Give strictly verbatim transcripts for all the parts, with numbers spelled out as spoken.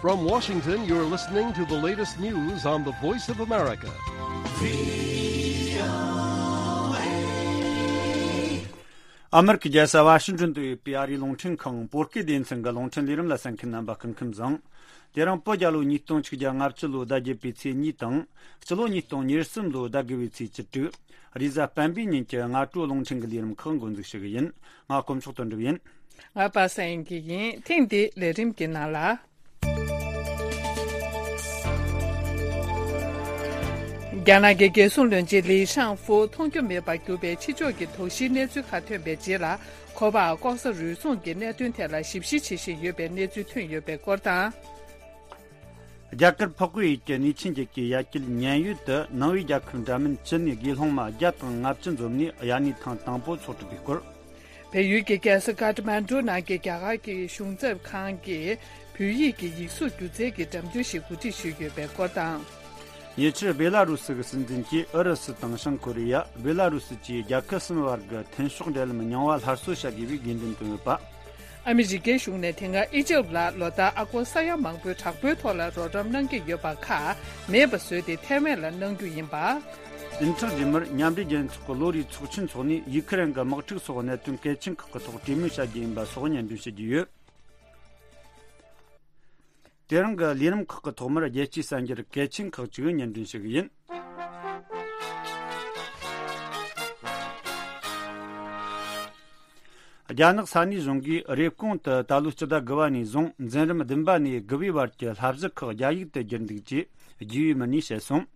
From Washington, you're listening to the latest news on the Voice of America. ཨ་མེ་རི་ཁའི་རྒྱལ་ས་ཝ་ཤིང་ཏོན་དུ་ཡོད་པའི་ཨ་རིའི་རླུང་འཕྲིན་ཁང་བོད་སྐད་སྡེ་ཚན་གྱི་རླུང་འཕྲིན་ལས་རིམ་ལ་གསན་མཁན་རྣམ་པ་སྐུ་ཁམས་བཟང་། དེ་རིང་བོད་རྒྱལ་ལོ་ཉིས་སྟོང་ཆིག་བརྒྱ་ལྔ་བཅུ་ལོའི་ཟླ་བརྒྱད་པའི་ཚེས་གཉིས་དང་། སྤྱི་ལོ་ཉིས་སྟོང་ཉེར་གསུམ་ལོའི་ཟླ་དགུ་བའི་ཚེས་བཅུ་དྲུག་རེས་གཟའ་སྤེན་པའི་ཉིན་གྱི་སྔ་དྲོ་རླུང་འཕྲིན་གྱི་ལས་རིམ་ཁག་འགོ་འཛུགས་ཞུ་གི་ཡིན། ང་དཀོན་མཆོག་དོན་གྲུབ་ཡིན། ང་པ་སངས་སྐྱིད་ཡིན། ཐེངས་འདིའི་ལས་རིམ་གྱི་ནང་ལ། རྒྱ་ནག་གི་རྒྱལ་སྲུང་བློན་ཆེན་ལི་ཤང་ཧྥུ་མཐོང་རྒྱུ་མེད་པར་གྱུར་པའི་ཕྱི་ཕྱོགས་ཀྱི་དོགས་གཞིའི་གནས་ཚུལ་ཁག་ཐོན་པའི་རྗེས་ལ། ཁོ་པ་ལྐོག་ཟ་རུལ་སུངས་ཀྱི་གནད་དོན་ཐད་ལ་ཞིབ་བཤེར་བྱེད་བཞིན་ཡོད་པའི་གནས་ཚུལ་ཐོན་ཡོད་པའི་སྐོར་དང་། རྒྱ་གར་འཕགས་པའི་ཡུལ་གྱི་ནུས་ཆེན་རྒྱལ་ཁབ་ཀྱི་ཡ་གྱལ་ཉན་ཡུལ་དུ་ནང་པའི་རྒྱལ་ཁབ་འདྲ་མིན་བཅུ་ནས་དགེ་སློང་མ་བརྒྱ་དང་ལྔ་བཅུ་འཛོམས་ནས་དབྱར་གནས་ཐེངས་དང་པོ་འཚོགས་གྲུབ་པའི་སྐོར། བལ་ཡུལ་གྱི་རྒྱལ་ས་ཀ་ཐ་མན་གྲུ་ནང་གི་རྒྱ་གར་གྱི་གཞུང་ཚབ་ཁང་གིས་བོད་ཡིག་གི་ཡིག་གཟུགས་སྒྱུ་རྩལ་གྱི་འགྲེམས་སྟོན་ཞིག་གོ་སྒྲིག་ཞུས་ཡོད་པའི་སྐོར་དང་། ཉེ་ཆར་བེ་ལ་རུ་སི་གི་སྲིད་འཛིན་གྱིས་ཨུ་རུ་སུ་དང་བྱང་ཀོ་རི་ཡ། བེ་ལ་རུ་སི་བཅས་རྒྱལ་ཁབ་གསུམ་བར་གྱི་མཐུན་ཕྱོགས་འབྲེལ་ལམ་རྙིང་བ་སླར་གསོ་བྱ་དགོས་པའི་དགོས་འདུན་བཏོན་ཡོད་པ། ཨ་མི་རི་ཀའི་གཞུང་ནས་དེ་སྔ་ཨི་ཇེབ་ལ་ལོ་ལྟར་ཨ་སྒོར་ས་ཡ་མང་པོའི་དྲག་པོའི་ཐོག་ལ་རོགས་རམ་གནང་གི་ཡོད་པ་ཁག་མེད་པ་བཟོས་ཏེ་ཐའེ་ཝན་ལ་གནང་རྒྱུ་ཡིན་པ། བདུན་ཕྲག་རྗེས་མར་མཉམ་འབྲེལ་རྒྱལ་ཚོགས་ཀྱི་ལོ་རེའི་ཚོགས་ཆེན་འཚོགས་ནས་ཡུ་ཁུ་རེན་གྱི་དམག་འཁྲུག་སོགས་གནད་དོན་གལ་ཆེན་ཁག་གི་ཐོག་གྲོས་མོལ་བྱ་རྒྱུ་ཡིན་པ་སོགས་སྙན་སྒྲོན་ཞུ་རྒྱུ་ཡོད། དེ་རིང་གི་ལས་རིམ་ཁག་གི་ཐོག་མར་རྒྱལ་སྤྱིའི་གསར་འགྱུར་གལ་ཆེན་ཁག་ཅིག་སྙན་སྒྲོན་ཞུ་གི་ཡིན། རྒྱ་ནག་ས་གནས་གཞུང་གིས་རེབ་གོང་དུ་ད་ལོའི་སྤྱི་ཟླ་དགུ་བ་ནས་བཟུང་འཛིན་རིམ་བདུན་པ་ནས་དགུ་བའི་བར་གྱི་བསླབ་གཞི་ཁག་རྒྱ་ཡིག་ཏུ་བསྒྱུར་འདུག་ཅེས་རྒྱུས་ཡོད་མི་སྣས་བཤད་སོང་།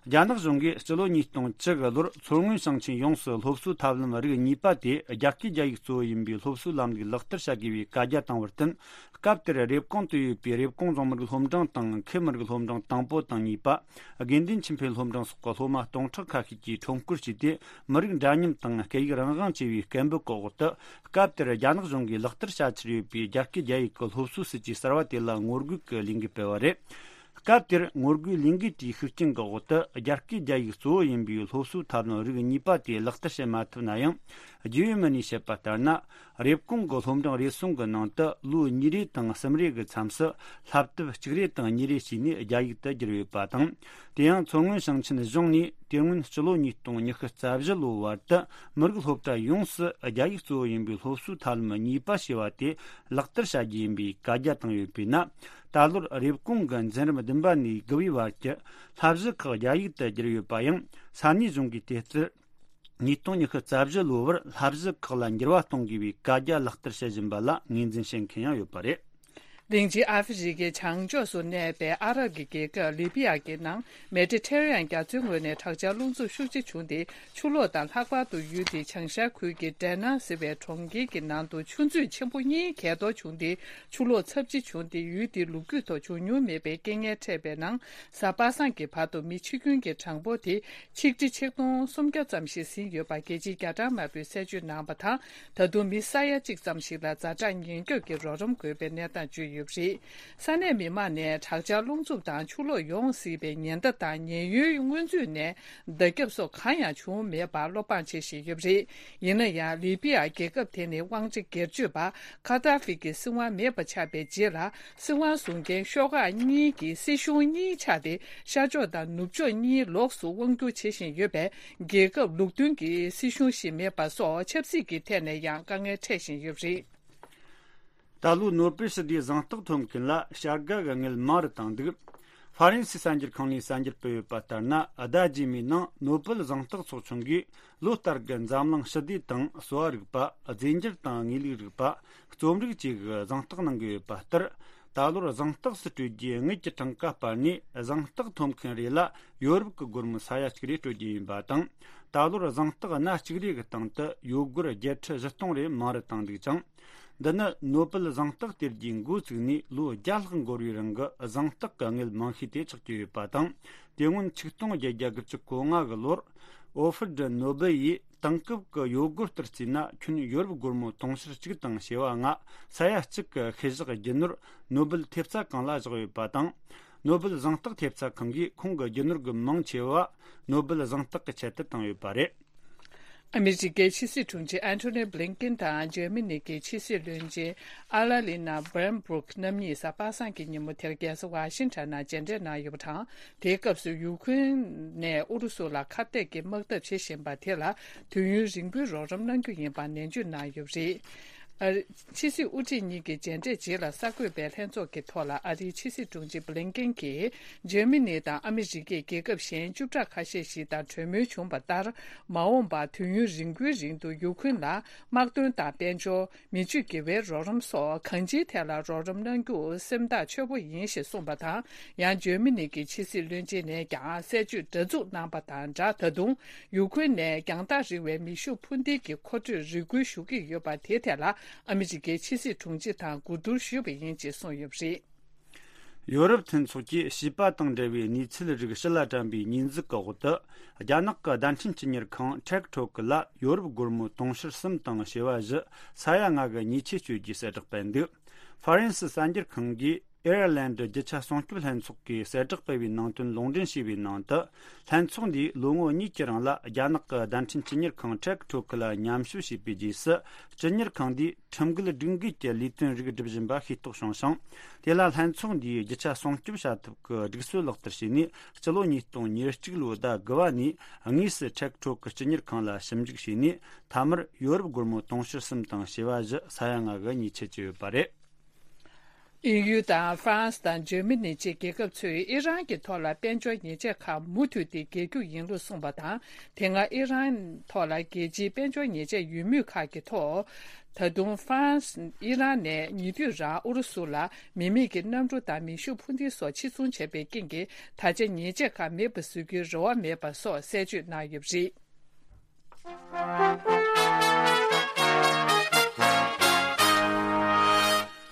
རྒྱ་ནག་གཞུང་གིས་སྤྱི་ལོ་ཉིས་སྟོང་བཅུ་གི་ལོར་མཚོ་སྔོན་ཞིང་ཆེན་ཡོངས་སུ་སློབ་གསོའི་ཐབས་ལམ་རིགས་གཉིས་པ་དེ་རྒྱ་སྐད་རྒྱ་ཡིག་གཙོ་བོ་ཡིན་པའི་སློབ་གསོའི་ལམ་ལུགས་ལག་བསྟར་བྱ་དགོས་པའི་བཀའ་རྒྱ་བཏང་བར་བརྟེན། སྐབས་དེར་རེབ་གོང་དུ་ཡོད་པའི་རེབ་གོང་རྫོང་མི་རིགས་སློབ་འབྲིང་དང་ཁུལ་མི་རིགས་སློབ་འབྲིང་དང་པོ་དང་གཉིས་པ། དགེ་འདུན་ཆོས་འཕེལ་སློབ་འབྲིང་སོགས་ཀྱི་སློབ་མ་སྟོང་ཕྲག་ཁ་ཤས་ཀྱིས་ཁྲོམ་སྐོར་བྱས་ཏེ། མི་རིགས་འདྲ་མཉམ་དང་སྐད་ཡིག་རང་དབང་བཅས་པའི་སྐད་འབོད་ཀྱི་འོག་ཏུ། སྐབས་དེར་རྒྱ་ནག་གཞུང་གིས་ལག་བསྟར་བྱ་འཆར་ཡོད་པའི་རྒྱ་སྐད་རྒྱ་ཡིག་གི་སློབ་གསོའི་སྲིད་ཇུས་གསར་བ་དེ་ལ་ངོ་རྒོལ་གྱི་ལས་འགུལ་སྤེལ་བ་རེད། སྐབས་དེར་ངོ་རྒོལ་ལས་འགུལ་དེའི་ཤུགས་རྐྱེན་གྱི་འོག་ཏུ། རྒྱ་སྐད་རྒྱ་ཡིག་གཙོ་བོ་ཡིན་པའི་སློབ་གསོའི་ཐབས་ལམ་རིགས་གཉིས་པ་དེ་ལག་བསྟར་བྱེད་མ་ཐུབ་ན་ཡང་། རྒྱུས་ཡོད་མི་སྣས་བཤད་པ་ལྟར་ན། རེབ་གོང་གི་སློབ་འབྲིང་རེ་ཟུང་གི་ནང་དུ་ལོ་གཉིས་རེ་དང་གསུམ་རེ་གི་མཚམས་སུ་བསླབ་དེབ་གཅིག་རེ་དང་གཉིས་རེ་བྱས་ནས་རྒྱ་ཡིག་ཏུ་བསྒྱུར་ཡོད་པ་དང་། དེ་ཡང་མཚོ་སྔོན་ཞིང་ཆེན་གཞུང་ནས་དེ་སྔོན་སྤྱི་ལོ་ཉིས་སྟོང་ཉི་ཤུ་རྩ་བཞི་ལོའི་བར་དུ་མི་རིགས་སློབ་གྲྭ་ཡོངས་སུ་རྒྱ་ཡིག་གཙོ་བོ་ཡིན་པའི་སློབ་གསོའི་ཐབས་ལམ་གཉིས་པ་ཞེས་པ་དེ་ལག་བསྟར་བྱ་རྒྱུ་ཡིན་པའི་བཀའ་རྒྱ་བཏང་ཡོད་པས་ན། ད་ལོར་རེབ་གོང་གི་འཛིན་རིམ་བདུན་པ་ནས་དགུ་པའི་བར་གྱི་བསླབ་གཞི་ཁག་རྒྱ་ཡིག་ཏུ་བསྒྱུར་ཡོད་པ་ཡང་། ས་གནས་གཞུང་གིས་དེ་ལྟར། ཉིས་སྟོང་ཉི་ཤུ་རྩ་བཞི་ལོའི་བར་བསླབ་གཞི་ཁག་ལ་འགྱུར་བ་གཏོང་དགོས་པའི་བཀའ་རྒྱ་ལག་བསྟར་བྱེད་བཞིན་པ་ལ་ངོས་འཛིན་བྱེད་མཁན་ཡང་ཡོད་པ་རེད། དེང་ཕྱིན་ཨ་ཧྥེ་རི་ཁའི་བྱང་ཕྱོགས་སུ་གནས་པའི་ཨ་རབ་ཀྱི་རྒྱལ་ཁབ་ལི་བི་ཡ་གི་ནང་མེ་ཏི་ཐེ་རེ་ཡན་རྒྱ་མཚོའི་ངོས་ནས་དྲག་ཆར་རླུང་འཚུབ་ཤུགས་ཆེ་བྱུང་སྟེ། ཆུ་ལོག་དང་། ལྷག་པར་དུ་ཡུལ་དེའི་བྱང་ཤར་ཁུལ་གྱི་ཌེ་ན་ཟེར་བའི་གྲོང་ཁྱེར་གྱི་ནང་དུ་ཆུ་མཛོད་ཆེན་པོ་གཉིས་གས་གཏོར་བྱུང་སྟེ། ཆུ་ལོག་ཚབས་ཆེ་བྱུང་སྟེ། ཡུལ་དེའི་ལོ་རྒྱུས་ཐོག་བྱུང་མྱོང་མེད་པའི་རྐྱེན་ངན་འཕྲད་པའི་ནང་། གཟའ་པ་སངས་ཀྱི་བར་དུ་མི་འཆི་སྐྱོན་གྱི་གྲངས་འབོར་དེ་ཆིག་ཁྲི་ཆིག་སྟོང་སུམ་བརྒྱ་ཙམ་ཞིག་ཟིན་ཡོད་པ་རྒྱལ་སྤྱིའི་རྒྱ་གྲམ་དམར་པོས་གསལ་བརྗོད་གནང་བ་དང་། ད་དུང་མི་ས་ཡ་གཅིག་ཙམ་ཞིག་ལ་ཛ་དྲག་ཉེན་སྐྱོབ་ཀྱི་རོགས་རམ་དགོས་པའི་གནས་སྟངས་བརྗོད་ཡོད་པ་རེད། ས་གནས་མི་མང་ནས་དྲག་ཆར་རླུང་འཚུབ་དང་ཆུ་ལོག་ཡོང་སྲིད་པའི་ཉེན་བརྡ་དང་ཉེན་གཡོལ་སྔོན་ཚུད་ནས་བརྡ་ཁྱབ་སོགས་གང་ཡང་བྱུང་མེད་པར་བློ་ཕམ་བྱེད་བཞིན་ཡོད་པ་རེད། ཡིན་ན་ཡང་ལི་བི་ཡ་རྒྱལ་ཁབ་དེ་ནི་དབང་ཆ་སྒེར་གཅོད་པ་ཁ་ཏ་ཧྥི་གི་སྲིད་དབང་མེད་པ་ཆགས་པའི་རྗེས་ལ། སྲིད་དབང་བཟུང་མཁན་ཤོག་ཁག་གཉིས་ཀྱི་སྲིད་གཞུང་གཉིས་ཆགས་ཏེ། ཤར་ཕྱོགས་དང་ནུབ་ཕྱོགས་གཉིས་ལོགས་སུ་དབང་བསྒྱུར་བྱེད་བཞིན་ཡོད་པས། རྒྱལ་ཁབ་ལུགས་མཐུན་གྱི་སྲིད་གཞུང་ཞིག་མེད་པ་སོགས་ཆབ་སྲིད་ཀྱི་ཐད་ནས་ཡང་དཀའ་ངལ་འཕྲད་བཞིན་ཡོད་པ་རེད། ད་ལོའི་ནོ་པེལ་ཞི་བདེའི་གཟེངས་རྟགས་ཐོབ་མཁན་ལ་བྱ་དགའ་གི་དངུལ་མང་རུ་བཏང་འདུག་ཧྥ་རན་སིའི་གསར་འགྱུར་ཁང་ནས་གསར་འགྱུར་སྤེལ་ཡོད་པ་ལྟར་ན། ཟླ་རྗེས་མའི་ནང་ནོ་པེལ་གཟེངས་རྟགས་ཚོགས་ཆུང་གིས་ལོ་ལྟར་གྱི་འཛམ་གླིང་ཞི་བདེ་དང་གསོ་བ་རིག་པ། རྫས་འགྱུར་དང་དངོས་ལུགས་རིག་པ། རྩོམ་རིག་བཅས་ཀྱི་གཟེངས་རྟགས་གནང་གི་ཡོད་པ་ལྟར། ད་ལོར་གཟེངས་རྟགས་སུ་སྤྲོད་རྒྱུའི་དངུལ་གྱི་གྲངས་ཀ་སྤར་ནས། གཟེངས་རྟགས་ཐོབ་མཁན་རེ་ལ་ཡོ་རོབ་ཀྱི་སྒོར་མོ་ས་ཡ་གཅིག་རེ་སྤྲོད་རྒྱུ་ཡིན་པ་དང་། ད་ལོར་གཟེངས་རྟགས་སྣ་གཅིག་རེ་གི་སྟེང་དུ་ཡོ་སྒོར་བརྒྱད་ཁྲི་བཞི་སྟོང་རེ་མང་རུ་བཏང་འདུག་ཅིང་། འདི་ནི་ནོ་པེལ་གཟེངས་རྟགས་སྟེར་རྒྱུའི་འགོ་བཙུགས་ནས་ལོ་བརྒྱ་ལྷག་འགོར་བའི་རིང་གི་གཟེངས་རྟགས་ཀྱི་དངུལ་མང་ཤོས་དེ་ཆགས་ཀྱི་ཡོད་པ་དང་། དེ་སྔོན་ཆིག་སྟོང་བརྒྱད་བརྒྱ་དགུ་བཅུ་གོ་ལྔ་གི་ལོར། ཨོ་ཧྥེ་ཌི་ནོ་བེལ་ཡིས་དེང་སྐབས་ཀྱི་ཡོ་སྒོར་ལྟར་བརྩིས་ན་ཁྱོན་ཡོ་རོབ་སྒོར་མོ་དུང་ཕྱུར་གཅིག་དང་བྱེ་བ་ལྔ། ས་ཡ་གཅིག་གི་ཤུལ་བཞག་རྒྱུ་ནོར་ནོ་བེལ་ཐེབས་རྩ་ཁང་ལ་བཞག་ཡོད་པ་དང་། ནོ་བེལ་གཟེངས་རྟགས་ཐེབས་རྩ་ཁང་གིས་ཁོང་གི་རྒྱུ་ནོར་གྱི་མང་ཆེ་བ་ནོ་བེལ་གཟེངས་རྟགས་ཀྱི་ཆེད་དུ་བཏང་ཡོད་པ་རེད། ཨ་མི་རི་ཀའི་ཕྱི་སྲིད་དྲུང་ཆེ་ཨན་ཐོ་ནི་བྷི་ལིན་ཀིན་དང་འཇར་མ་ནི་གི་ཕྱི་སྲིད་བློན་ཆེན་ཨ་ལ་ལི་ན་བྷེརན་སྦུག་རྣམ་གཉིས་གཟའ་པ་སངས་ཀྱི་ཉིན་མོ་དེར་རྒྱལ་ས་ཝ་ཤིང་ཊོན་ནང་མཇལ་འཕྲད་གནང་ཡོད་པ་དང་། དེའི་སྐབས་སུ་ཡུ་ཁུན་ནས་ཨུ་རུ་སུ་ལ་ཁ་གཏད་ཀྱི་དམག་འཐབ་བྱེད་བཞིན་པ་དེ་ལ་དུས་ཡུན་རིང་པོའི་རོགས་རམ་གནང་རྒྱུ་ཡིན་པ་ནན་བརྗོད་གནང་ཡོད་པ་རེད། ཨ། ཕྱི་སྲིད་དབུ་ཁྲིད་གཉིས་ཀྱི་མཇལ་འཕྲད་རྗེས་ལ་གསར་འགོད་པའི་ལྷན་ཚོགས་ཀྱི་ཐོག་ལ་ཨ་རིའི་ཕྱི་སྲིད་དྲུང་ཆེ་བྷི་ལིན་ཀིན་གྱིས། འཇར་མ་ནི་དང་ཨ་མི་རི་ཀས་རྒྱལ་ཁབ་གཞན་བཅུ་ཕྲག་ཁ་ཤས་ཤིག་དང་གྲོས་མོལ་བྱུང་བ་ལྟར། མ་འོངས་པར་དུས་ཡུན་རིང་པོའི་རིང་དུ་ཡུ་ཁུན་ལ་དམག་དོན་དང་དཔལ་འབྱོར། མི་ཆོས་དགེ་བའི་རོགས་རམ་སོགས་གང་ཅིའི་ཐད་ལ་རོགས་རམ་གནང་རྒྱུ་སེམས་ཐག་ཆོད་པོ་ཡིན་ཞེས་གསུངས་པ་དང་། ཡང་འཇར་མ་ནི་གི་ཕྱི་སྲིད་བློན་ཆེན་ནས་ཀྱང་གསལ་བརྗོད་འདྲ་མཚུངས་གནང་པ་དང་སྦྲགས། ད་དུང་ཡུ་ཁུན་ནས་རྒྱང་ཐག་རིང་བའི་མེ་ཤུགས་འཕུར་མདེལ་གྱི་མཁོ་སྤྲོད་རེ་སྐུལ་ཞུ་གི་ཡོད་པ་དེའི་ཐད་ལ་ཨ་མི་རི་ཀའི་ཕྱི་སྲིད་དྲུང་ཆེ་དང་གོ་བསྡུར་ཞུས་པ་ཡིན་ཅེས་གསུངས་ཡོད་པ་རེད། ཡོ་རོབ་མཐུན་ཚོགས་ཀྱིས་བྱིས་པ་དང་འབྲེལ་བའི་གནས་ཚུལ་རིགས་ཕྱི་ལ་དྲན་པའི་ཉེས་འཛུགས་ཀྱི་འོག་ཏུ། རྒྱ་ནག་གི་བརྡ་འཕྲིན་སྤྱི་གཉེར་ཁང་ཊེག་ཊོག་ལ་ཡོ་རོབ་སྒོར་མོ་དུང་ཕྱུར་གསུམ་དང་བྱེ་བ་བཞི་ས་ཡ་ལྔ་གི་ཉེས་ཆད་གཅོད་རྒྱུའི་གསལ་བསྒྲགས་སྤེལ་འདུག་ཧྥ་རན་སི་གསར་འགྱུར་ཁང་གིས་ཨེར་ལན་ཌི་རྒྱུ་ཆ་སྲུང་སྐྱོབ་ལྷན་ཚོགས་ཀྱིས་གསལ་བསྒྲགས་སྤེལ་བའི་ནང་དོན་ལུང་འདྲེན་བྱས་པའི་ནང་དུ། ལྷན་ཚོགས་འདིས་ལོ་ངོ་གཉིས་ཀྱི་རིང་ལ་རྒྱ་ནག་གི་བརྡ་འཕྲིན་སྤྱི་གཉེར་ཁང་ཊེག་ཊོག་ལ་ཉམས་ཞིབ་བྱས་པའི་རྗེས་སུ། སྤྱི་གཉེར་ཁང་འདིས་ཁྲིམས་འགལ་སྒྲིག་འགལ་གྱི་ལས་དོན་རིགས་སྒྲུབ་བཞིན་པ་ཤེས་རྟོགས་བྱུང་ཞིང་། དེ་ལ་ལྷན་ཚོགས་འདིས་རྒྱུ་ཆ་སྲུང་སྐྱོབ་བྱ་ཐབས་ཀྱི་སྒྲིག་སྲོལ་ལག་བསྟར་བྱས་ནས། སྤྱི་ལོ་ཉིས་སྟོང་ཉེར་གཅིག་ལོའི་ཟླ་དགུ་པ་ནས་དངོས་སུ་ཊེག་ཊོག་གི་སྤྱི་གཉེར་ཁང་ལ་ཞིབ་འཇུག་བྱས་ནས། མཐའ་མར་ཡོ་རོབ་སྒོར་མོ་དུང་ཕྱུར་གསུམ་དང་བྱེ་བ་བཞི་ས་ཡ་ལྔ་གི་ཉེས་ཆད་བཅད་ཡོད་པ་རེད། དབྱིན་ཡུལ་དང་ཧྥ་རན་སི་དང་འཇར་མ་ནི་བཅས་རྒྱལ་ཁབ་ཚོས་ཨི་རན་གྱི་ཐོག་ལ་དཔལ་འབྱོར་ཉེས་ཆད་ཁག་མུ་མཐུད་དེ་འགེལ་རྒྱུ་ཡིན་ལུགས་གསུངས་པ་དང་། དེ་སྔ་ཨི་རན་ཐོག་ལ་རྒྱལ་སྤྱིའི་དཔལ་འབྱོར་ཉེས་ཆད་ཡོད་མུས་ཁག་གི་ཐོག་ད་དུང་ཧྥ་རན་སི་ཨི་རན་ནས་ཉེ་དུས་རང་ཨུ་རུ་སུ་ལ་མི་མེད་ཀྱི་གནམ་གྲུ་དང་མེ་ཤུགས་འཕུར་མདེལ་སོགས་ཕྱིར་ཚོང་བྱས་པའི་རྐྱེན་གྱིས། ད་ཆ་ཉེས་ཆད་ཁག་མེད་པ་བཟོ་རྒྱུའི་རེ་བ་མེད་པ་སོགས་གསལ་བརྗོད་གནང་ཡོད་པ་རེད།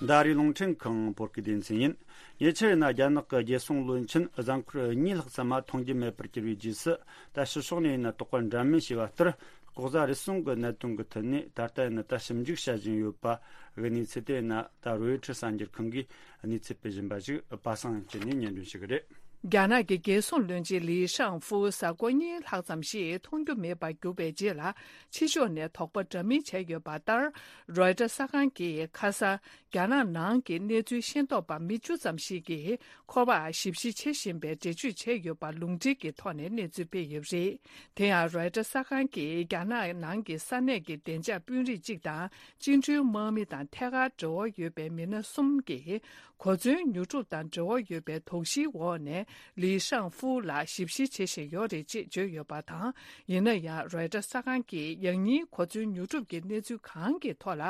འདི་ཨ་རིའི་རླུང་འཕྲིན་ཁང་བོད་སྐད་སྡེ་ཚན་ཡིན། ཉེ་ཆར་ཡིན་ན་རྒྱ་ནག་གི་རྒྱལ་སྲུང་བློན་ཆེན་གཟའ་འཁོར་གཉིས་ལྷག་ཙམ་མ་མཐོང་རྒྱུ་མེད་པར་གྱུར་བའི་རྗེས་སུ། ད་ཕྱི་ཕྱོགས་ནས་ཡིན་ན་དོགས་པ་འདྲ་མིན་བྱས་པ་ལྟར། ལྐོག་ཟ་རུལ་སུངས་ཀྱི་གནད་དོན་གྱི་ཐད་ནས་ད་ལྟ་ཡིན་ན་ད་ཞིབ་འཇུག་བྱ་བཞིན་ཡོད་པ་གི་གནས་ཚུལ་དེ་ཡིན་ན་ད་རོའི་ཊར་གསར་འགྱུར་ཁང་གིས་གནས་ཚུལ་སྤེལ་བཞིན་པ་ཞིག་པ་སངས་ཅན་ནས་སྙན་སྒྲོན་ཞུ་གི་རེད། རྒྱ་ནག་གི་རྒྱལ་སྲུང་བློན་ཆེན་ལི་ཤང་ཧྥུ་གཟའ་འཁོར་གཉིས་ལྷག་ཙམ་ཞིག་མཐོང་རྒྱུ་མེད་པར་གྱུར་པའི་རྗེས་ལ། ཕྱི་ཕྱོགས་ནས་དོགས་པ་འདྲ་མིན་བྱས་ཡོད་པ་ལྟར། རོའི་ཊར་གསར་ཁང་གིས་ཁ་སང་རྒྱ་ནག་ནང་གི་གནས་ཚུལ་ཤེས་རྟོགས་པ་མི་བཅུ་ཙམ་ཞིག་གིས་ཁོ་པར་ཞིབ་བཤེར་བྱེད་བཞིན་པའི་འགྲེལ་བརྗོད་བྱས་ཡོད་པ་ལུང་འདྲེན་གྱི་ཐོག་ནས་གནས་ཚུལ་སྤེལ་ཡོད་པ་རེད། དེ་ཡང་རོའི་ཊར་གསར་ཁང་གིས་རྒྱ་ནག་ནང་གི་ས་གནས་ཀྱི་བདེ་འཇགས་དཔོན་རིགས་གཅིག་དང་། བཅིངས་འགྲོལ་དམག་མི་དང་ཐད་ཀར་འབྲེལ་བ་ཡོད་པའི་མི་སྣ་གསུམ་གྱིས། གོ་མཚོན་ཉོ་སྒྲུབ་དང་འབྲེལ་བ་ཡོད་པའི་དོགས་གཞིའི་འོག་ནས་ལི་ཤང་ཧྥུ་ལ་ཞིབ་བཤེར་བྱེད་བཞིན་ཡོད་རེད་ཅེས་བརྗོད་ཡོད་པ་དང་། ཡིན་ན་ཡང་རོའི་ཊར་གསར་ཁང་གིས་ཡང་སྙིང་གོ་མཚོན་ཉོ་སྒྲུབ་ཀྱི་གནས་ཚུལ་གང་གི་ཐོག་ལ་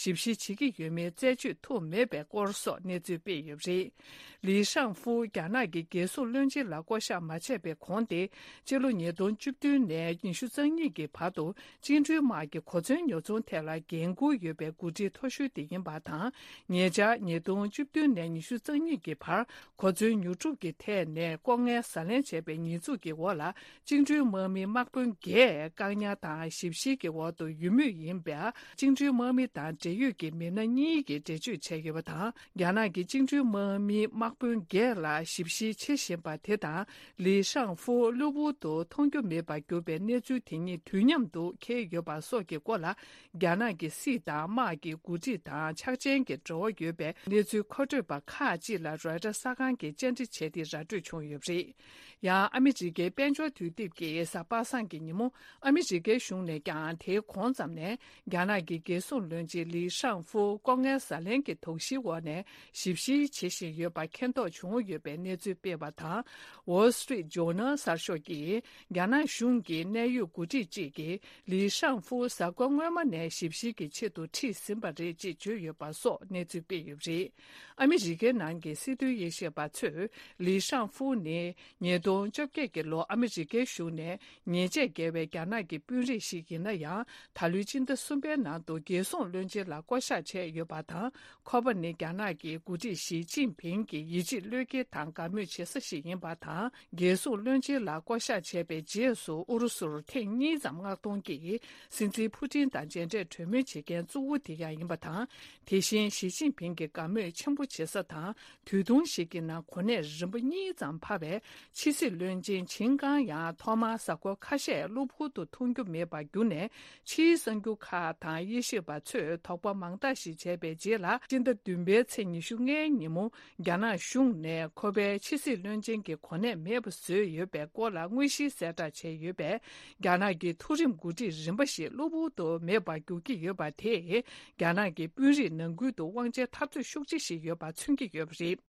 ཞིབ་བཤེར་བྱེད་ཀྱི་ཡོད་མེད་རྩད་གཅོད་ཐུབ་མེད་པའི་སྐོར་སོགས་གནས་ཚུལ་སྤེལ་ཡོད་པ་རེད། ལི་ཤང་ཧྥུ་རྒྱ་ནག་གི་རྒྱལ་སྲུང་བློན་ཆེན་ལ་བསྐོ་གཞག་མ་བྱས་པའི་གོང་སྟེ། སྤྱི་ལོ་ཉིས་སྟོང་བཅུ་བདུན་ནས་ཉི་ཤུ་རྩ་གཉིས་ཀྱི་བར་དུ། བཅིངས་འགྲོལ་དམག་གི་གོ་མཚོན་ཉོ་ཚོང་ཐད་ལ་འགན་འཁུར་ཡོད་པའི་འགོ་ཁྲིད་མཐོ་ཤོས་དེ་ཡིན་པ་དང་། ཉེ་ཆར་ཉིས་སྟོང་བཅུ་བདུན་ནས་ཉི་ཤུ་རྩ་གཉིས་ཀྱི་བར་གོ་མཚོན་ཉོ་སྒྲུབ་ཀྱི་ཐད་ནས་ལྐོག་རྔན་ཟ་ལེན་བྱས་པའི་ཉེས་འཛུགས་ཀྱི་འོག་ལ། བཅིངས་འགྲོལ་དམག་མི་དམག་དཔོན་བརྒྱད་བཀག་ཉར་དང་ཞིབ་བཤེར་གྱི་འོག་ཏུ་ཡོད་མུས་ཡིན་པས། བཅིངས་འགྲོལ་དམག་མི་དང་འབྲེལ་ཡོད་ཀྱི་མི་སྣ་གཉིས་ཀྱིས་འགྲེལ་བརྗོད་བྱས་ཡོད་པ་དང་། རྒྱ་ནག་གི་བཅིངས་འགྲོལ་དམག་མི་དམག་དཔོན་བརྒྱད་ལ་ཞིབ་བཤེར་བྱེད་བཞིན་པ་དེ་དང་། ལི་ཤང་ཧྥུ་གློ་བུར་དུ་མཐོང་རྒྱུ་མེད་པར་གྱུར་པའི་གནས་ཚུལ་དེ་གཉིས་དུས་མཉམ་དུ་འཁེལ་ཡོད་པ་སོགས་ཀྱི་སྐོར་ལ། རྒྱ་ནག་གི་སྲིད་དང་དམག་གི་འགོ་ཁྲིད་དང་ཕྱག་ཆེན་གྱི་འབྲེལ་བ་ཡོད་པའི་གནས་ཚུལ་མཁོ་སྤྲོད་པ་ཁག་ཅིག་ལ་རོའི་ཊར་གསར་ཁང་གིས་བཅར་འདྲི་བྱས་ཏེ་ར་སྤྲོད་བྱུང་ཡོད་པ་རེད། ཡང་ཨ་མི་རི་ཀའི་དཔལ་འབྱོར་དུས་དེབ་ཀྱིས་གཟའ་པ་སངས་ཀྱི་ཉིན་མོ། ཨ་མི་རི་ཀའི་གཞུང་ནས་ཀྱང་དེའི་གོང་ཙམ་ནས། རྒྱ་ནག་གི་རྒྱལ་སྲུང་བློན་ཆེན་ལི་ཤང་ཧྥུ་ལྐོག་རྔན་ཟ་ལེན་གྱི་དོགས་གཞིའི་འོག་ནས་ཞིབ་བཤེར་བྱེད་བཞིན་ཡོད་པ་མཁྱེན་རྟོགས་བྱུང་ཡོད་པའི་གནས་ཚུལ་སྤེལ་བ་དང་། Wall Street Journal གསར་ཤོག་གིས་རྒྱ་ནག་གཞུང་གི་གནད་ཡོད་འགོ་ཁྲིད་ཅིག་གིས་ལི་ཤང་ཧྥུ་གཟའ་འཁོར་སྔོན་མ་ནས་ཞིབ་བཤེར་གྱི་ཆེད་དུ་ཁྲིད་ཟིན་པ་རེད་ཅེས་བརྗོད་ཡོད་པ་སོགས་གནས་ཚུལ་སྤེལ་ཡོད་པ་རེད། ཨ་མི་རི་ཀའི་ནང་གི་སྲིད་དོན་དབྱེ་ཞིབ་པ་ཚོས་ལི་ཤང་ཧྥུ་ནི་ཉིས་སྟོང་བཅོ་བརྒྱད་ཀྱི་ལོ་ཨ་མི་རི་ཀའི་གཞུང་ནས། ཉེས་ཆད་འགེལ་བའི་རྒྱ་ནག་གི་དཔོན་རིགས་ཤིག་ཡིན་ན་ཡང་། ད་ལོའི་སྤྱི་ཟླ་གསུམ་པའི་ནང་དུ་རྒྱལ་སྲུང་བློན་ཆེན་ལ་བསྐོ་གཞག་བྱས་ཡོད་པ་དང་། ཁོ་པ་ནི་རྒྱ་ནག་གི་འགོ་ཁྲིད་ཞི་ཅིན་ཕིང་གི་ཡིད་ཆེས་བློས་འགེལ་དང་དགའ་མོས་བྱེད་ས་ཞིག་ཡིན་པ་དང་། རྒྱལ་སྲུང་བློན་ཆེན་ལ་བསྐོ་གཞག་བྱས་པའི་རྗེས་སུ་ཨུ་རུ་སུར་ཐེངས་གཉིས་ཙམ་མངགས་གཏོང་གིས་སྲིད་འཛིན་ཕུ་ཏིན་དང་མཇལ་འཕྲད་གྲོས་མོལ་བྱེད་མཁན་གཙོ་བོ་དེ་ཡང་ཡིན་པ་དང་། དེ་བཞིན་ཞི་ཅིན་ཕིང་གི་དགའ་མོས་ཆེན་པོ་བྱེད་ས་དང་། དུས་ཐུང་ཞིག་གི་ནང་གོ་གནས་རིམ་པ་གཉིས་ ཙམ་འཕར་བའི་ཕྱི་སྲིད་བློན་ཆེན་ཆིན་ཀང་ཡང་ཐོག་མར་གཟའ་འཁོར་ཁ་ཤས་གློ་བུར་དུ་མཐོང་རྒྱུ་མེད་པར་གྱུར་ནས། ཕྱིའི་གསར་འགྱུར་ཁག་དང་དབྱེ་ཞིབ་པ་ཚོས་དོགས་པ་མང་དག་ཞིག་བྱས་པའི་རྗེས་ལ། སྤྱི་ཟླ་བདུན་པའི་ཚེས་ཉི་ཤུ་ལྔའི་ཉིན་མོ། རྒྱ་ནག་གཞུང་ནས་ཁོ་པའི་ཕྱི་སྲིད་བློན་ཆེན་གྱི་གོ་གནས་མེད་པ་བཟོས་ཡོད་པའི་སྐོར་ལ་དངོས་གཞིའི་གསལ་བསྒྲགས་བྱས་ཡོད་པས། རྒྱ་ནག་གི་མཐོ་རིམ་འགོ་ཁྲིད་རིམ་པ་ཞིག་གློ་བུར་དུ་མེད་པར་འགྱུར་གྱི་ཡོད་པ་དེས། རྒྱ་ནག་གི་དཔོན་རིགས་ནང་ཁུལ་དུ་དབང་ཆའི་འཐབ་རྩོད་ཤུགས་ཆེ་ཞིག་ཡོད་པ་མཚོན་གྱི་ཡོད་པ་རེད།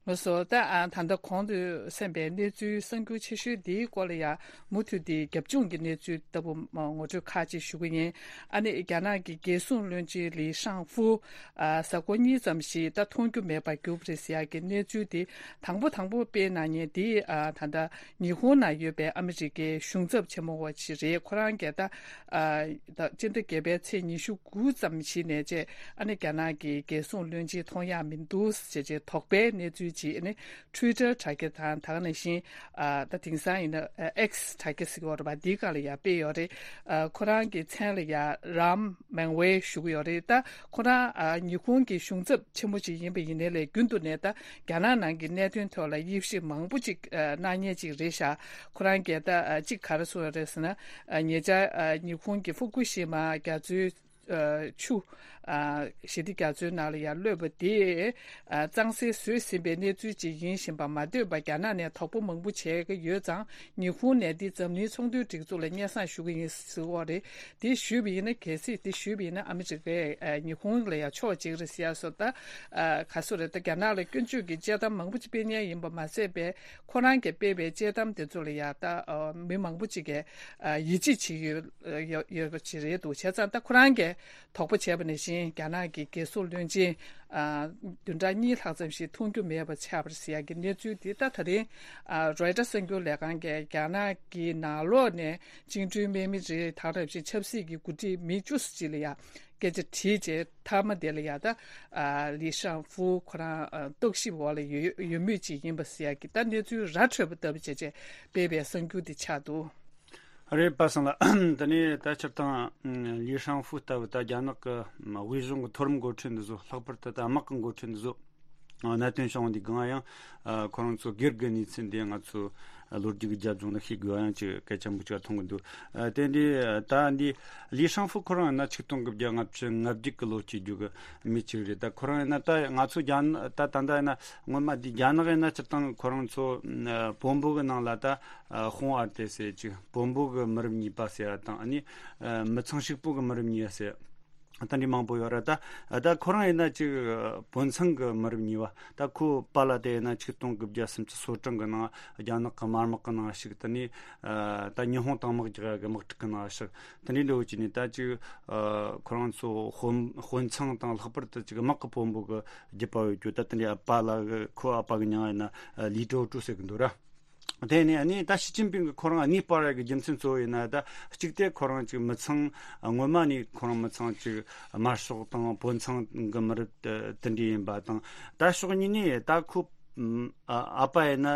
ལགས་སོ། ད་ཨ་ད་ལྟ་གོང་དུ་གསན་པའི་གནས་ཚུལ་གསར་འགྱུར་ཆེ་ཤོས་འདིའི་སྐོར་ལ་ཡང་མུ་མཐུད་དེ་རྒྱབ་ལྗོངས་ཀྱི་གནས་ཚུལ་ལྟ་བུ་ངོ་སྤྲོད་ཁག་ཅིག་ཞུ་གི་ཡིན། ཨ་ནི་རྒྱ་ནག་གི་རྒྱལ་སྲུང་བློན་ཆེན་ལི་ཤང་ཧྥུ། ཨ་གཟའ་འཁོར་གཉིས་ཙམ་ཞིག་ད་མཐོང་རྒྱུ་མེད་པར་གྱུར་པ་རེད་ཟེར་ཡག་གི་གནས་ཚུལ་དེ་དང་པོ་དང་པོ་སྤེལ་གནང་མཁན་དེ། ཨ་ད་ལྟ་ཉི་ཧོང་ན་ཡོད་པའི་ཨ་མི་རི་ཀའི་གཞུང་ཚབ་ཆེན་མོ་བ་ཞིག་རེད། ཁོ་རང་གིས་ད་ཨ་ད་སྤྱི་ཟླ་བརྒྱད་པའི་ཚེས་ཉི་ཤུ་དགུ་ཙམ་ཞིག་ནས་བཅས། ཨ་ནི་རྒྱ་ནག་གི་རྒྱལ་སྲུང་བློན་ཆེན་མཐོང་ཡག་མི་འདུག་ཅེས་ཅེས་དོགས་པའི་གནས་ཚུལ་ཅིག་ཨ་ནི་Twitter་དྲ་རྒྱ་དང་། ད་ག་ནང་བཞིན་ཨ་ད་དེང་སང་ཡིན་ན་X་དྲ་རྒྱ་ཟེར་གྱི་ཡོད་རེད་པ། འདིའི་སྒང་ལ་ཡང་སྤེལ་ཡོད་རེད། ཨ་ཁོ་རང་གི་མཚན་ལ་ཡང་རམ་མེང་ཝེ་ཞུ་གི་ཡོད་རེད། ད་ཁོ་རང་ཨ་ཉི་ཧོང་གི་གཞུང་ཚབ་ཆེན་མོ་ཅིག་ཡིན་པ་ཡིན་ནའི་ལས། རྒྱུན་དུ་ནས་ད་རྒྱ་ནག་ནང་གི་གནད་དོན་ཐོག་ལ་དབྱེ་ཞིབ་མང་པོ་ཅིག་ཨ་གནང་མཁན་ཅིག་རེད་ཤག་ཁོ་རང་གིས་ད་ཨ་གཅིག་ག་རེ་གསུངས་ཡོད་རེད་ཟེར་ན། ཨ་ཉེ་ཆར་ཨ་ཉི་ཧོང་གི་ཧྥུ་ཀུ་ཤི་མ་རྒྱ་མཚོའི་ཨ་ཆུ་ཨ་ཞི་བདེ་རྒྱ་མཚོའི་ནང་ལ་ཡར་གློད་པ་དེ་ཨ་གཙང་སེལ་བཟོས་ཟིན་པའི་གནས་ཚུལ་ཅིག་ཡིན་བཞིན་པ་མ་ལྟོས་པར། རྒྱ་ནག་ནས་དོགས་པ་མང་པོ་བྱས་ཀྱི་ཡོད་ཙང་། ཉི་ཧོང་ནས་འདི་འཛམ་གླིང་ཚོང་དོན་སྒྲིག་འཛུགས་ལ་སྙན་སེང་ཞུ་གི་ཡིན་ཟེར་བ་རེད། དེ་ཞུས་པ་ཡིན་ན། གལ་སྲིད་དེ་ཞུས་པ་ཡིན་ན་ཨ་མི་རི་ཀས་ཨ་ཉི་ཧོང་ལ་ཡང་ཕྱོགས་གཅིག་རེད་ཟེར་ཡ་སོགས། ད་ཨ་ག་སོ་རེད། ད་རྒྱ་ནག་ལ་སྐྱོན་བརྗོད་ཀྱི་དཔྱད་གཏམ་མང་པོ་ཅིག་སྤེལ་མཁན་ཡིན་པ་མ་ཟད་པའི། ཁོ་རང་གིས་སྤེལ་བའི་དཔྱད་གཏམ་དེ་ཚོ་ལ་ཡང་ད་ཨ་མི་མང་པོ་ཅིག་གིས་ཨ་ཡིད་ཆེས་བྱེད་ཀྱི་ཡོད་ཡོད་ཡོད་པ་ཅིག་རེད་འདུག་བྱས་ཙང་ད་ཁོ་རང་གིས་དོགས་པ་བྱས་པ་ནང་བཞིན། རྒྱ་ནག་གི་རྒྱལ་སྲུང་བློན་ཆེན་ཨ་བདུན་ཕྲག་གཉིས་ལྷག་ཙམ་ཞིག་མཐོང་རྒྱུ་མེད་པ་ཆགས་པ་རེད་ཟེར་ཡག་གི་གནས་ཚུལ་འདི། ད་ད་རིང་ཨ་རོའི་ཊར་གསར་འགྱུར་ལས་ཁང་གིས་རྒྱ་ནག་གི་ནང་ལོགས་ནས་བཅིངས་འགྲོལ་དམག་མི་རེད། ད་ག་ནང་བཞིན་ཆབ་སྲིད་ཀྱི་འགོ་ཁྲིད་མི་བཅུ་ཙམ་ཅིག་ལ་ཡང་སྐད་ཆ་དྲིས་རྗེས། མཐའ་མ་དེ་ལ་ཡང་ད་ཨ་ལི་ཤང་ཧྥུ་ཁོ་རང་ཨ་རྟོག་ཞིབ་འོག་ལ་ཡོད་ཡོད་མུས་ཅིག་ཡིན་པ་ཟེར་ཡག་གི་ད་གནས་ཚུལ་ར་འཕྲོད་པ་ལྟ་བུ་བྱས་རྗེས་སྤེལ་བའི་གསར་འགྱུར་དེ་ཆགས་འདུག་རེད་པ་སང་ལ། དེ་ནས་ད་སྤྱིར་བཏང་ལི་ཤང་ཧྥུ་ལྟ་བུ་ད་རྒྱ་ནག་གི་དབུས་གཞུང་གི་མཐོ་རིམ་འགོ་ཁྲིད་འདི་ཚོ། ལྷག་པར་དུ་ད་དམག་གི་འགོ་ཁྲིད་འདི་ཚོ་གནད་དོན་བྱུང་བ་འདི་གང་ཡང་ཁོ་རང་ཚོ་སྒེར་གྱི་གནས་ཚུལ་འདི་ང་ཚོ་ལོ་རྒྱུས་ཀྱི་རྒྱབ་ལྗོངས་ལ་ཤེས་དགོས་ཡང་ཅིག་གལ་ཆེན་པོ་ཅིག་མཐོང་གི་འདུག་དེ་འདི་ད་འདི་ལི་ཤང་ཧྥུ་ཁོ་རང་ཡིན་ན་ཆིག་སྟོང་དགུ་བརྒྱ་ལྔ་བཅུ་ང་བརྒྱད་ཀྱི་ལོ་སྐྱེས་རྒྱུ་གི་མི་ཅིག་རེད། ད་ཁོ་རང་ཡིན་ན་ད་ང་ཚོ་རྒྱ་ནག་ད་ད་ལྟ་ཡིན་ན་སྔོན་མ་འདི་རྒྱ་ནག་ཡིན་ན་སྤྱིར་བཏང་ཁོ་རང་ཚོ་བོན་པོ་གི་ནང་ལ་ད་ཧོང་ཨར་ཏེ་ཟེར་ཅིག་བོན་པོ་གི་མི་རབས་གཉིས་པ་ཟེར་ཡ་དང་། ཨ་ནི་མི་ཚང་ཕྱུག་པོ་གི་མི་རབས་གཉིས་པ་ཟེར། ད་འདི་མང་པོ་ཡོད་ར། ད་ད་ཁོ་རང་ཡིན་ན་ཅིག་བོན་ཚང་གི་མི་རབས་གཉིས་པ། ད་ཁོ་པཱ་ལགས་དེ་ཡིན་ན་ཆིག་སྟོང་དགུ་བརྒྱ་སུམ་ཅུ་སོ་གྲངས་གི་ནང་རྒྱ་ནག་གི་དམར་དམག་གི་ནང་ཞུགས། དེ་ནས་ད་ཉི་ཧོང་དང་དམག་རྒྱག་གི་དམག་འཁྲུག་གི་ནང་ཞུགས། དེ་འདྲའི་འདྲ་བོ་ཅིག་ནས་ད་ཅིག་ཁོ་རང་ཚོ་དཔོན་དཔོན་ཚང་དང་། ལྷག་པར་དུ་ཅིག་དམག་གི་དཔོན་པོ་གི་རྒྱུད་པ་ཡོད་རྒྱུ། ད་དེ་འདྲའི་ཨ་པཱ་ལགས་གི་ཁོ་ཨ་ཕ་གི་མྱིང་ཡིན་ན་ལི་ཀྲོའུ་ཀྲོའུ་ཟེར་གི་འདུག་ར། དེ་ནས་ཨ་ནི་ད་ཞི་ཅིན་ཕིང་གིས་ཁོ་རང་གནས་སྤར་ཡ་གི་རྒྱུ་མཚན་གཙོ་བོ་ཡིན་ན། ད་གཅིག་དེ་ཁོ་རང་ཅིག་མི་ཚང་། སྔོན་མ་ནས་ཁོ་རང་མི་ཚང་ཅིག་དམར་ཤོག་དང་བོན་ཚང་གི་མི་རབས་དེ་འདྲ་ཡིན་པ་དང་། ད་ཕྱོགས་གཉིས་ནས་ད་ཁོ་ཨ་ཨ་ཕ་ཡིན་ན་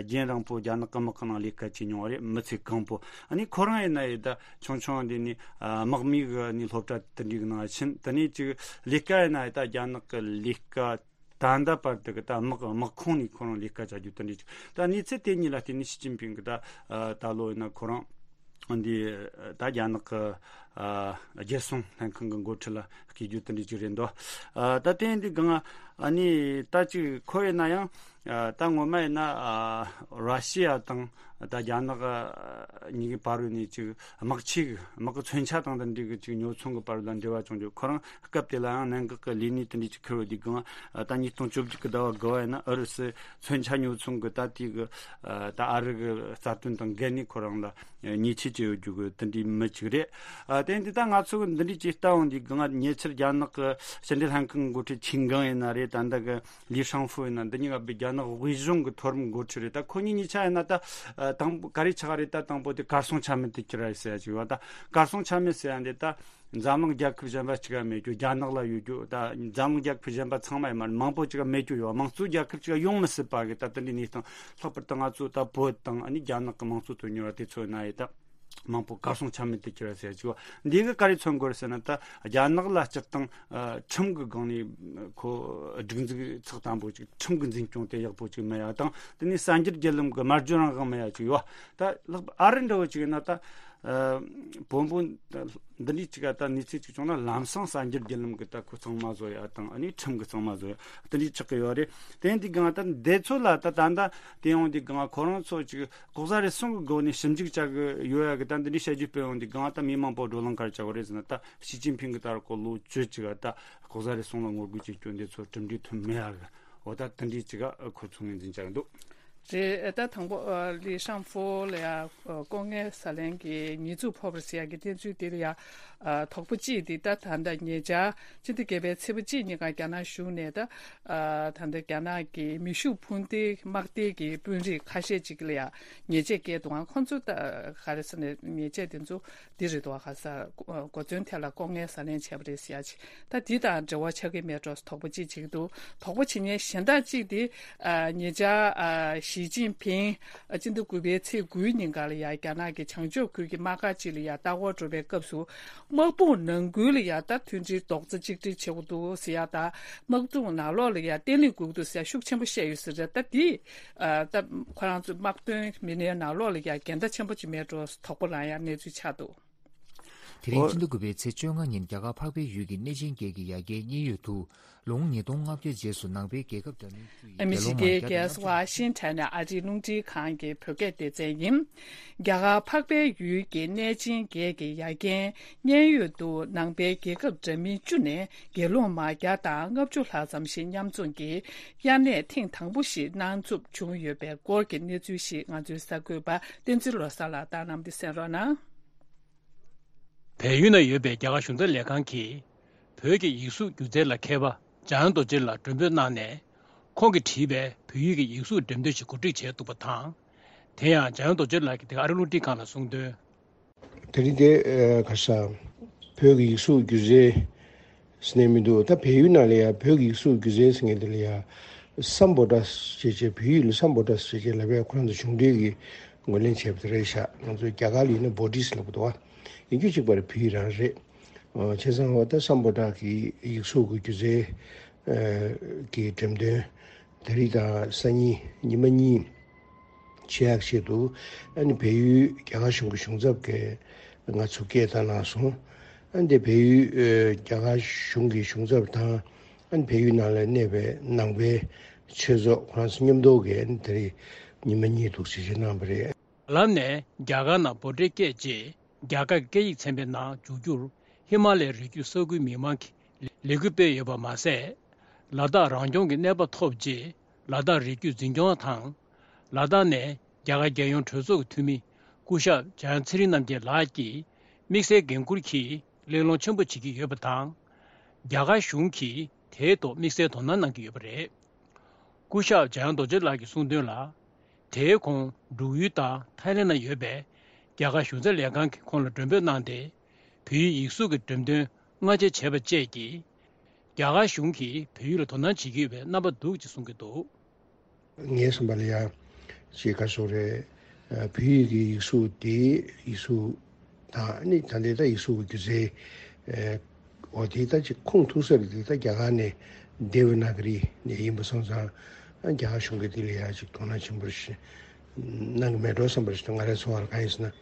རྒྱུན་རིང་པོ་རྒྱ་ནག་གི་དམག་གི་ནང་ལས་ཀ་བྱས་མྱོང་བ་རེད། མི་ཚེ་གང་པོ། ཨ་ནི་ཁོ་རང་ཡིན་ན་ཡི་ད་ཆུང་ཆུང་དེ་ནས་དམག་མི་གི་ནས་སློབ་གྲྭ་དེ་འདྲའི་གི་ནང་ཕྱིན། དེ་ནས་ཅིག་ལས་ཀ་ཡིན་ན་ཡི་ད་རྒྱ་ནག་གི་ལས་ཀ་ད་ལྟ་བར་དུ་གི་ད་དམག་དམག་ཁོངས་ནས་ཁོ་རང་ལས་ཀ་བྱ་རྒྱུ་དེ་འདྲ་ཅིག་ད་གནས་ཚུལ་དེ་གཉིས་ལ་བརྟེན་ནས་ཞི་ཅིན་ཕིང་གིས་ད་ད་ལོ་ཡིན་ན་ཁོ་རང་འདི་ད་རྒྱ་ནག་གི་རྒྱལ་སྲུང་ལྷན་ཁང་གི་འགོ་ཁྲིད་ལ་བསྐོས་རྒྱུ་དེ་འདྲ་ཅིག་རེད་འདུག་ད་དེ་འདི་གང་ཨ་ནི་ད་ཅིག་ཁོ་ཡིན་ན་ཡང་ད་ངོ་མ་ཡིན་ན་ར་ཤི་ཡ་དང་ད་རྒྱ་ནག་གཉིས་ཀྱི་བར་ནས་ཅིག་དམག་ཆས་ཀྱི་དམག་གི་མཚོན་ཆ་དང་དེ་འདྲའི་གི་ཅིག་ཉོ་ཚོང་གི་བར་ལ་འབྲེལ་བ་བྱུང་རྒྱུ། ཁོ་རང་སྐབས་དེ་ལ་ཡང་གནད་འགག་གི་ལས་གནས་དེ་འདྲ་ཅིག་འཁུར་བ་དེ་གང་ད་ཉིས་སྟོང་བཅོ་བརྒྱད་ཀྱི་ཟླ་བ་དགུ་བ་ཡིན་ན་ཨུ་རུ་སུའི་མཚོན་ཆ་ཉོ་ཚོང་གི་ད་དེ་གི་ད་ཨ་རི་གི་རྩ་དོན་དང་འགལ་ནས་ཁོ་རང་ལ་ཉེས་ཆད་བཅད་ཡོད་རྒྱུ་གི་དེ་འདྲའི་མི་ཅིག་རེད། ཨ་དེ་འདི་ད་ང་ཚོ་གི་འདི་འདྲའི་ཅིག་ལྟ་འོང་དུས་གང་ཉེ་ཆར་རྒྱ་ནག་གི་ཕྱི་འབྲེལ་ལྷན་ཁང་གི་འགོ་ཁྲིད་ཆིན་ཀང་ཡིན་ན་རེད། ད་ལྟ་གི་ལི་ཧྲང་ཧྥུ་ཡིན་ན། འདི་གཉིས་ཀ་བའི་རྒྱ་ནག་དབུས་གཞུང་གི་མཐོ་རིམ་འགོ་ཁྲིད་རེད། ད་ཁོ་གཉིས་གཉིས་ཆ་ཡིན་ན་ད་ཨ་དང་པོ་ག་རེ་ཆགས་རེད། ད་དང་པོ་དེ་གར་སོང་ཆ་མེད་དུ་གྱུར་རེད་ཟེར་ཡ་ཅིག་ཡོད། ད་གར་སོང་ཆ་མེད་ཟེར་ཡ་འདི་ད་འཛམ་གླིང་རྒྱལ་ཁབ་གཞན་པ་གཅིག་ག་མེད་རྒྱུ། རྒྱ་ནག་ལ་ཡོད་རྒྱུ། ད་འཛམ་གླིང་རྒྱལ་ཁབ་གཞན་པ་ཚང་མ་ཡིན་མ་རེད། མང་པོ་གཅིག་ག་མེད་རྒྱུ་ཡོད། དམངས་གཙོའི་རྒྱལ་ཁབ་གཅིག་ག་ཡོང་མི་སྲིད་པ་གི་ད་དེ་འདྲའི་གནས་སྟངས། ལྷག་པར་དུ་ང་ཚོ་ད་བོད་དང་ཨ་ནི་རྒྱ་ནག་གི་དམངས་གཙོ་དོན་གཉེར་བ་དེ་ཚོ་ཡིན་ན་ཡི་ད། མང་པོ་གར་སོང་ཆ་མེད་དུ་གྱུར་བ་ཟེར་ཡ་ཅིག་ཡོད། འདི་གི་ག་རེ་མཚོན་དགོས་རེད་ཟེར་ན། ད་རྒྱ་ནག་ལ་སྤྱིར་བཏང་ཁྲིམས་ཀྱི་སྒང་ནས་ཁོ་སྒྲིག་འཛུགས་ཚགས་དམ་པོ་ཅིག་ཁྲིམས་ཀྱི་འཛིན་སྐྱོང་དེ་ཡག་པོ་ཅིག་མེད་ཡ་དང་། དེ་ནས་གསར་འགྱུར་བརྒྱུད་ལམ་གྱི་སྨྲ་བརྗོད་རང་དབང་མེད་ཡ་ཅིག་ཡོད། ད་ལྷག་པར་ཨ་རི་འདྲ་བོ་ཅིག་ཡིན་ན། ད་བོད་པོ་འདི་འདྲའི་ཅིག་ད་གནས་ཚུལ་ཅིག་བྱུང་ན། ལམ་སང་གསར་འགྱུར་བརྒྱུད་ལམ་གྱི་ད་ཁོ་གཙང་མ་བཟོ་ཡ་དང་། ཨ་ནི་ཁྲིམས་ཀྱི་གཙང་མ་བཟོ་ཡ་དེ་འདྲའི་ཆགས་ཀྱི་ཡོད་རེད། དེ་འདི་སྒང་ད་འདི་ཚོ་ལ་ད་ད་ད་དེ་ཡོང་དུས་སྒང་ཁོ་རང་ཚོ་ཅིག་ལྐོག་ཟ་རུལ་སུངས་ཀྱི་སྒོ་ནས་ཞིབ་འཇུག་བྱ་གི་ཡོད་ཡ་གི་ད་འདི་འདྲའི་བཤད་རྒྱུ་སྤེལ་ཡོང་དུས་སྒང་། ད་མི་མང་པོ་བགྲོ་གླེང་ག་རེ་བྱ་དགོས་རེད་ཟེར་ན། ད་ཞི་ཅིན་ཕིང་གི་ད་རུང་ཁོ་ལོ་བཅུ་ཅིག་ད་ལྐོག་ཟ་རུལ་སུངས་ལ་ངོ་རྒོལ་ཅིག་བསྐྱོན་དུས་ཚོ་གྲུབ་འབྲས་ཐོན་མེད་ཡ་གི། འོ་ད་དེ་འདྲའི་ཅིག་ཁོ་ཚོ་ངོས་འཛིན་བྱ་གི་འདུག་རེད། ད་དང་པོ་ལི་ཧྲང་ཧྥོ་ལ་ཡ་ལྐོག་རྔན་ཟ་ལེན་གྱི་ཉེས་འཛུགས་ཕོག་པ་རེད་ཟེར་ཡ་གི་བསྟན་ཚུལ་དེ་ལ་ཡ། དོགས་པ་གཅིག་དེ་ད་ད་ལྟ་ཉེ་ཆར་སྤྱི་ཟླ་བརྒྱད་པའི་ཚེས་པ་གཅིག་ཉིན་ཀ་རྒྱ་ནག་གཞུང་ནས། ད་ད་ལྟ་རྒྱ་ནག་གི་མེ་ཤུགས་འཕུར་མདེལ་དམག་སྡེ་གི་དཔོན་རིགས་ཁ་ཤས་ཅིག་ལ་ཡ་ཉེས་ཆད་བཀལ་འདུག་ཨང་། ཁོང་ཚོ་ད་ག་རེ་ཟེར་ནས་ཉེས་ཆད་དེ་ཚོ་འདི་རེད་འདུག་ག་ས་གོ་མཚོན་ཐད་ལ་ལྐོག་རྔན་ཟ་ལེན་བྱས་པ་རེད་ཟེར་ཡ་ཅིག་ད་འདི་དང་འབྲེལ་བ་ཆགས་ཀྱི་མེད་འགྲོ་དོགས་པ་ཅིག་བྱེད་ཀྱི་འདུག་དོགས་པ་བྱེད་མཁན་གཞན་དག་ཅིག་དེ། ཉེ་ཆར་ཞི་ཅིན་ཕིང་སྤྱི་ཟླ་དགུ་པའི་ཚེས་དགུའི་ཉིན་ཀ་ལ་ཡ་རྒྱ་ནག་གི་བྱང་ཕྱོགས་ཁུལ་གྱི་དམག་སྒར་ཅིག་ལ་ཡ་ལྟ་སྐོར་འགྲོ་བའི་སྐབས་སུ། དམག་དཔུང་ནང་ཁུལ་ལ་ཡ་ད་མཐུན་སྒྲིལ་རྡོག་རྩ་གཅིག་སྒྲིལ་བྱེད་དགོས་འདུག་ཟེར་ཡ་དང་། དམག་དཔུང་ནང་ལོགས་ལ་ཡ་བརྟན་ལྷིང་དགོས་ཀྱི་འདུག་ཟེར་ཡ་ཤུགས་ཆེན་པོ་བཤད་ཡོད་ས་རེད། ད་དེ་ད་ཁོ་རང་ཚོའི་དམག་དོན་མི་སྣའི་ནང་ལོགས་ལ་ཡ་འགལ་ཟླ་ཆེན་པོ་ཅིག་མེད་འགྲོ་དོགས་པ་ལངས་ཡ་གནས་ཚུལ་ཆགས་འདུག་དེ་རིང་ཕྱི་ཟླ་དགུ་པའི་ཚེས་བཅོ་ལྔ་ཉིན་རྒྱ་གར་འཕགས་པའི་ཡུལ་གྱི་གནས་ཆེན་བརྒྱད་ཀྱི་ཡ་གྱལ་མཉན་ཡོད་དུ། ལོ་ངོ་ཉིས་སྟོང་ལྔ་བརྒྱ་རྗེས་སུ་ནང་པའི་རྒྱལ་ཁབ་འདྲ་མིན་བཅུ་ཡི་ཨ་མི་རི་ཀའི་རྒྱལ་ས་ཝ་ཤིང་ཊོན་ནས་ཨ་རིའི་རླུང་འཕྲིན་ཁང་གི་བོད་སྐད་སྡེ་ཚན་ཡིན། རྒྱ་གར་འཕགས་པའི་ཡུལ་གྱི་གནས་ཆེན་བརྒྱད་ཀྱི་ཡ་གྱལ་མཉན་ཡོད་དུ་ནང་པའི་རྒྱལ་ཁབ་འདྲ་མིན་བཅུ་ནས་དགེ་སློང་མ་བརྒྱ་དང་ལྔ་བཅུ་ལྷག་ཙམ་ཞིག་མཉམ་འཛོམས་ཀྱིས་དབྱར་གནས་ཐེངས་དང་པོ་ཞིག་གནང་ཚུགས་བྱུང་ཡོད་པའི་སྐོར་གྱི་གནས་ཚུལ་ཞིག་ང་ཚོའི་གསར་འགོད་པ་བསྟན་འཛིན་བློ་བཟང་ལགས་བཏང་གནང་སྟེ་གསན་རོགས་གནང་། བལ་ཡུལ་ན་ཡོད་པའི་རྒྱ་གར་གཞུང་ཚབ་ལས་ཁང་གིས་བོད་ཀྱི་ཡིག་གཟུགས་སྒྱུ་རྩལ་ལ་མཁས་པ་འཇམ་དབྱངས་རྡོ་རྗེ་ལགས་མགྲོན་འབོད་གནང་ནས། ཁོང་གིས་བྲིས་པའི་བོད་ཡིག་གི་ཡིག་གཟུགས་འགྲེམས་སྟོན་ཞིག་གོ་སྒྲིག་བྱས་འདུག་པ་དང་། དེ་ཡང་འཇམ་དབྱངས་རྡོ་རྗེ་ལགས་ཀྱིས་དེ་ག་ཨ་རི་རླུང་འཕྲིན་ཁང་ལ་གསུངས་དོན། དེ་རིང་དེ་ཨ་ག་ས་བོད་ཀྱི་ཡིག་གཟུགས་སྒྱུ་རྩལ་ཟེར་ནས་མི་འདུག་ད་བལ་ཡུལ་ནང་ལ་ཡ་བོད་ཀྱི་ཡིག་གཟུགས་སྒྱུ་རྩལ་ཟེར་མཁན་དེ་ལ་ཡ་སམ་བྷོ་ཊ་ཟེར་བྱས། བོད་ཡིག་ལ་སམ་བྷོ་ཊ་ཟེར་བྱས་ལབ་པས། ཁོ་རང་ཚོ་གཞུང་འབྲེལ་གྱི་ངོས་ལེན་བྱས་པ་དེ་རེད་ཤག་ང་ཚོ་རྒྱ་གར་ལ་ཡིན་ན་བྷོ་ཊི་ཟེར་ལབ་ཀྱི་འདུག་བ། ཡིན་རྒྱུ་གཅིག་པ་རེད། བོད་ཡིག་རང་རེད། ཨོ། བྱས་ཙང་འོ་ད་སམ་བྷོ་ཊ་གི་ཡིག་གཟུགས་ཀྱི་སྒྱུ་རྩལ་ཨ་གྱི་འགྲེམས་སྟོན་དེ་རིང་དང་སང་ཉིན་ཉི་མ་གཉིས་བྱེད་ཡག་ཆེད་དུ། ཨ་ནི་བལ་ཡུལ་རྒྱ་གར་གཞུང་གི་གཞུང་ཚབ་ཀྱིས་ང་ཚོ་སྐད་བཏང་གནང་སོང་། ཨ་ནི་དེ་བལ་ཡུལ་ཨ་རྒྱ་གར་གཞུང་གི་གཞུང་ཚབ་དང་། ཨ་ནི་བལ་ཡུལ་ནང་ལ་གནས་པའི་ནང་པའི་ཆོས་ཚོགས་ཁོ་རང་ཚོ་མཉམ་དུ་གིས་ཨ་ནི་དེ་རིང་ཉི་མ་གཉིས་འདུག་སེ་བྱས་གནང་བ་རེད། ལམ་ནས་རྒྱ་གར་ནང་བྷོ་ཊའི་སྐད་ཅེས་རྒྱ་གར་གྱི་སྐད་ཡིག་ཚན་པའི་ནང་འཇུག་རྒྱུར་ཧི་མ་ལའི་རི་རྒྱུད་ས་ཁུལ་མི་མང་གིས་ལས་འགུལ་སྤེལ་ཡོད་པ་མ་ཟད། ལ་དྭགས་རང་སྐྱོང་གི་གནས་བབ་ཐོབ་རྗེས་ལ་དྭགས་རི་རྒྱུད་འཛིན་སྐྱོང་དང་། ལ་དྭགས་ནས་རྒྱ་གར་རྒྱལ་ཡོངས་གྲོས་ཚོགས་ཀྱི་འཐུས་མི་སྐུ་ཞབས་འཇམ་དབྱངས་ཚེ་རིང་རྣམ་རྒྱལ་ལགས་ཀྱིས་དམིགས་བསལ་འགན་འཁུར་གྱིས་གླེང་སློང་ཆེན་པོ་བྱེད་ཀྱི་ཡོད་པ་དང་། རྒྱ་གར་གཞུང་གིས་དེའི་ཐོག་དམིགས་བསལ་དོ་སྣང་གནང་གི་ཡོད་པ་རེད། སྐུ་ཞབས་འཇམ་དབྱངས་རྡོ་རྗེ་ལགས་ཀྱིས་གསུངས་དོན་ལ། དེའི་གོང་འབྲུག་ཡུལ་དང་ཐའི་ལེན་ན་ཡོད་པའི་རྒྱ་གར་གཞུང་ཚབ་ལས་ཁང་གིས་ཁོང་ལ་མགྲོན་འབོད་གནང་སྟེ། བོད་ཡིག་ཡིག་གཟུགས་ཀྱི་འགྲེམས་སྟོན་སྔ་རྗེས་བྱས་པ་བཅས་ཀྱིས། རྒྱ་གར་གཞུང་གིས་བོད་ཡིག་ལ་དོ་སྣང་བྱེད་ཀྱི་ཡོད་པའི་རྣམ་པ་འདུག་ཅེས་གསུང་གི་འདུག་ངའི་བསམ་པ་ལ་ཡ། ཅིག་ག་སོགས་རེད། ཨ། བོད་ཡིག་གི་ཡིག་གཟུགས་དེ་ཡིག་གཟུགས་དང་ནི་ད་ལྟའི་ད་ཡིག་གཟུགས་ཀྱི་སྒྱུ་རྩལ། ཨ། འོ་དེ་ད་ཅིག་ཁུངས་ཐུག་ས་རེད། དེ་ད་རྒྱ་གར་ནས་དེ་ཝི་ན་ག་རི་ནས་ཡིན་པ་སོང་ཙང་། ཨ། རྒྱ་གར་གཞུང་གིས་དེ་ལ་ཡ་ཅིག་དོ་སྣང་ཆེན་པོ་ཞིག་གནང་གི་མེད་འགྲོ་བསམ་པ་ཞིག་འདུག་ང་རའི་ཚོར་བ་ལ་གང་ཡིན་ཟེར་ན།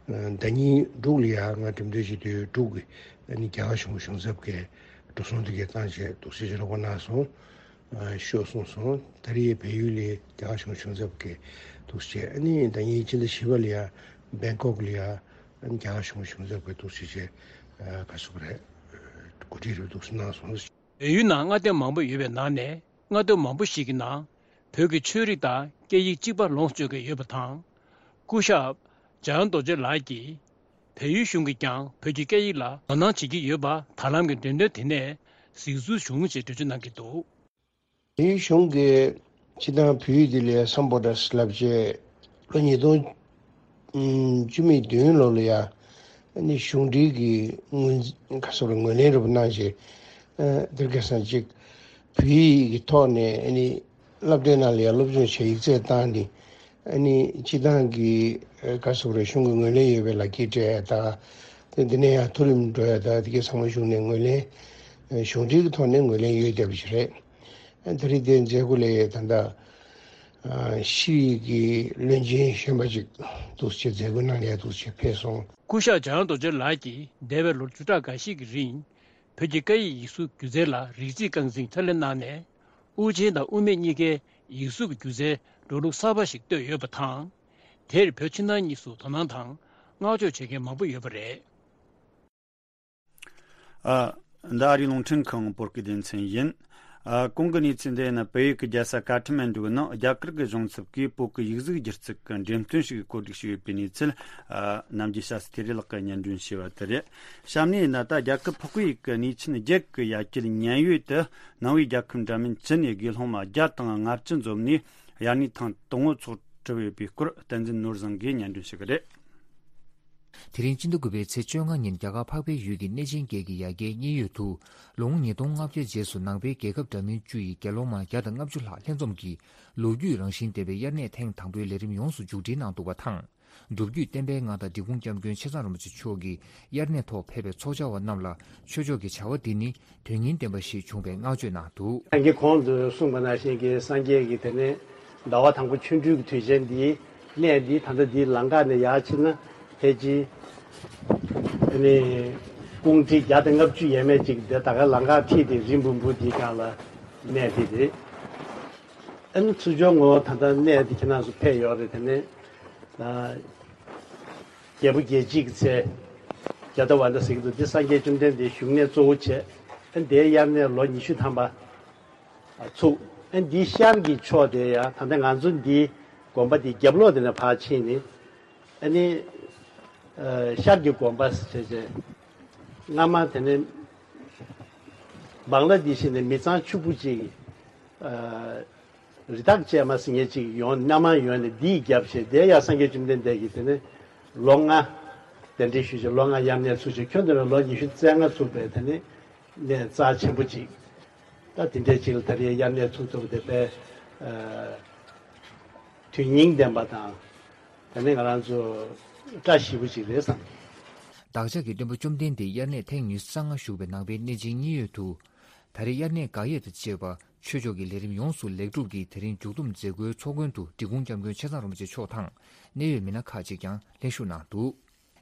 ཨ། ཟླ་ཉིན་འབྲུག་ལ་ཡ་ང་འགྲེམས་སྟོན་བྱེད་དུས་འབྲུག་གི་ཨ་ནི་རྒྱ་གར་གཞུང་གཞུང་ཚབ་ཀྱིས་འགྲོ་སོང་དེ་གའི་བཏང་བྱས་འདུག་སེ་ཅིག་རོགས་པ་གནང་སོང་། ཨ། ཤོག་གསུངས་སོང་། ད་རེས་བལ་ཡུལ་ལ་རྒྱ་གར་གཞུང་གཞུང་ཚབ་ཀྱིས་འདུག་སེ་བྱས། ཨ་ནི་ཟླ་ཉིན་སྤྱི་ཟླ་བཞི་པ་ལ་ཡ་བེང་ཀོག་ལ་ཡ་ཨ་ནི་རྒྱ་གར་གཞུང་གཞུང་ཚབ་ཀྱིས་འདུག་སེ་བྱས། ཨ། ག་སོགས་རེད། གོ་སྒྲིག་རེ་འདུག་སེ་གནང་སོང་། བལ་ཡུལ་ནང་མངའ་སྡེ་མང་པོ་ཡོད་པའི་ནང་ནས་མངའ་སྡེ་མང་པོ་ཞིག་གི་ནང་བོད་ཀྱི་ཆོས་རིག་དང་སྐད་ཡིག་གཅིག་པ་ལོངས་སྤྱོད་ཀྱི་ཡོད་པ་དང་། སྐུ་ཞབས་འཇམ་དབྱངས་རྡོ་རྗེ་ལགས་ཀྱིས། བལ་ཡུལ་གཞུང་གིས་ཀྱང་བོད་ཀྱི་སྐད་ཡིག་ལ་དོ་སྣང་བྱེད་ཀྱི་ཡོད་པ་ད་ལམ་གྱི་འགྲེམས་སྟོན་དེ་ནས་གཟིགས་ཚུལ་བྱུང་ཞེས་འགྲེལ་བརྗོད་གནང་གི་འདུག་བལ་ཡུལ་གཞུང་གིས་སྤྱིར་བཏང་བོད་ཡིག་འདི་ལ་ཡ་སམ་བྷོ་ཊ་ལབ་བྱས་ལོ་ཉིས་སྟོང་བཅུ་མེད་བདུན་ལོ་ལ་ཡ་ཨ་ནི་གཞུང་འབྲེལ་གྱི་ངོས་འཛིན་ག་སོགས་ལ་ངོས་ལེན་རེ་བ་གནང་བྱས། ཨ། དེར་ཁ་སང་ཅིག་བོད་ཡིག་གི་ཐོག་ནས་ཨ་ནི་སློབ་གྲྭའི་ནང་ལ་ཡ་སློབ་སྦྱོང་བྱས་ཡིག་ཚད་བཏང་ནས། ཨ་ནི་སྤྱི་བཏང་གི་ཨ་ག་རེ་ཟེར་དགོས་རེད། གཞུང་གི་ངོས་ལེན་ཡོད་པའི་ལག་འཁྱེར་སྤྲད་ཡ་དང་། དེ་འདི་ནས་ཡང་མཐོ་རིམ་འགྲོ་ཡ་དང་། དེ་གའི་ཚང་མ་གཞུང་ནས་ངོས་ལེན། ཨ་གཞུང་འབྲེལ་གྱི་ཐོག་ནས་ངོས་ལེན་ཡོད་བསྡད་པ་ཞིག་རེད། ཨ་དེ་རིང་དེ་མཛད་སྒོ་ལ་ད་ལྟ་ཨ་ཤེས་རིག་གི་བློན་ཆེན་གཞོན་པ་ཅིག་འདུག་སེ་མཛད་སྒོ་གནང་ཡ་འདུག་སེ་ཕེབས་སོང་། སྐུ་ཞབས་འཇམ་དབྱངས་རྡོ་རྗེ་ལགས་ཀྱིས་འདས་པའི་ལོ་བཅུ་ཕྲག་འགའ་ཤས་ཀྱི་རིང་། བོད་ཀྱི་སྐད་ཡིག་ཡིག་གཟུགས་སྒྱུ་རྩལ་ལ་རིགས་རྩིས་རྐང་འཛིན་ཁས་ལེན་གནང་ནས། དབུ་ཅན་དང་དབུ་མེད་གཉིས་ཀའི་ཡིག་གཟུགས་ཀྱི་སྒྱུ་རྩལ་འགྲོ་ལུགས་གསར་པ་ཞིག་བཏོད་ཡོད་པ་དང་། དེར་བོད་ཕྱི་ནང་གཉིས་སུ་དོ་སྣང་དང་བསྔགས་བརྗོད་བྱེད་མཁན་མང་པོ་ཡོད་པ་རེད། ཨ། འདི་ཨ་རིའི་རླུང་འཕྲིན་ཁང་བོད་སྐད་སྡེ་ཚན་ཡིན། ཨ། གོང་གི་གནས་ཚུལ་འདི་ཡིན་ན། བལ་ཡུལ་གྱི་རྒྱལ་ས་ཀ་ཐ་མན་ཌུ་ནང་རྒྱ་གར་གྱི་གཞུང་ཚབ་ཀྱིས་བོད་ཀྱི་ཡིག་གཟུགས་སྒྱུ་རྩལ་གྱི་འགྲེམས་སྟོན་ཞིག་གོ་སྒྲིག་བྱས་ཡོད་པའི་གནས་ཚུལ། ཨ། ནམ་རྒྱུན་ཞྭ་སེ་ཐེ་རེ་ལགས་ཀྱིས་སྙན་སྒྲོན་བྱས་པ་དེ་རེད། གཤམ་ནས་ཡིན་ན། ད་རྒྱལ་ཁབ་ཕག་པའི་ཡུལ་གྱི་གནས་ཆེན་བརྒྱད་ཀྱི་ཡ་གྱལ་མཉན་ཡོད་དུ། ནང་པའི་རྒྱལ་ཁབ་འདྲ་མིན་བཅུ་ནས་དགེ་སློང་མ་བརྒྱ་དང་ལྔ་བཅུ་འཛོམས་ནས། དབྱར་གནས་ཐེངས་དང་པོ་ཚོགས་གྲུབ་ཡོད་པའི་སྐོར། བསྟན་འཛིན་ནོར་བཟང་གིས་སྙན་སྒྲོན་ཞུ་གི་རེད། དེ་རིང་སྤྱི་ཟླ་དགུ་པའི་ཚེས་བཅོ་ལྔ་ཉིན། རྒྱ་གར་འཕགས་པའི་ཡུལ་གྱི་གནས་ཆེན་བརྒྱད་ཀྱི་ཡ་གྱལ་མཉན་ཡོད་དུ། ལོ་ངོ་ཉིས་སྟོང་ལྔ་བརྒྱ་རྗེས་སུ་ནང་པའི་རྒྱལ་ཁབ་འདྲ་མིན་བཅུ་ཡི་དགེ་སློང་མ་བརྒྱ་དང་ལྔ་བཅུ་ལྷག་ལྷན་འཛོམས་ཀྱིས། ལོ་རྒྱུས་རང་བཞིན་ལྡན་པའི་དབྱར་གནས་ཐེངས་དང་པོའི་ལས་རིམ་ཡོངས་སུ་མཇུག་སྒྲིལ་གནང་འདུག་པ་དང་། སྒྲུབ་བརྒྱུད་བསྟན་པའི་མངའ་བདག་འབྲི་གུང་སྐྱབས་མགོན་ཆེ་ཚང་རིན་པོ་ཆེ་མཆོག་གིས་དབྱར་གནས་ཐོག་ཕེབས་པའི་ཚོགས་བཅར་བ་རྣམས་ལ། ཆོས་ཕྱོགས་ཀྱི་བྱ་བ་འདི་ནི་དོན་སྙིང་ལྡན་པ་ཞིག་བྱུང་བའི་བསྔགས་བརྗོད་གནང་འདུག། སངས་རྒྱས་གོང་དུ་གསུངས་པ་ནང་བཞིན་གྱི། སངས་རྒྱས་ཀྱིས་དེ་ནས་ཟླ་བ་དང་པོ་ཆོ་འཕྲུལ་གྱི་དུས་ཆེན་འདིའི་གནས་འདི། ད་ལྟ་འདིའི་ལམ་ཁ་ནས་ཡར་ཕྱིན་ན། ཕལ་ཆེར་ཨ་ནི་སྤུངས་ཁྲི་བརྒྱ་དང་ལྔ་བཅུ་ཡས་མས་ཅིག་འདི་ད་ག་ལམ་ཁ་ཁྲིད་དེ་རི་འབུམ་པོ་འདིའི་སྒང་ལ་གནས་འདི་རེད། ཨ་ནི་ཚུར་ཕྱོགས་ངོ་། ད་ལྟ་གནས་འདི་ཁྱེད་རང་ཚོ་ཕེབས་ཡོད་རེད། དེ་ནས་ཨ་རྒྱལ་པོ་རྒྱལ་བྱེད་ཀྱི་ཚལ། རྒྱ་རྟ་ཝ་ན་ཟེར་གྱི་འདུག། འདི་སངས་རྒྱས་བཅོམ་ལྡན་འདས་བཞུགས་གནས་གཙོ་བོ་བྱས། ཨ་འདིའི་དབྱར་གནས་ལོ་ཉི་ཤུ་ཐམ་པ་ཚུགས། ཨ་འདིའི་ཤར་གྱི་ཕྱོགས་དེ་ཡང་། ད་ལྟ་ང་ཚོ་འདིའི་དགོན་པ་འདི་རྒྱབ་ལོགས་དེ་ནས་ཕར་ཕྱིན་ནས། ཨ་ནི་ཨ་ཤར་གྱི་དགོན་པ་ཟེར་བྱས། སྔ་མ་དེ་ནས་བང་ལ་དེ་བཞིན་ནས་མི་ཚང་ཕྱུག་པོ་ཅིག། ཨ་རི་དྭགས་བཅས་མ་ཟེར་མཁན་ཅིག་ཡོང་། སྣ་མང་ཡོང་ནས་འདིའི་རྒྱབ་བྱས། དེ་ཡང་སངས་རྒྱས་བཅོམ་ལྡན་འདས་ཀྱིས་དེ་ནས་ལོ་ལྔ་གདན་འདྲེན་ཞུས་བྱས། ལོ་ལྔ་དབྱར་གནས་ཚུགས་བྱས། ཁྱོན་བསྡོམས་ན་ལོ་ཉི་ཤུ་རྩ་ལྔ་ཚུགས་པའི་དེ་ནས་གནས་རྩ་ཆེན་པོ་ཅིག། ད་དེ་འདྲའི་ཅིག་ལ་ད་རེས་དབྱར་གནས་ཚུགས་ཐུབ་པ་དེ་དཔེ་ཨ་དོན་སྙིང་ལྡན་པ་དང་། དེ་ནས་ང་རང་ཚོ་བཀྲ་ཤིས་པོ་ཅིག་རེད་བསམ། བདག་ཅག་གི་སྟོན་པ་བཅོམ་ལྡན་འདས་དབྱར་གནས་ཐེངས་ཉི་ཤུ་རྩ་ལྔ་བཞུགས་པའི་ནང་པའི་གནས་ཆེན་མཉན་ཡོད་དུ། ད་རེས་དབྱར་གནས་དགག་དབྱེ་དང་བཅས་པ་ཆོས་ཕྱོགས་ཀྱི་ལས་རིམ་ཡོངས་སུ་ལེགས་གྲུབ་ཀྱིས། དེ་རིང་མཇུག་བསྡོམས་མཛད་སྒོའི་ཚོགས་མགོན་དུ་འབྲི་གུང་སྐྱབས་མགོན་ཆེ་ཚང་རིན་པོ་ཆེ་མཆོག་དང་། གནད་ཡོད་མི་སྣ་ཁག་ཅིག་ཀྱང་ལྷན་ཞུགས་གནང་འདུག།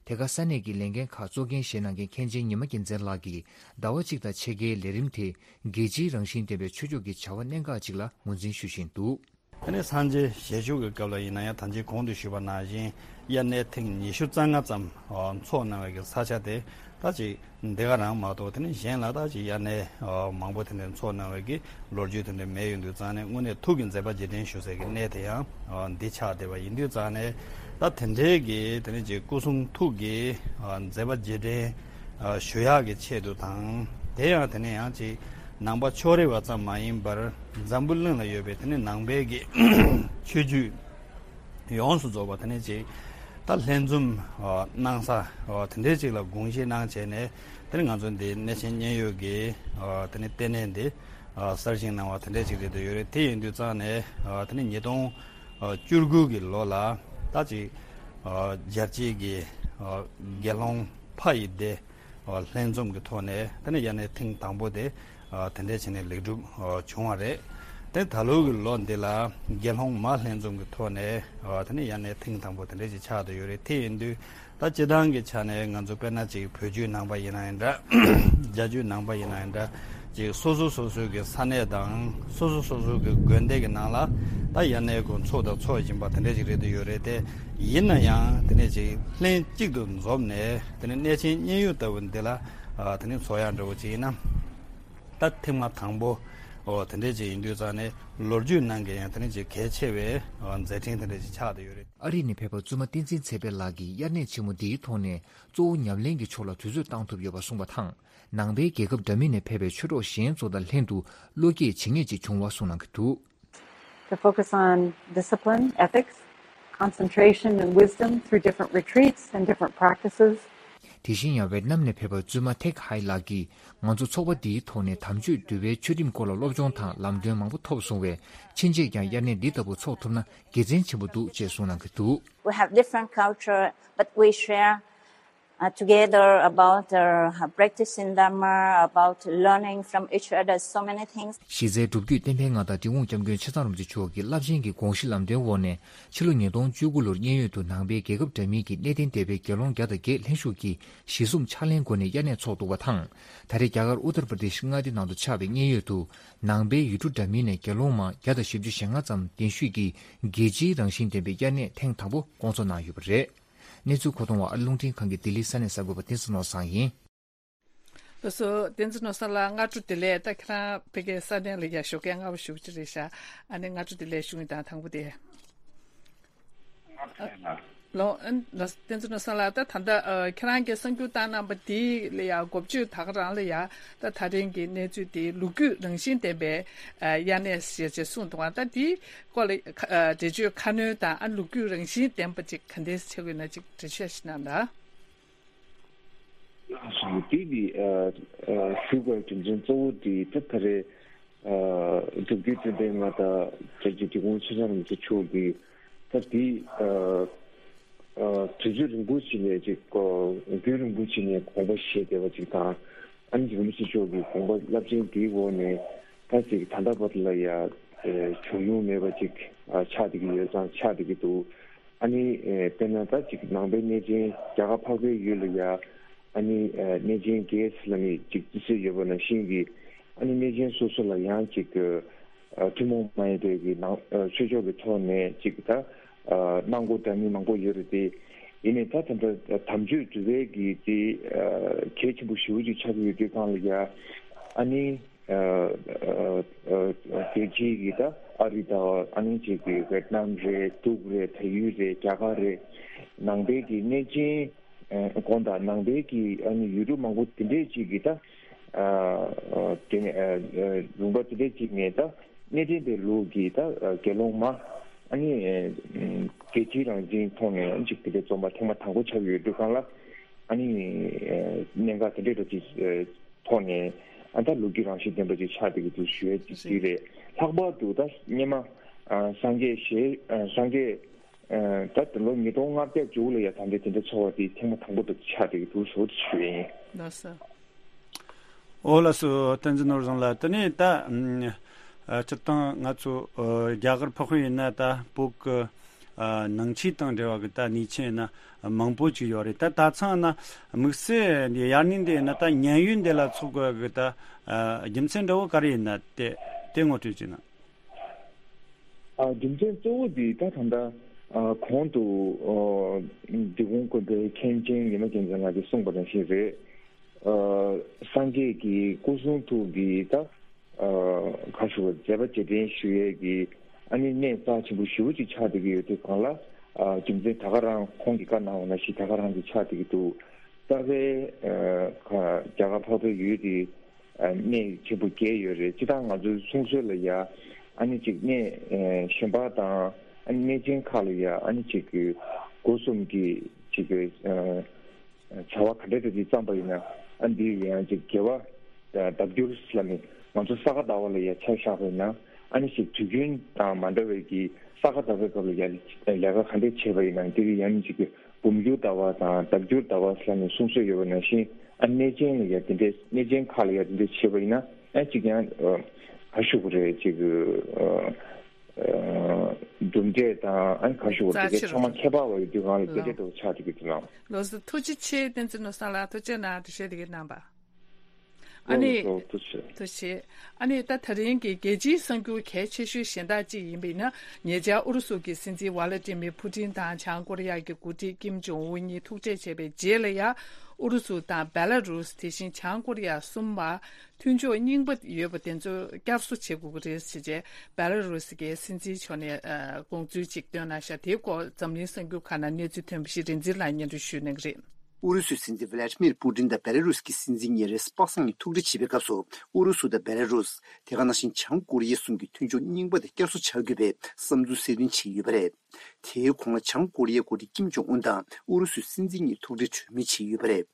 དེ་ག་ས་གནས་ཀྱི་ལས་འགན་ཁག་གཙོ་འགན་བཞེས་གནང་མཁན་མཁན་ཆེན་ཉི་མ་རྒྱལ་མཚན་ལགས་ཀྱིས་ཟླ་བ་གཅིག་དང་ཕྱེད་ཀའི་ལས་རིམ་དེ། རྒྱལ་སྤྱིའི་རང་བཞིན་ལྡན་པའི་ཆོས་ཕྱོགས་ཀྱི་བྱ་བ་གནད་འགག་ཅིག་ལ་ངོས་འཛིན་ཞུ་བཞིན་འདུག། དེ་ནས་སངས་རྒྱས་ཞལ་བཞུགས་ཀྱི་སྐབས་ལ་ཡིན་ན་ཡང་། ད་ཅི་གོང་དུ་ཞུས་པ་ནང་བཞིན་དབྱར་གནས་ཐེངས་ཉི་ཤུ་རྩ་ལྔ་ཙམ་འཚོགས་གནང་བའི་གི་ས་ཆ་དེ། ད་ཅི་འདི་ག་རང་མ་གཏོགས། དེ་ནས་གཞན་ལ་ད་ཅི་དབྱར་གནས་མང་པོ་དེ་འདྲ་འཚོགས་གནང་བའི་གི་ལོ་རྒྱུས་དེ་འདྲ་མེད་ཡོང་དུས་ཙང་ནས། དངོས་གནས་ཐུགས་ཀྱི་མཛད་པ་རྗེས་དྲན་ཞུ་སའི་གི་གནས་དེ་ཡང་འདི་ཆགས་བསྡད་པ་ཡིན་དུས་ཙང་ནས། ད་དེ་འདྲའི་གི་དེ་ནས་ཅིག་སྐུ་གསུང་ཐུགས་ཀྱི་མཛད་པ་རྗེས་དྲན་ཞུ་ཡག་གི་ཆེད་དུ་དང་། དེ་ཡང་དེ་ནས་ཡང་ཅིག་ནང་པ་ཕྱོགས་རིས་པ་ཙམ་མ་ཡིན་པར། འཛམ་བུ་གླིང་ལ་ཡོད་པའི་དེ་ནས་ནང་པའི་གི་ཆོས་བརྒྱུད་ཡོངས་སུ་རྫོགས་པ་དེ་ནས་ཅིག་ད་ལྷན་འཛོམས་གནང་ས་དེ་འདྲའི་ཅིག་ལ་དགོངས་བཞེས་གནང་བྱས་ནས། དེ་ནས་ང་ཚོ་འདི་གནས་ཆེན་མཉན་ཡོད་ཀྱི་དེ་ནས་ལྟེ་གནས་འདི་གསར་བཞེངས་གནང་བ་དེ་འདྲའི་ཅིག་རེད་འདོད་ཡོད་རེད། དེ་ཡིན་དུས་ཙང་ནས་དེ་ནས་ཉིས་སྟོང་བཅུ་དགུ་གི་ལོ་ལ་ད་ཅིག་རྒྱལ་སྤྱིའི་གི་དགེ་སློང་ཕ་ཡི་སྡེ་ལྷན་འཛོམས་ཀྱི་ཐོག་ནས། དེ་ནས་དབྱར་གནས་ཐེངས་དང་པོ་དེ་དེ་འདྲའི་བྱས་ནས་ལེགས་གྲུབ་བྱུང་བ་རེད། དེ་ད་ལོ་གི་ལོ་འདི་ལ་དགེ་སློང་མ་ལྷན་འཛོམས་ཀྱི་ཐོག་ནས་དེ་ནས་དབྱར་གནས་ཐེངས་དང་པོ་དེ་འདྲ་ཅིག་ཆགས་བསྡད་ཡོད་རེད། དེ་ཡིན་དུས་ད་སྤྱིར་བཏང་གི་ཆ་ནས་ང་ཚོ་དཔེར་ན་ཅིག་བོད་བརྒྱུད་ནང་པ་ཡིན་ན་ཡང་འདྲ། རྒྱ་བརྒྱུད་ནང་པ་ཡིན་ན་ཡང་འདྲ། ཅིག་སོ་སོ་སོ་སོའི་གི་ས་གནས་དང་། སོ་སོ་སོ་སོའི་གི་དགོན་སྡེ་གི་ནང་ལ་ད་དབྱར་གནས་ཀྱི་ཚོགས་དང་ཚོགས་བཞིན་པ་དེ་འདྲ་ཅིག་རེད་འདོད་ཡོད་རེད། དེ་ཡིན་ན་ཡང་དེ་ནས་ཅིག་ལྷན་གཅིག་ཏུ་འཛོམས་ནས། དེ་ནས་གནས་ཆེན་མཉན་ཡོད་ལྟ་བུ་འདི་ལ་དེ་ནས་ཚོགས་ཡག་འདྲ་བོ་ཅིག་ཡིན་ན། ད་ཐེངས་མ་དང་པོ་འོ་དེ་འདྲས་ཅིག་ཡིན་དུས་ཙང་ནས། ལོ་རྒྱུས་ནང་གི་ཡང་དེ་འདྲས་ཅིག་གལ་ཆེ་བའི་མཛད་འཕྲིན་དེ་འདྲས་ཅིག་ཆགས་བསྡད་ཡོད་རེད། ཨ་རི་ནས་ཕེབས་པ་བཙུན་མ་བསྟན་འཛིན་ཚེ་འཕེལ་ལགས་ཀྱིས་དབྱར་གནས་ཆེན་མོ་འདིའི་ཐོག་ནས་གཙོ་བོ་ཉམས་ལེན་གྱི་ཕྱོགས་ལ་དུས་ཚོད་བཏང་ཐུབ་ཡོད་པ་གསུངས་པ་དང་། ནང་པའི་རྒྱལ་ཁབ་འདྲ་མིན་ནས་ཕེབས་པའི་ཆོས་གྲོགས་གཞན་ཚོ་དང་ལྷན་དུ་བློ་སྐྱེད་བྱེད་མཁན་ཅིག་བྱུང་བ་གསུངས་གནང་གི་འདུག། To focus on discipline, ethics, concentration, and wisdom through different retreats and different practices. དེ་བཞིན་ཡང་ཝེ་ཏི་ནམ་ནས་ཕེབས་པ་བཙུན་མ་ཐེག་ཧའེ་ལགས་ཀྱིས། ང་ཚོ་ཚོགས་པ་འདིའི་ཐོག་ནས་དམ་ཆོས་འདུལ་བའི་ཆོས་ཁྲིམས་སྐོར་ལ་སློབ་སྦྱོང་དང་ལམ་སྟོན་མང་པོ་ཐོབ་སོང་བས། ཕྱིན་ཆད་ཀྱང་དབྱར་གནས་འདི་ལྟ་བུ་འཚོགས་ཐུབ་ན་དགེ་མཚན་ཆེན་པོ་འདུག་ཅེས་གསུངས་གནང་གི་འདུག། We have different culture, but we share uh, together about uh, practicing Dharma, about learning from each other, so many things. གཞི་རྩའི་སྒྲུབ་བརྒྱུད་བསྟན་པའི་མངའ་བདག་འབྲི་གུང་སྐྱབས་མགོན་ཆེ་ཚང་རིན་པོ་ཆེ་མཆོག་གི་རླབས་ཆེན་གྱི་དགོངས་གཞི་ལམ་སྟོན་འོག་ནས། ཕྱི་ལོ་ཉིས་སྟོང་བཅུ་དགུ་ལོར་མཉན་ཡོད་དུ་ནང་པའི་རྒྱལ་ཁབ་འདྲ་མིན་གྱི་གནས་བརྟན་སྡེ་པའི་དགེ་སློང་བརྒྱ་དང་བརྒྱད་ལྷན་ཞུགས་ཀྱིས་གཞི་བཟུང་ཕྱག་ལེན་སྒོ་ནས་དབྱར་གནས་འཚོགས་འདུག་པ་དང་། ད་རེས་རྒྱ་གར་ཨུ་ཏར་པྲ་དེཤ་མངའ་སྡེ་ནང་དུ་ཆགས་པའི་མཉན་ཡོད་དུ་ནང་པའི་ཡུལ་གྲུ་འདྲ་མིན་ནས་དགེ་སློང་མ་བརྒྱ་དང་བཞི་བཅུ་ཞེ་ལྔ་ཙམ་གདན་ཞུས་ཀྱིས་རྒྱལ་སྤྱིའི་རང་བཞིན་ལྡན་པའི་དབྱར་གནས་ཐེངས་དང་པོ་སྐོང་ཚོགས་གནང་ཡོད་པ་རེད། གནས་ཚུལ་མཁོ་གཏོང་བ་ཨ་རླུང་འཕྲིན་ཁང་གི་ལྡི་ལི་ས་གནས་གསར་འགོད་པ་བསྟན་འཛིན་ནོར་བཟང་ཡིན། ལགས་སོ། བསྟན་འཛིན་ནོར་བཟང་ལགས། སྔ་དྲོ་བདེ་ལེགས། ད་ཁྱེད་རང་ཕ་གིའི་ས་གནས་ལ་ཡ་ཞོགས་ཀས་སྔ་པོ་ཞེ་པོ་ཅིག་རེད་ཤག། ཨ་ནི་སྔ་དྲོ་བདེ་ལེགས་ཞུ་ཡིན། དང་དང་པོ་དེ། ལགས་སོ། བསྟན་འཛིན་ནོར་བཟང་ལགས། ད་ད་ལྟ་ཨ་ཁྱེད་རང་གིས་གསར་འགྱུར་བཏང་གནང་པ་འདི་ལ་ཡ་འགོ་བརྗོད་ད་ག་རང་ལ་ཡ། ད་ད་རིང་གི་གནས་ཚུལ་དེ་ལོ་རྒྱུས་རང་བཞིན་ལྡན་པའི་ཨ་དབྱར་གནས་ཞེས་བྱས་གསུངས་འདུག་ག། ད་འདིའི་སྐོར་ལ་ཨ་འགྲེལ་བརྗོད་ཁ་སྣོན་དང་། ཨ་ལོ་རྒྱུས་རང་བཞིན་ལྡན་པ་ཅིག་ག་འདྲས་བྱེད་དགོས་ན་ཅིག་འགྲེལ་བཤད་ཞིག་གནང་དང་། སོང་དེ་དེ་ཨ་ཨ་ཞུ་དགོས་རྒྱུ་མཚན་གཙོ་བོ་དེ་ད་ད་རེས་ཨ་སྒྲུབ་བརྒྱུད་བསྟན་པའི་མངའ་བདག་རྒྱལ་བརྒྱུད་འབྲི་གུང་ཆེ་ཚང་རིན་པོ་ཆེ་མཆོག་གིས་ད་དེ་ཨ་ཨ་དུས་ཚོད་རིང་པོ་ཞིག་ནས་ཅིག་ཨ་རྒྱུན་རིང་པོ་ཞིག་ནས་དགོངས་པ་བཞེས་བསྡད་པ་ཅིག་དང་། ཨ་ནི་རིན་པོ་ཆེ་མཆོག་གི་དགོངས་པ་རླབས་ཆེན་དེའི་འོག་ནས་ད་ཅིག་ད་ལྟ་བར་ལ་ཡ་ཨ་བྱུང་མྱོང་མེད་པ་ཅིག་ཨ་ཆགས་བསྡད་ཀྱི་ཡོད་ཙང་ཆགས་བསྡད་ཀྱི་འདུག། ཨ་ནི་ཨེ་དཔེར་ན་ད་ཅིག་ནང་པའི་གནས་ཆེན་རྒྱ་གར་འཕགས་པའི་ཡུལ་ལ་ཡ་ཨ་ནི་ཨེ་གནས་ཆེན་བརྒྱད་ཟེར་ལབ་ནས་ཅིག་རྩི་སྲོལ་ཡོད་པ་ནང་བཞིན་གྱི། ཨ་ནི་གནས་ཆེན་སོ་སོ་ལ་ཡང་ཅིག་ཨ་ཐུན་མོང་མ་ཡིན་པའི་གི་ནང་ཨ་ཆོས་ཕྱོགས་ཀྱི་ཐོག་ནས་ཅིག་ད་ཨ་གནང་སྒོ་འདྲ་མིན་མང་པོ་ཡོད་རེད་དེ། ཡིན་ནའི་ད་ད་ལྟ་དམ་ཆོས་འདུལ་བའི་གི་དེ་ཨ་གལ་ཆེན་པོ་ཞེ་པོ་ཅིག་ཆགས་ཀྱི་ཡོད་དུས་སྒང་ལ་ཡ། ཨ་ནི། ཨ་ཨ་ཨ་རྒྱལ་སྤྱིའི་གི་ད་ཨ་རི་དང་། ཨ་ནི་ཅིག་གི་ཝེད་ནམ་རེད། འབྲུག་རེད། བལ་ཡུལ་རེད། རྒྱ་གར་རེད། ནང་པའི་གི་གནས་ཆེན་ཨ་དགོན་དང་ནང་པའི་གི་ཨ་ནི་ཡུལ་གྲུ་མང་པོ་དེ་འདྲས་ཅིག་གི་ད་ཨ་ཨ་དེ་ནས་ཨ་ཨ་ལུང་པ་དེ་འདྲས་ཅིག་ནས་ད་གནས་བརྟན་པའི་ལུགས་ཀྱི་ད་ཨ་དགེ་སློང་མ་ཨ་ནི་ཨ་རྒྱལ་སྤྱིའི་རང་བཞིན་ཐོག་ནས་ཨ་ནི་ཅིག་དེ་འདྲས་འཛོམས་པ་ཐེངས་མ་དང་པོ་ཆགས་ཡོད་དུས་སྒང་ལ། ཨ་ནི་ཨ་གནད་འགག་དེ་འདྲས་འདྲ་ཅིག་ཨ་ཐོག་ནས་ཨ་ད་ལོ་རྒྱུས་རང་བཞིན་ལྡན་པ་ཅིག་ཆགས་བསྡད་ཀྱི་འདུག་ཞུ་ཡས་ཅིག་རེད། ལྷག་པར་དུ་ད་སྔོན་མ་ཨ་སངས་རྒྱས་ཞལ་ཨ་སངས་རྒྱས་ཨ་ད་ལོ་ཉིས་སྟོང་ལྔ་བརྒྱ་མཇུག་ལ་ཡ་ད་འདྲའི་དེ་འདྲ་ཚོགས་པ་དེ་ཐེངས་མ་དང་པོ་དེ་ཆགས་བསྡད་ཀྱི་འདུག་ཟེར་བ་དེ་ཞུ་ཡས་ཡིན། ལགས་སོ། ཨོ་ལགས་སོ། བསྟན་འཛིན་ནོར་བཟང་ལགས། དེ་ནས་ད་ཨ་སྤྱིར་བཏང་ང་ཚོ་ཨ་རྒྱ་གར་འཕགས་པའི་ཡུལ་ན་ད་བོད་ཀྱི་ཨ་ནང་ཆོས་དང་འབྲེལ་བ་གི་ད་གནས་ཆེན་ཡིན་ན་མང་པོ་ཅིག་ཡོད་རེད། ད་ད་ཚང་ན་དམིགས་བསལ་འདི་དབྱར་གནས་འདི་ཡིན་ན་ད་མཉན་ཡོད་འདི་ལ་འཚོགས་དགོས་གི་ད་ཨ་རྒྱུ་མཚན་འདྲ་བོ་ག་རེ་ཡིན་ན་དེ་དེ་ངོ་སྤྲོད་ཅིག་གནང་། ཨ་རྒྱུ་མཚན་གཙོ་བོ་འདི་ད་ད་ལྟ་ཨ་གོང་དུ་ཨ་འབྲི་གུང་དགོན་པའི་མཁན་ཆེན་ཉི་མ་རྒྱལ་མཚན་ལགས་ཀྱིས་གསུངས་པ་ནང་བཞིན་རེད། ཨ་སངས་རྒྱས་ཀྱི་སྐུ་གསུང་ཐུགས་ཀྱི་ད་ཨ་ག་ཞུ་བ་མཛད་པ་རྗེས་དྲན་ཞུ་ཡས་ཀྱི་ཨ་ནི་གནས་རྩ་ཆེན་པོ་ཞེ་པོ་ཅིག་ཆགས་བསྡད་ཀྱི་ཡོད་དུས་སྒང་ལ། ཨ་རྒྱུ་མཚན་ད་ག་རང་ཁོང་གིས་བཀའ་གནང་བ་ནང་བཞིན་ད་ག་རང་ཅིག་ཆགས་བསྡད་ཀྱི་འདུག། རྩ་བའི་ཨ་ཁ་རྒྱ་གར་འཕགས་པའི་ཡུལ་དེ་ཨ་གནས་ཆེན་པོ་བརྒྱད་ཡོད་རེད། སྤྱིར་བཏང་ང་ཚོའི་གསུང་སྲོལ་ལ་ཡ་ཨ་ནི་ཅིག་གནས་ཨ་གཞན་པ་དང་ཨ་ནི་གནས་ཆེན་ཁག་ལ་ཡ་ཨ་ནི་ཅིག་གི་སྒོ་གསུམ་གྱི་ཅིག་གི་ཨ་བྱ་བ་ག་འདྲ་འདྲ་ཅིག་བརྩམས་པ་ཡིན་ན། ཨ་འདི་ཡང་ཅིག་དགེ་བ་ལྡབ་འགྱུར་ལ་ནི་ང་ཚོ་ས་ག་ཟླ་བ་ལ་ཡ་ཆ་བཞག་པ་ཡིན་ན། ཨ་ནི་ཞིག་དུས་རྒྱུན་དང་མ་འདྲ་བའི་གི་ས་ག་ཟླ་བའི་སྐབས་ལ་ཡ་ལས་ཀ་ག་འདྲས་བྱས་པ་ཡིན་ན། འདི་གི་ཡང་ཅིག་གི་འབུམ་འགྱུར་ཟླ་བ་དང་ལྡབ་འགྱུར་ཟླ་བ་ལ་ནི་གསུང་སྲོལ་ཡོད་པ་ནང་བཞིན། ཨ་གནས་ཆེན་ལ་ཡ་དེ་འདྲས་གནས་ཆེན་ཁག་ལ་ཡ་དེ་འདྲས་བྱས་པ་ཡིན་ན། ཨ་ཅིག་ཡང་ཨ་ག་ཞུ་དགོས་རེད། ཅིག་ཨ་གྲུབ་འབྲས་དང་ཨ་ག་ཞུ་དགོས་རེད། དེ་གའི་ཚང་མ་ཁྱད་པར་བ་ཡོད་དུས་སྒང་ལ་དེ་འདྲས་འདྲ་བོ་ཆགས་བསྡད་ཀྱི་འདུག་ལགས། ལགས་སོ། ཐུགས་རྗེ་ཆེ། བསྟན་འཛིན་ནོར་བཟང་ལགས། ཐུགས་རྗེ་གནང་། འགྲེལ་བཤད་དེ་གའི་གནང་བ། ཨ་ནི། ཨོ་ཐུགས་རྗེ་ཆེ། ཐུགས་རྗེ་ཆེ། ཨ་ནི་ད་ད་རིང་གི་རྒྱལ་སྤྱིའི་གསར་འགྱུར་གལ་ཆེ་ཤོས་གཞན་དག་ཅིག་ཡིན་པ་ཡིན་ན། ཉེ་ཆར་ཨུ་རུ་སུ་གི་སྲིད་འཛིན་ཝ་ལ་ཏི་མིར་ཕུ་ཏིན་དང་བྱང་ཀོ་རི་ཡ་གི་འགོ་ཁྲིད་ཀིམ་ཇོང་ཨུན་གཉིས་ཐུག་འཕྲད་བྱས་པའི་རྗེས་ལ་ཡ། ཨུ་རུ་སུ་དང་བེ་ལ་རུས། དེ་བཞིན་བྱང་ཀོ་རི་ཡ་གསུམ་བར་མཐུན་ཕྱོགས་རྙིང་པ་ཡོད་པ་དེ་ཚོ་བསྐྱར་གསོ་བྱེད་དགོས་ཀྱི་རེད་ཟེར་བྱས་བེ་ལ་རུས་ཀྱི་སྲིད་འཛིན་མཆོག་ནས་ཨ་དགོངས་ཚུལ་ཅིག་བཏོན་གནང་ཤག། དེའི་སྐོར་འཛམ་གླིང་གསར་འགྱུར་ཁག་ནང་གནས་ཚུལ་ཐོན་པ་ཞིག་རིག་འཛིན་ལགས་སྙན་སྒྲོན་ཞུ་གནང་གི་རེད། ཨུ་རུ་སུའི་སྲིད་འཛིན་ཝ་ལ་ཏི་མིར་པུ་ཏིན་དང་བེ་ལ་རུས་ཀྱི་སྲིད་འཛིན་གཉིས་རེས་སྤགས་བཟང་གཉིས་ཐུག་འཕྲད་བྱེད་པའི་སྐབས་སུ། ཨུ་རུ་སུ་དང་བེ་ལ་རུས། དེ་ག་ནང་བཞིན་བྱང་ཀོ་རི་ཡ་གསུམ་གྱི་མཐུན་ཕྱོགས་རྙིང་པ་དེ་བསྐྱར་གསོ་བྱ་དགོས་པའི་བསམ་ཚུལ་གསལ་སྟོན་བྱས་ཡོད་པ་རེད། དེའི་གོང་ལ་བྱང་ཀོ་རི་ཡའི་འགོ་ཁྲིད་ཀིམ་ཇོང་ཨུན་དང་ཨུ་རུ་སུའི་སྲིད་འཛིན་གཉིས་ཐུག་འཕྲད་གྲོས་མོལ་བྱས་ཡོད་པ་རེད།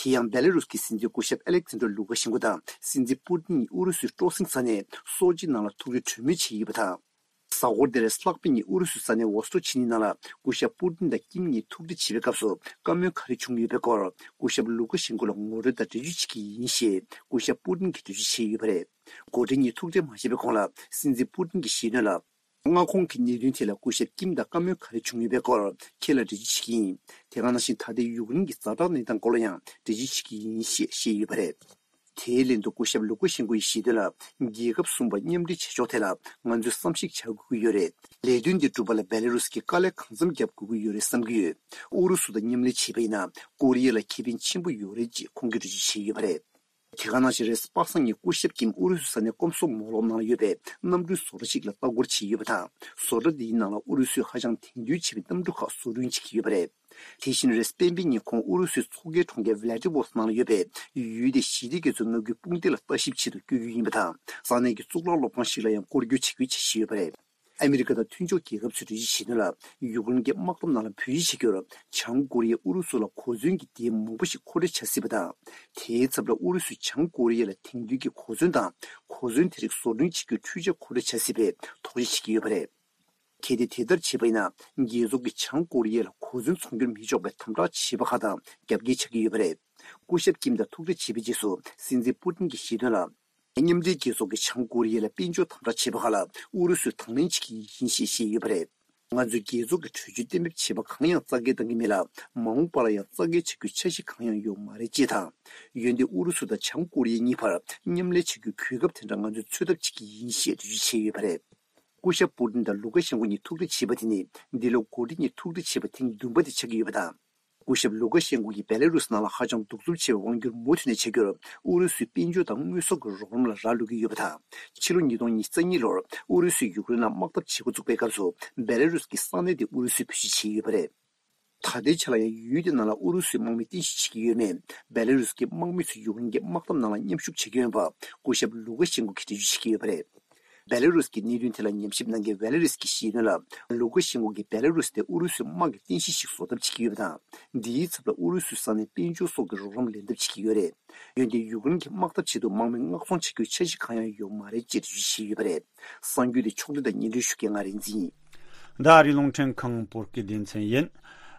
དེ་ཡང་བེ་ལ་རུས་ཀྱི་སྲིད་འཛིན་སྐུ་ཞབས་ཨ་ལེག་ཛན་ཌར་ལུ་ཀ་ཤེན་ཀོ་དང་སྲིད་འཛིན་པུ་ཏིན་གཉིས་ཨུ་རུ་སུའི་སྤྲོ་གསེང་ས་གནས་སོ་ཅི་ནང་ལ་ཐུག་འཕྲད་གྲོས་མོལ་བྱས་ཡོད་པ་དང་། གཟའ་འཁོར་འདིར་ལྷག་པའི་ཉིན་ཨུ་རུ་སུའི་ས་གནས་ཝོ་སི་ཊོག་བྱེད་གནས་ནང་ལ་སྐུ་ཞབས་པུ་ཏིན་དང་ཀིམ་གཉིས་ཐུག་འཕྲད་བྱེད་པའི་སྐབས་སུ་བཀའ་མོལ་ག་རེ་བྱུང་ཡོད་པའི་སྐོར་སྐུ་ཞབས་ལུ་ཀ་ཤེན་ཀོ་ལ་ངོ་སྤྲོད་དང་འགྲེལ་བརྗོད་བྱེད་ཀྱི་ཡིན་ཞེས་སྐུ་ཞབས་པུ་ཏིན་གྱིས་འགྲེལ་བརྗོད་བྱས་ཡོད་པ་རེད། འགོ་ཁྲིད་གཉིས་ཐུག་འཕྲད་མ་བྱས་པའི་གོང་ལ་སྲིད་འཛིན་པུ་ཏིན་གྱིས་བཤད་དོན་ལ། མངའ་ཁོངས་ཀྱི་གནད་དོན་ཐད་ལ་སྐུ་ཞབས་ཀིམ་དང་བཀའ་མོལ་ག་རེ་བྱུང་ཡོད་པའི་སྐོར་ཁྱེད་ལ་འགྲེལ་བརྗོད་བྱེད་ཀྱི་ཡིན། དེ་ག་ནང་བཞིན་ད་ལྟའི་ཡུཀ་རེན་གྱི་ཛ་དྲག་གནས་སྟངས་སྐོར་ལ་ཡང་འགྲེལ་བརྗོད་བྱེད་ཀྱི་ཡིན་ཞེས་བཤད་ཡོད་པ་རེད། དེའི་ལན་དུ་སྐུ་ཞབས་ལུ་ཀ་ཤེན་ཀོ་ཡིས་བཤད་དོན་ལ། རྒྱལ་ཁབ་གསུམ་པ་མཉམ་འབྲེལ་བྱེད་ཕྱོགས་ཐད་ལ་ང་ཚོས་བསམ་གཞིག་བྱ་དགོས་ཀྱི་ཡོད་རེད། ལས་དོན་འདི་སྒྲུབ་པ་ལ་བེ་ལ་རུས་ཀྱིས་དཀའ་ལས་གང་འཚམ་རྒྱབ་དགོས་ཀྱི་ཡོད་རེད་བསམ་གྱི་ཡོད། ཨུ་རུ་སུ་དང་མཉམ་ལས་བྱས་པ་ཡིན་ན་ཀོ་རི་ཡ་ལ་ཁེ་ཕན་ཆེན་པོ་ཡོད་རེད་ཅེས་ཁོང་གིས་འགྲེལ་བརྗོད་བྱས་ཡོད་པ་རེད། དེ་ག་ནང་བཞིན་རེས་གཟའ་པ་སངས་ཉིན་སྐུ་ཞབས་ཀྱིས་ཨུ་རུ་སུའི་ས་གནས་ཀོམ་སོམ་མོ་ལོབ་ནང་ལ་ཡོད་པའི་གནམ་གྲུའི་བཟོ་གྲྭ་ཞིག་ལ་ལྟ་སྐོར་བྱས་ཡོད་པ་དང་། བཟོ་གྲྭ་འདིའི་ནང་ལ་ཨུ་རུ་སུས་ཧ་ཅང་དེང་དུས་ཆེ་བའི་གནམ་གྲུ་ཁག་བཟོ་སྐྲུན་བྱེད་ཀྱི་ཡོད་པ་རེད། དེ་བཞིན་རེས་གཟའ་སྤེན་པའི་ཉིན་ཁོང་ཨུ་རུ་སུའི་མཚོ་ཁའི་གྲོང་ཁྱེར་ཝི་ལ་ཏི་ཝོ་སི་ཊོག་ནང་ལ་ཡོད་པའི་ཡུལ་དེའི་ཞི་བདེ་དགེ་ཚོའི་མངའ་ཁུལ་དཔུང་སྡེ་ལ་ལྟ་ཞིབ་ཆེད་དུ་བསྐྱོད་རྒྱུ་ཡིན་པ་དང་། ས་གནས་ཀྱི་གཙུག་ལག་སློབ་ཁང་ཞིག་ལ་ཡང་སྐོར་སྐྱོད་བྱེད་རྒྱུའི་འཆར་གཞི་ཡོད་པ་རེད། ཨ་མི་རི་ཀ་དང་མཐུན་ཕྱོགས་རྒྱལ་ཁབ་ཚོས་འགྲེལ་བརྗོད་བྱས་དོན་ལ། ཡུཀ་རེན་གྱི་དམག་འཐབ་ནང་ལ་བོད་གཞིས་བྱེད་རྒྱུར་བྱང་ཀོ་རི་ཡས་ཨུ་རུ་སུ་ལ་གོ་མཚོན་གྱི་སྡེ་མང་པོ་ཞིག་མཁོ་སྤྲོད་བྱ་སྲིད་པ་དང་། དེའི་ཚབ་ལ་ཨུ་རུ་སུས་བྱང་ཀོ་རི་ཡ་ལ་དེང་དུས་ཀྱི་གོ་མཚོན་དང་གོ་མཚོན་དེ་རིགས་བཟོ་སྐྲུན་བྱེད་རྒྱུའི་འཕྲུལ་ཆས་མཁོ་སྤྲོད་བྱ་སྲིད་པའི་དོགས་གཞི་བྱེད་ཀྱི་ཡོད་པ་རེད། གལ་ཏེ་དེ་ལྟར་བྱས་པ་ཡིན་ན། རྒྱལ་ཚོགས་ཀྱིས་བྱང་ཀོ་རི་ཡ་ལ་གོ་མཚོན་ཚོང་སྒྱུར་མི་ཆོག་པའི་དམ་དྲག་བྱས་པ་ཁག་དང་རྒྱབ་འགལ་བྱ་གི་ཡོད་པ་རེད། སྐུ་ཞབས་ཀིམ་དང་ཐུག་འཕྲད་བྱས་པའི་རྗེས་སུ་སྲིད་འཛིན་པུ་ཏིན་གྱིས་བཤད་དོན་ལ། མཉམ་འབྲེལ་རྒྱལ་ཚོགས་ཀྱིས་བྱང་ཀོ་རི་ཡ་ལ་དཔལ་འབྱོར་དམ་དྲག་བྱས་པ་ཁག་ལ་ཨུ་རུ་སུས་དང་ལེན་བྱེད་ཀྱི་ཡིན་ཞེས་བཤད་ཡོད་པ་རེད། ང་ཚོས་རྒྱལ་ཚོགས་ཀྱི་གྲོས་ཆོད་གཏན་འབེབས་བྱས་པ་གང་ཡང་རྩ་འགལ་གཏང་གི་མེད་ལ། མ་འོངས་པ་ལ་ཡང་རྩ་འགལ་བྱ་རྒྱུའི་འཆར་གཞི་གང་ཡང་ཡོད་མ་རེད་ཅེས་དང་། འོན་ཏེ་ཨུ་རུ་སུ་དང་བྱང་ཀོ་རི་ཡ་གཉིས་བར་མཉམ་ལས་བྱ་རྒྱུའི་གོ་སྐབས་དེ་འདྲ་ང་ཚོས་འཚོལ་ཐབས་བྱེད་ཀྱི་ཡིན་ཞེས་འགྲེལ་བརྗོད་བྱས་ཡོད་པ་རེད། སྐུ་ཞབས་པུ་ཏིན་དང་ལུ་ཀ་ཤེན་ཀོ་གཉིས་ཐུག་འཕྲད་བྱས་པ་དེ་ནི་འདི་ལོ་འགོ་ཁྲིད་གཉིས་ཐུག་འཕྲད་བྱས་པ་ཐེངས་བདུན་པ་དེ་ཆགས་ཀྱི་ཡོད་པ་དང་། སྐུ་ཞབས་ལུ་ཀ་ཤེན་ཀོ་གིས་བེ་ལ་རུས་ནང་ལ་ཧ་ཅང་གདུག་རྩུབ་ཆེ་བའི་དབང་སྒྱུར་མུ་མཐུད་ནས་བྱ་རྒྱུར་ཨུ་རུ་སུའི་དཔལ་འབྱོར་དང་དངོས་ཟོག་གི་རོགས་རམ་ལ་རག་ལུས་ཀྱི་ཡོད་པ་དང་། ཕྱི་ལོ་ཉིས་སྟོང་ཉི་ཤུ་རྩ་གཉིས་ལོར་ཨུ་རུ་སུས་ཡུཀ་རེན་ལ་དམག་འཐབ་བྱེད་འགོ་བཙུགས་པའི་སྐབས་སུ་བེ་ལ་རུས་ཀྱི་ས་གནས་དེ་ཨུ་རུ་སུས་བེད་སྤྱོད་བྱས་ཡོད་པ་རེད། ད་ལྟའི་ཆ་ལ་ཡང་ཡུལ་དེ་ནང་ལ་ཨུ་རུ་སུའི་དམག་མི་རྟེན་གཞི་བྱེད་ཀྱི་ཡོད་མེད། བེ་ལ་རུས་ཀྱི་དམག་མི་ཚོས་ཡུཀ་རེན་གྱི་དམག་འཐབ་ནང་ལ་མཉམ་ཞུགས་བྱེད་ཀྱི་ཡོད་པ་སྐུ་ཞབས་ལུ་ཀ་ཤེན་ཀོ་གིས་འགྲེལ་བརྗོད་བྱེད་ཀྱི་ཡོད་པ་རེད། བེ་ལ་རུས་ཀྱི་གནད་དོན་ཐད་ལ་ཉམས་ཞིབ་གནང་མཁན་ཝེ་ལ་རིས་ཀྱིས་བཤད་དོན་ལ། ལུ་ཀ་ཤེན་ཀོ་གིས་བེ་ལ་རུས་དེ་ཨུ་རུ་སུའི་དམག་གི་རྟེན་གཞི་ཞིག་བཟོ་ཐབས་བྱེད་ཀྱི་ཡོད་པ་དང་། འདིའི་ཚབ་ལ་ཨུ་རུ་སུའི་ས་གནས་དཔལ་འབྱོར་སོགས་ཀྱི་རོགས་རམ་ལེན་ཐབས་བྱེད་ཀྱི་ཡོད་རེད། འོན་ཏེ་ཡུཀ་རེན་གྱི་དམག་འཐབ་ཆེད་དུ་དམག་མི་མངགས་གཏོང་བྱ་རྒྱུའི་འཆར་གཞི་གང་ཡང་ཡོད་མ་རེད་ཅེས་འགྲེལ་བརྗོད་བྱས་ཡོད་པ་རེད། གསར་འགྱུར་དེ་ཕྱོགས་སྒྲིག་དང་སྙན་སྒྲོན་ཞུ་མཁན་ང་རིག་འཛིན་ཡིན། ད་ཨ་རིའི་རླུང་འཕྲིན་ཁང་བོད་སྐད་སྡེ་ཚན་ཡིན།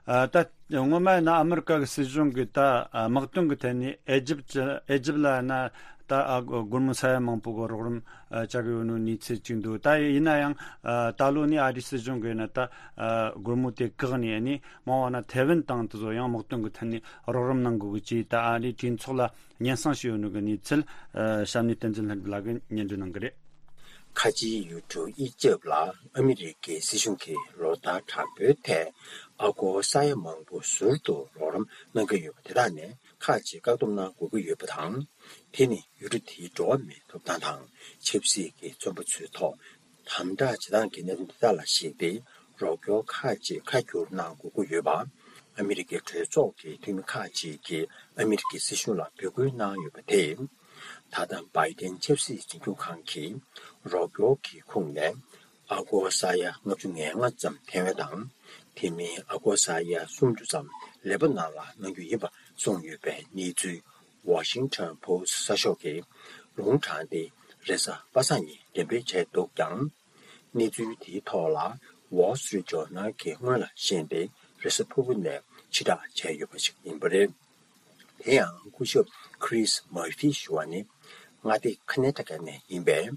ཨ། ད་སྔོན་མ་ཡིན་ན་ཨ་མི་རི་ཀ་གི་སྲིད་གཞུང་གིས་ད་ཨ་དམག་དོན་གྱི་ཐད་ནས་ཨེ་ཇིབ་ཨེ་ཇིབ་ལ་ཡིན་ན་ད་ཨ་སྒོར་མོ་ས་ཡ་མང་པོ་གི་རོགས་རམ་ཨ་བྱ་གི་ཡོད་ནོ་གནས་ཚུལ་ཅིག་འདུག་ད་ཡིན་ན་ཡང་ཨ་ད་ལོ་ནས་ཨ་རིའི་སྲིད་གཞུང་གིས་ཡིན་ན་ད་ཨ་སྒོར་མོ་དེ་བཀག་ནས་ནི་མང་བ་ན་ཐེ་ཝན་དང་དེ་ཚོ་ཡང་དམག་དོན་གྱི་ཐད་ནས་རོགས་རམ་གནང་དགོས་ཀྱི་ཅེས་ད་ཨ་རིའི་གྲོས་ཚོགས་ལ་སྙན་སེང་ཞུས་ཡོད་ནོ་གི་གནས་ཚུལ་ཨ་གཤམ་ནས་བསྟན་འཛིན་ལྷུན་གྲུབ་ལགས་ཀྱིས་སྙན་སྒྲོན་གནང་གི་རེད། ཁ་ཆེའི་ཡུལ་གྲུ་ཨི་ཇེབ་ལ་ཨ་མི་རི་ཀའི་སྲིད་གཞུང་གིས་ལོ་ལྟར་དྲག་པོའི་ཐད་ཨ་སྒོར་ས་ཡ་མང་པོ་ཟུར་དུ་རོགས་རམ་གནང་གི་ཡོད་པ་དེ་དག་ནས་ཁག་ཅིག་བཀག་སྡོམ་གནང་དགོས་ཀྱི་ཡོད་པ་དང་། དེ་ནི་ཡུལ་གྲུ་དེའི་འགྲོ་བ་མིའི་ཐོབ་ཐང་དང་ཆབ་སྲིད་ཀྱི་བཙོན་པ་ཚོའི་ཐོག་དམ་དྲག་བྱེད་སྟངས་ཀྱི་གནད་དོན་དེ་དག་ལ་གཞིགས་ཏེ་རོགས་སྐྱོར་ཁག་ཅིག་ཁ་བསྒྱུར་གནང་དགོས་ཀྱི་ཡོད་པ། ཨ་མི་རི་ཀའི་གྲོས་ཚོགས་ཀྱི་འཐུས་མི་ཁག་ཅིག་གིས་ཨ་མི་རི་ཀའི་སྲིད་གཞུང་ལ་འབོད་སྐུལ་གནང་ཡོད་པ་དེས། ད་ལྟ་བྷའི་ཏན་ཆབ་སྲིད་འཛིན་སྐྱོང་ཁང་གིས་རོགས་སྐྱོར་གྱི་ཁོངས་ནས་ཨ་སྒོར་ས་ཡ་ལྔ་བཅུ་ང་ལྔ་ཙམ་ཐེ་ཝན་དང་། དེ་མིན་ཨ་སྒོར་ས་ཡ་སུམ་ཅུ་ཙམ་ལེ་པ་ནན་ལ་གནང་རྒྱུ་ཡིན་པ་གསུངས་ཡོད་པའི་གནས་ཚུལ་ཝ་ཤིང་ཊོན་པོ་སི་གསར་ཤོག་གིས་ལུང་དྲངས་ཏེ། རེས་གཟའ་པ་སངས་ཉིན་འགྲེམས་སྤེལ་བྱས་འདུག་ཀྱང་། གནས་ཚུལ་དེའི་ཐོག་ལ་Wall Street Journal་གྱིས་སྔོན་ལ་ཤེས་ཏེ་རེས་གཟའ་ཕུར་བུ་ནས་ཕྱིར་བསྒྲགས་བྱས་ཡོད་པ་ཞིག་ཡིན་པ་རེད། དེ་ཡང་སྐུ་ཞབས་Chris Murphy་ཞུ་བ་ནི་མངའ་སྡེ་ཁ་ན་ཊ་ཀ་ནས་ཡིན་པའི་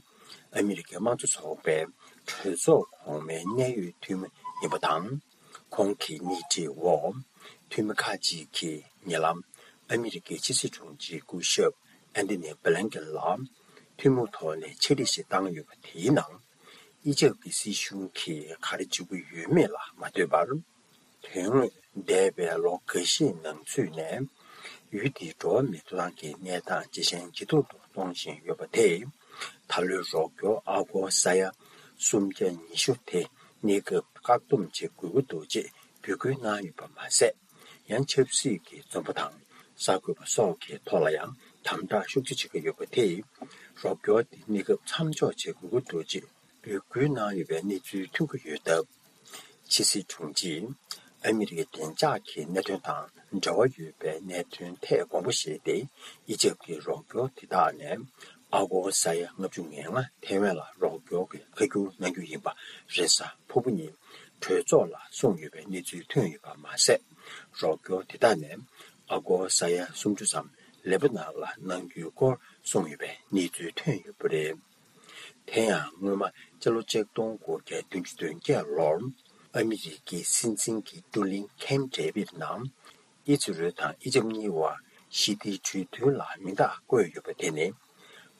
ཨ་མི་རི་ཀའི་དམངས་གཙོ་ཚོགས་པའི་གྲོས་ཚོགས་གོང་མའི་གནད་ཡོད་འཐུས་མི་ཡིན་པ་དང་། ཁོང་གི་སྣེ་ཁྲིད་འོག་འཐུས་མི་ཁག་ཅིག་གིས་ཉེ་ལམ་ཨ་མི་རི་ཀའི་ཕྱི་སྲིད་དྲུང་ཆེ་སྐུ་ཞབས་ཨན་ཐོ་ནི་བྷི་ལན་ཀེན་ལ་ཐུན་མོང་ཐོག་ནས་ཕྱག་བྲིས་ཤིག་བཏང་ཡོད་པ་དེའི་ནང་། ཨི་ཇེབ་ཀྱི་སྲིད་གཞུང་གིས་ག་རེ་བྱེད་ཀྱི་ཡོད་མེད་ལ་མ་ལྟོས་པར། དོན་དངོས་འདས་པའི་ལོ་འགའ་ཤས་ནང་ཚུད་ནས་ཡུལ་དེའི་འགྲོ་བ་མིའི་ཐོབ་ཐང་གི་གནས་སྟངས་ཇེ་ཞན་ཇེ་སྡུག་ཏུ་གཏོང་བཞིན་ཡོད་པ་དེས། ད་ལོའི་རོགས་སྐྱོར་ཨ་སྒོར་ས་ཡ་སུམ་བརྒྱ་ཉི་ཤུ་དེ་གནས་སྐབས་བཀག་སྡོམ་བྱེད་དགོས་ཀྱི་འདུག་ཅེས་འབོད་སྐུལ་གནང་ཡོད་པ་མ་ཟད། ཡང་ཆབ་སྲིད་ཀྱི་བཙོན་པ་དང་གསར་འགོད་པ་སོགས་ཀྱི་ཐོག་ལ་ཡང་དམ་དྲག་ཤུགས་ཆེ་བྱེད་ཀྱི་ཡོད་པ་དེས། རོགས་སྐྱོར་དེ་གནས་སྐབས་མཚམས་འཇོག་བྱེད་དགོས་ཀྱི་འདུག་ཅེས་འབོད་སྐུལ་གནང་ཡོད་པའི་གནས་ཚུལ་ཐོན་གྱི་ཡོད་སྟབས། ཕྱི་སྲིད་དྲུང་ཆེས་ ཨ་མི་རི་ཀའི་བདེ་འཇགས་ཀྱི་གནད་དོན་དང་འབྲེལ་བ་ཡོད་པའི་གནད་དོན་ཐད་དགོངས་པ་བཞེས་ཏེ། ཨི་ཇེབ་ཀྱི་རོགས་སྐྱོར་དེ་དག་ནས་ཨ་སྒོར་ས་ཡ་ལྔ་བཅུ་ང་ལྔ་ཐའེ་ཝན་ལ་རོགས་སྐྱོར་གྱི་ཁ་བསྒྱུར་གནང་རྒྱུ་ཡིན་པ་རེས་གཟའ་ཕུར་བུ་ཉིན་གྲོས་ཚོགས་ལ་གསུངས་ཡོད་པའི་གནས་ཚུལ་ཐོན་ཡོད་པ་མ་ཟད། རོགས་སྐྱོར་དེ་དག་ནས་ཨ་སྒོར་ས་ཡ་སུམ་ཅུ་ཙམ་ལེ་པ་ནན་ལ་གནང་རྒྱུའི་སྐོར་གསུངས་ཡོད་པའི་གནས་ཚུལ་ཐོན་ཡོད་པ་རེད། དེ་ཡང་སྔོན་མ་སྤྱི་ལོ་ཆིག་སྟོང་དགུ་བརྒྱ་བདུན་ཅུ་དོན་བརྒྱད་ལོར་ཨ་མི་རི་ཀའི་སྲིད་འཛིན་གྱི་བགྲོ་གླེང་ཁེམ་ཌེ་བིད་ནང་ཨི་ཛི་རལ་དང་ཨི་ཇབ་གཉིས་བར་ཞི་བདེའི་གྲོས་མཐུན་ལ་མིང་རྟགས་བཀོད་ཡོད་པ་དེ་ནི།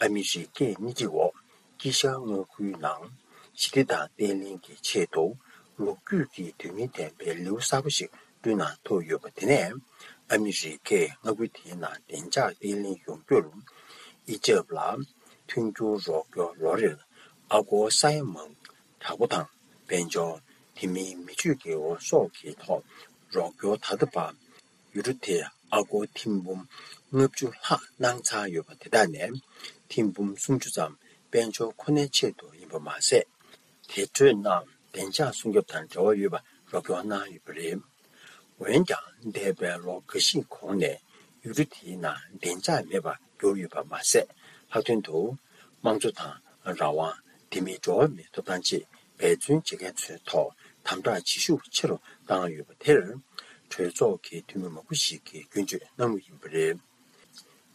ཨ་མི་རི་ཀས་སྣེ་ཁྲིད་འོག་དཀྱིལ་ཤར་མངའ་ཁུལ་ནང་ཞི་བདེ་དང་བརྟན་ལྷིང་གི་ཆེད་དུ་ལོ་རྒྱུས་ཀྱི་དོན་སྙིང་ལྡན་པའི་ལེའུ་གསར་པ་ཞིག་བསྐྲུན་གནང་ཐུབ་ཡོད་པ་དེ་ནས། ཨ་མི་རི་ཀས་མངའ་ཁུལ་དེའི་ནང་བདེ་འཇགས་བརྟན་ལྷིང་ཡོང་རྒྱུར་ཨི་ཇབ་ལ་མཐུན་འགྱུར་རོགས་སྐྱོར་ལོ་རེར་ཨ་སྒོར་ས་ཡ་མང་དྲག་པོ་དང་། དཔལ་འབྱོར། དེ་མིན་མི་ཆོས་དགེ་སྐོར་སོགས་ཀྱི་ཐོག་རོགས་སྐྱོར་ད་ལྟ་བར་ཡུ་རོ་དེ་ཨ་སྒོར་ཐེར་འབུམ་ལྔ་བཅུ་ལྷག་གནང་ཚར་ཡོད་པ་དེ་དག་ནས་ཐེར་འབུམ་སུམ་ཅུ་ཙམ་དཔལ་འབྱོར་ཁོ་ནའི་ཆེད་དུ་ཡིན་པ་མ་ཟད། དེ་འཕྲོས་ནང་བདེ་འཇགས་སྲུང་སྐྱོབ་དང་འབྲེལ་བ་ཡོད་པ་རོགས་སྐྱོར་གནང་ཡོད་པ་རེད། འོན་ཀྱང་འདས་པའི་ལོ་འགའ་ཞིག་གོང་ནས་ཡུལ་གྲུ་དེའི་ནང་བདེ་འཇགས་མེད་པར་གྱུར་ཡོད་པ་མ་ཟད། ལྷག་དོན་དུ་དམངས་གཙོ་དང་རང་དབང་། དེ་མིན་འགྲོ་བ་མིའི་ཐོབ་ཐང་བཅས་འབད་བརྩོན་བྱེད་མཁན་ཚོའི་ཐོག་དམ་དྲག་བྱེད་ཤུགས་ཆེ་རུ་བཏང་ཡོད་པ་དེར་གྲོས་ཚོགས་ཀྱི་འཐུས་མི་མང་པོ་ཞིག་གིས་སྐྱོན་བརྗོད་གནང་མུས་ཡིན་པ་རེད།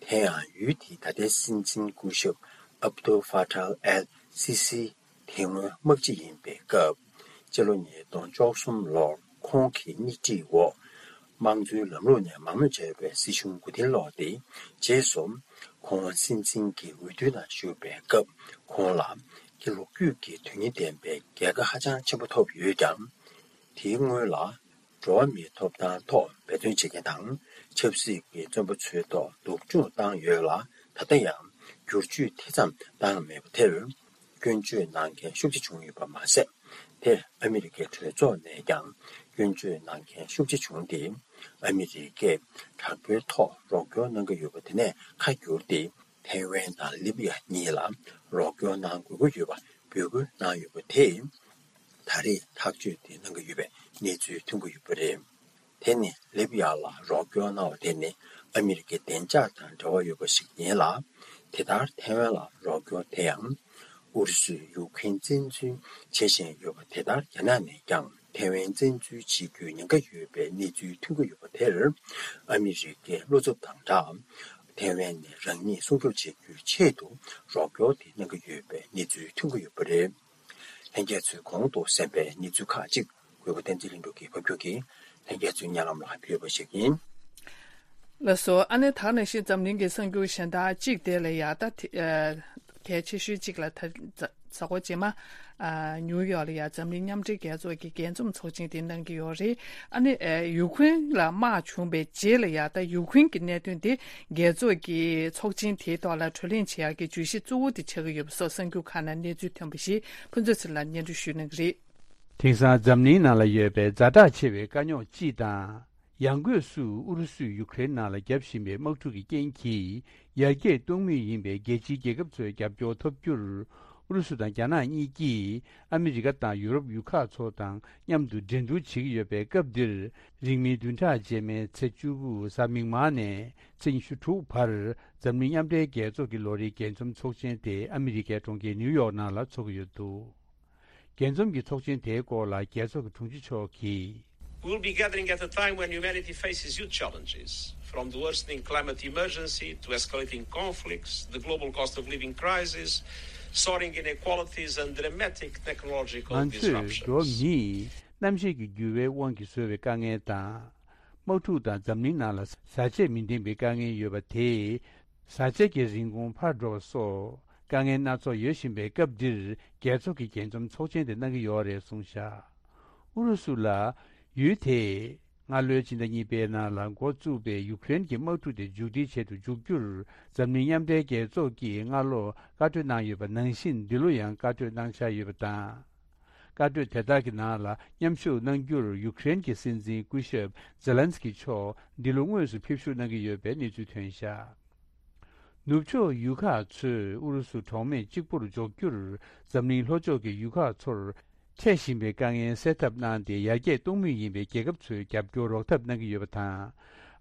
དེ་ཡང་ཡུལ་དེའི་ད་ལྟའི་སྲིད་འཛིན་སྐུ་ཞབས་ཨབ་ཏུལ་ཧྥ་ཏཱལ་ཨལ་སི་སི་དེ་སྔོན་དམག་སྤྱི་ཡིན་པའི་སྐབས། སྤྱི་ལོ་ཉིས་སྟོང་བཅུ་གསུམ་ལོར་ཁོང་གི་སྣེ་ཁྲིད་འོག་དམངས་གཙོའི་ལམ་ལུགས་ནས་མང་མོས་བྱས་པའི་སྲིད་གཞུང་མགོ་རྟིང་སློག་སྟེ། རྗེས་སུ་ཁོང་སྲིད་འཛིན་གྱི་འོས་བསྡུའི་ནང་ཞུགས་པའི་སྐབས། ཁོང་ལ་ལོ་རྒྱུས་ཀྱི་དོན་སྙིང་ལྡན་པའི་རྒྱལ་ཁ་ཧ་ཅང་ཆེན་པོ་ཐོབ་ཡོད་ཀྱང་། དེའི་སྔོན་ལ། འགྲོ་བ་མིའི་ཐོབ་ཐང་ཐོག་འབད་བརྩོན་བྱེད་མཁན་དང་ཆབ་སྲིད་ཀྱི་བཙོན་པ་ཚོའི་ཐོག་སྡུག་སྦྱོང་བཏང་ཡོད་ལ། ད་ལྟ་ཡང་བསྒྱུར་བཅོས་དེ་ཙམ་བཏང་མེད་པ་དེར་སྐྱོན་བརྗོད་གནང་མཁན་ཤུགས་ཆེ་བྱུང་ཡོད་པ་མ་ཟད། དེར་ཨ་མི་རི་ཀའི་གྲོས་ཚོགས་ནས་ཀྱང་སྐྱོན་བརྗོད་གནང་མཁན་ཤུགས་ཆེ་བྱུང་སྟེ། ཨ་མི་རི་ཀས་དྲག་པོའི་ཐོག་རོགས་སྐྱོར་གནང་གི་ཡོད་པ་དེ་ནས་ཁ་བསྒྱུར་ཏེ། ཐའེ་ཝན་དང་ལི་བི་ཡ་གཉིས་ལ་རོགས་སྐྱོར་གནང་དགོས་ཀྱི་ཡོད་པ་འབོད་སྐུལ་གནང་ཡོད་པ་དེས། ད་རེས་ཐག་གཅོད་དེ་གནང་གི་ཡོད་པའི་གནས་ཚུལ་ཐོན་གྱི་ཡོད་པ་རེད། དེ་ནི་ལི་བི་ཡ་ལ་རོགས་སྐྱོར་གནང་བ་དེ་ནི་ཨ་མི་རི་ཀའི་བདེ་འཇགས་དང་འབྲེལ་བ་ཡོད་པ་ཞིག་ཡིན་ལ། དེ་ལྟར་ཐའེ་ཝན་ལ་རོགས་སྐྱོར་དེ་ཡང་ཨུ་རུ་སུས་ཡུ་ཁུ་རེན་བཙན་འཛུལ་བྱེད་བཞིན་ཡོད་པ་དེ་ལྟར། རྒྱ་ནག་ནས་ཀྱང་ཐའེ་ཝན་བཙན་འཛུལ་བྱེད་རྒྱུའི་ཉེན་ཁ་ཡོད་པའི་གནས་ཚུལ་ཐོན་གྱི་ཡོད་པ་དེར། ཨ་མི་རི་ཀའི་བློ་འཚབ་དང་སྦྲགས། ཐའེ་ཝན་ནས་རང་ཉིད་སྲུང་སྐྱོབ་བྱེད་རྒྱུའི་ཆེད་དུ་རོགས་སྐྱོར་དེ་གནང་གི་ཡོད་པའི་གནས་ཚུལ་ཐོན་གྱི་ཡོད་པ་རེད། ལྷན་རྒྱས་ཚོས་གོང་དུ་གསན་པའི་གནས་ཚུལ་ཁག་ཅིག་གུས་པ་བསྟན་འཛིན་ལྷུན་གྲུབ་ཀྱིས་ཕབ་སྒྱུར་གྱིས་ལྷན་རྒྱས་ཚོའི་སྙན་ལམ་ལ་ཕུལ་བ་ཞིག་ཡིན། ལགས་སོ། ཨ་ནེ་ད་ག་ནང་བཞིན་འཛམ་གླིང་གི་གསར་འགྱུར་གཞན་དག་ཅིག་དེ་ལ་ཡ་ད་དེ་ཨ་གལ་ཆེ་ཤོས་ཅིག་ལ་ད་གཟའ་འཁོར་རྗེས་མ་ཨ་ནིའུ་ཡོག་ལ་ཡ་འཛམ་གླིང་མཉམ་འབྲེལ་རྒྱལ་ཚོགས་ཀྱི་རྒྱས་འཛོམས་ཚོགས་ཆེན་དེ་གནང་གི་ཡོད་རེད། ཨ་ནེ་ཨ་ཡུ་ཁུ་རེན་ལ་དམག་བྱུང་བའི་རྗེས་ལ་ཡ་ད་ཡུ་ཁུ་རེན་གྱི་གནད་དོན་དེ་རྒྱལ་ཚོགས་ཀྱི་ཚོགས་ཆེན་དེའི་ཐོག་ལ་གྲོས་གླེང་བྱེད་ཡག་གི་བརྗོད་གཞི་གཙོ་བོ་དེ་ཆགས་ཀྱི་ཡོད་པ་སོགས་གསར་འགྱུར་ཁག་ནང་གནས་ཚུལ་ཐོན་པ་ཞིག་ཕུན་ཚོགས་ཚེ་རིང་ལགས་སྙན་སྒྲོན་ཞུ་གནང་གི་རེད། དེང་སང་འཛམ་གླིང་ནང་ལ་ཡོད་པའི་ཛ་དྲག་ཆེ་བའི་དཀའ་རྙོག་སྤྱི་དང་། ཡང་སྒོས་སུ་ཨུ་རུ་སུས་ཡུ་ཀེ་རེན་ནང་ལ་བརྒྱབ་བཞིན་པའི་དམག་འཁྲུག་གི་རྐྱེན་གྱིས་ཡར་རྒྱས་གཏོང་མུས་ཡིན་པའི་རྒྱལ་སྤྱིའི་རྒྱལ་ཁབ་ཚོའི་རྒྱབ་སྐྱོར་ཐོབ་རྒྱུར། ཨུ་རུ་སུ་དང་རྒྱ་ནག་གཉིས་ཀྱིས་ཨ་མི་རི་ཀ་དང་ཡུ་རོབ་ཡུལ་ཁག་ཚོ་དང་མཉམ་དུ་འགྲན་བསྡུར་བྱེད་ཀྱི་ཡོད་པའི་སྐབས་འདིར། རིང་མིན་བདུན་ཕྲག་རྗེས་མའི་ཚེས་བཅུ་དགུ་གཟའ་མིག་དམར་ནས་ཚེས་ཉི་ཤུ་དྲུག་བར་འཛམ་གླིང་མཉམ་འབྲེལ་རྒྱལ་ཚོགས་ཀྱི་ལོ་རེའི་རྒྱས་འཛོམས་ཚོགས་ཆེན་དེ་ཨ་མི་རི་ཀའི་གྲོང་ཁྱེར་ནིའུ་ཡོག་ནང་ལ་འཚོགས་ཀྱི་ཡོད་འདུག་རྒྱས་འཛོམས་ཀྱི་ཚོགས་ཆེན་དེའི་སྐོར་ལ་རྒྱལ་ཚོགས་ཀྱི་དྲུང་ཆེ་མཆོག་གིས། We'll be gathering at a time when humanity faces huge challenges, from the worsening climate emergency to escalating conflicts, the global cost of living crisis, soaring inequalities, and dramatic technological disruptions. ང་ཚོས་འགྲོ་བ་མིས་གནམ་གཤིས་ཀྱི་འགྱུར་བའི་དབང་གིས་བཟོས་པའི་དཀའ་ངལ་དང་། དམག་འཁྲུག་དང་འཛམ་གླིང་ནང་ལ་བཟའ་ཆས་མི་ལྡན་པའི་དཀའ་ངལ་ཡོད་པ་དེས། བཟའ་ཆས་ཀྱི་རིན་གོང་འཕར་འགྲོ་བ་སོགས་དཀའ་ངལ་སྣ་ཚོགས་ཡོད་བཞིན་པའི་སྐབས་འདིར་རྒྱལ་ཚོགས་ཀྱི་རྒྱས་འཛོམས་ཚོགས་ཆེན་དེ་གནང་གི་ཡོད་རེད་གསུངས་བཞག་ཨུ་རུ་སུ་ལ་ཡུལ་དེས་སྔ་ལོའི་ཕྱི་ཟླ་གཉིས་པའི་ནང་ལ་འགོ་བཙུགས་པའི་ཡུ་ཀེ་རེན་གྱི་དམག་འཁྲུག་དེ་མཇུག་སྒྲིལ་བྱེད་དུ་འཇུག་རྒྱུར་འཛམ་གླིང་མཉམ་འབྲེལ་རྒྱལ་ཚོགས་ཀྱིས་སྔ་ལོ་བཀའ་གྲོས་གནང་ཡོད་པ་ནང་བཞིན་འདི་ལོ་ཡང་བཀའ་གྲོས་གནང་འཆར་ཡོད་པ་དང་། བཀའ་གྲོས་དེ་དག་གི་ནང་ལ་མཉམ་ཞུགས་གནང་རྒྱུར་ཡུ་ཀེ་རེན་གྱི་སྲིད་འཛིན་སྐུ་ཞབས་ཛེ་ལན་སི་ཀི་མཆོག་འདི་ལོ་དངོས་སུ་ཕེབས་ཞུགས་གནང་གི་ཡོད་པའི་གནས་ཚུལ་ཐོན་བཞག་ནུབ་ཕྱོགས་ཡུལ་ཁག་ཚོས་ཨུ་རུ་སུ་གྲོགས་མེད་གཅིག་པུར་འཇོག་རྒྱུར་འཛམ་གླིང་ལྷོ་ཕྱོགས་ཀྱི་ཡུལ་ཁག་ཚོར་ འཕྲད་བཞིན་པའི་དཀའ་ངལ་སེལ་ཐབས་གནང་སྟེ། ཡར་རྒྱས་གཏོང་མུས་ཡིན་པའི་རྒྱལ་ཁབ་ཚོས་རྒྱབ་སྐྱོར་རོགས་ཐབས་གནང་གི་ཡོད་པ་དང་།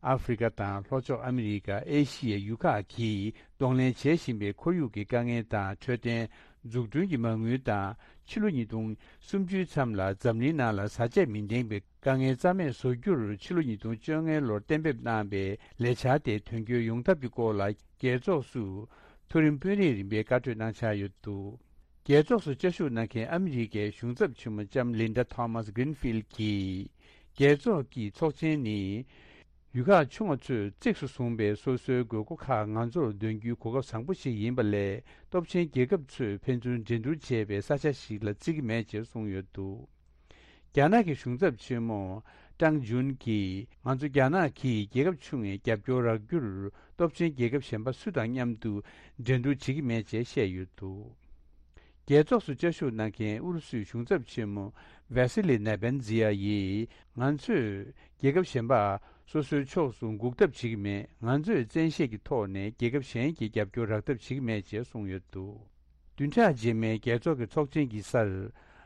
ཨ་ཧྥེ་རི་ཁ་དང་ལྷོ་ཕྱོགས་ཨ་མི་རི་ཀ། ཨེ་ཤི་ཡའི་ཡུལ་ཁག་གིས་གདོང་ལེན་བྱེད་བཞིན་པའི་ཁོར་ཡུག་གི་དཀའ་ངལ་དང་། འཕྲོད་བསྟེན། འཛུགས་སྐྲུན་གྱི་མ་དངུལ་དང་། ཕྱི་ལོ་ཉིས་སྟོང་སུམ་ཅུའི་མཚམས་ལ་འཛམ་གླིང་ནང་ལ་བཟའ་ཆས་མི་ལྡན་པའི་དཀའ་ངལ་རྩ་མེད་བཟོ་རྒྱུར། ཕྱི་ལོ་ཉིས་སྟོང་བཅོ་ལྔའི་ལོར་གཏན་འབེབས་གནང་པའི་ལས་འཆར་དེ་དོན་འཁྱོལ་ཡོང་ཐབས་ཀྱི་སྐོར་ལ། རྒྱལ་ཚོགས་སུ་མཐོ་རིམ་དཔོན་རིགས་རིམ་པས་བཀའ་གྲོས་གནང་འཆར་ཡོད་འདུག་རྒྱལ་ཚོགས་སུ་བཅའ་བཞུགས་གནང་མཁན་ཨ་མི་རི་ཀའི་གཞུང་ཚབ་ཆེན་མོ་ལྕམ་ལིན་ཌ་ཐོ་མཱས་གྷི་རིན་ཕིལ་གྱིས། རྒྱལ་ཚོགས་ཀྱི་ཚོགས་ཆེན་ནི། ཡུལ་ཁག་ཆུང་བ་ཚོས་གཙིགས་སུ་བཟུང་པའི་སོ་སོའི་དགོས་མཁོ་ཁག་ང་ཚོར་འདོན་རྒྱུའི་གོ་སྐབས་བཟང་པོ་ཞིག་ཡིན་པ་ལས། སྟོབས་ཆེན་རྒྱལ་ཁབ་ཚོས་ཕན་ཚུན་འགྲན་བསྡུར་བྱེད་པའི་ས་ཆ་ཞིག་ལ་བརྩི་གི་མེད་ཅེས་གསུངས་ཡོད་འདུག་རྒྱ་ནག་གི་གཞུང་ཚབ་ཆེན་མོ་ཀྲང་ཅུན་གྱིས། ང་ཚོ་རྒྱ་ནག་གིས་རྒྱལ་ཁབ་ཆུང་བའི་རྒྱབ་སྐྱོར་རག་རྒྱུར། སྟོབས་ཆེན་རྒྱལ་ཁབ་གཞན་པ་སུ་དང་མཉམ་དུ་འགྲན་བསྡུར་བྱེད་ཀྱི་མེད་ཅེས་བཤད་ཡོད་འདུག་རྒྱལ་ཚོགས་སུ་བཅའ་བཞུགས་གནང་མཁན་ཨུ་རུ་སུའི་གཞུང་ཚབ་ཆེན་མོ་ཝེ་སི་ལི་ནེ་བན་ཛི་ཡ་ཡིས། ང་ཚོས་རྒྱལ་ཁབ་གཞན་པ་སོ་སོའི་ཕྱོགས་སུ་འགུག་ཐབས་བྱེད་ཀྱི་མེད། ང་ཚོས་བཙན་ཤེད་ཀྱི་ཐོག་ནས་རྒྱལ་ཁབ་གཞན་གྱི་རྒྱབ་སྐྱོར་རག་ཐབས་བྱེད་ཀྱི་མེད་ཅེས་གསུངས་ཡོད་འདུག་བདུན་ཕྲག་རྗེས་མའི་རྒྱལ་ཚོགས་ཀྱི་ཚོགས་ཆེན་གྱི་སར།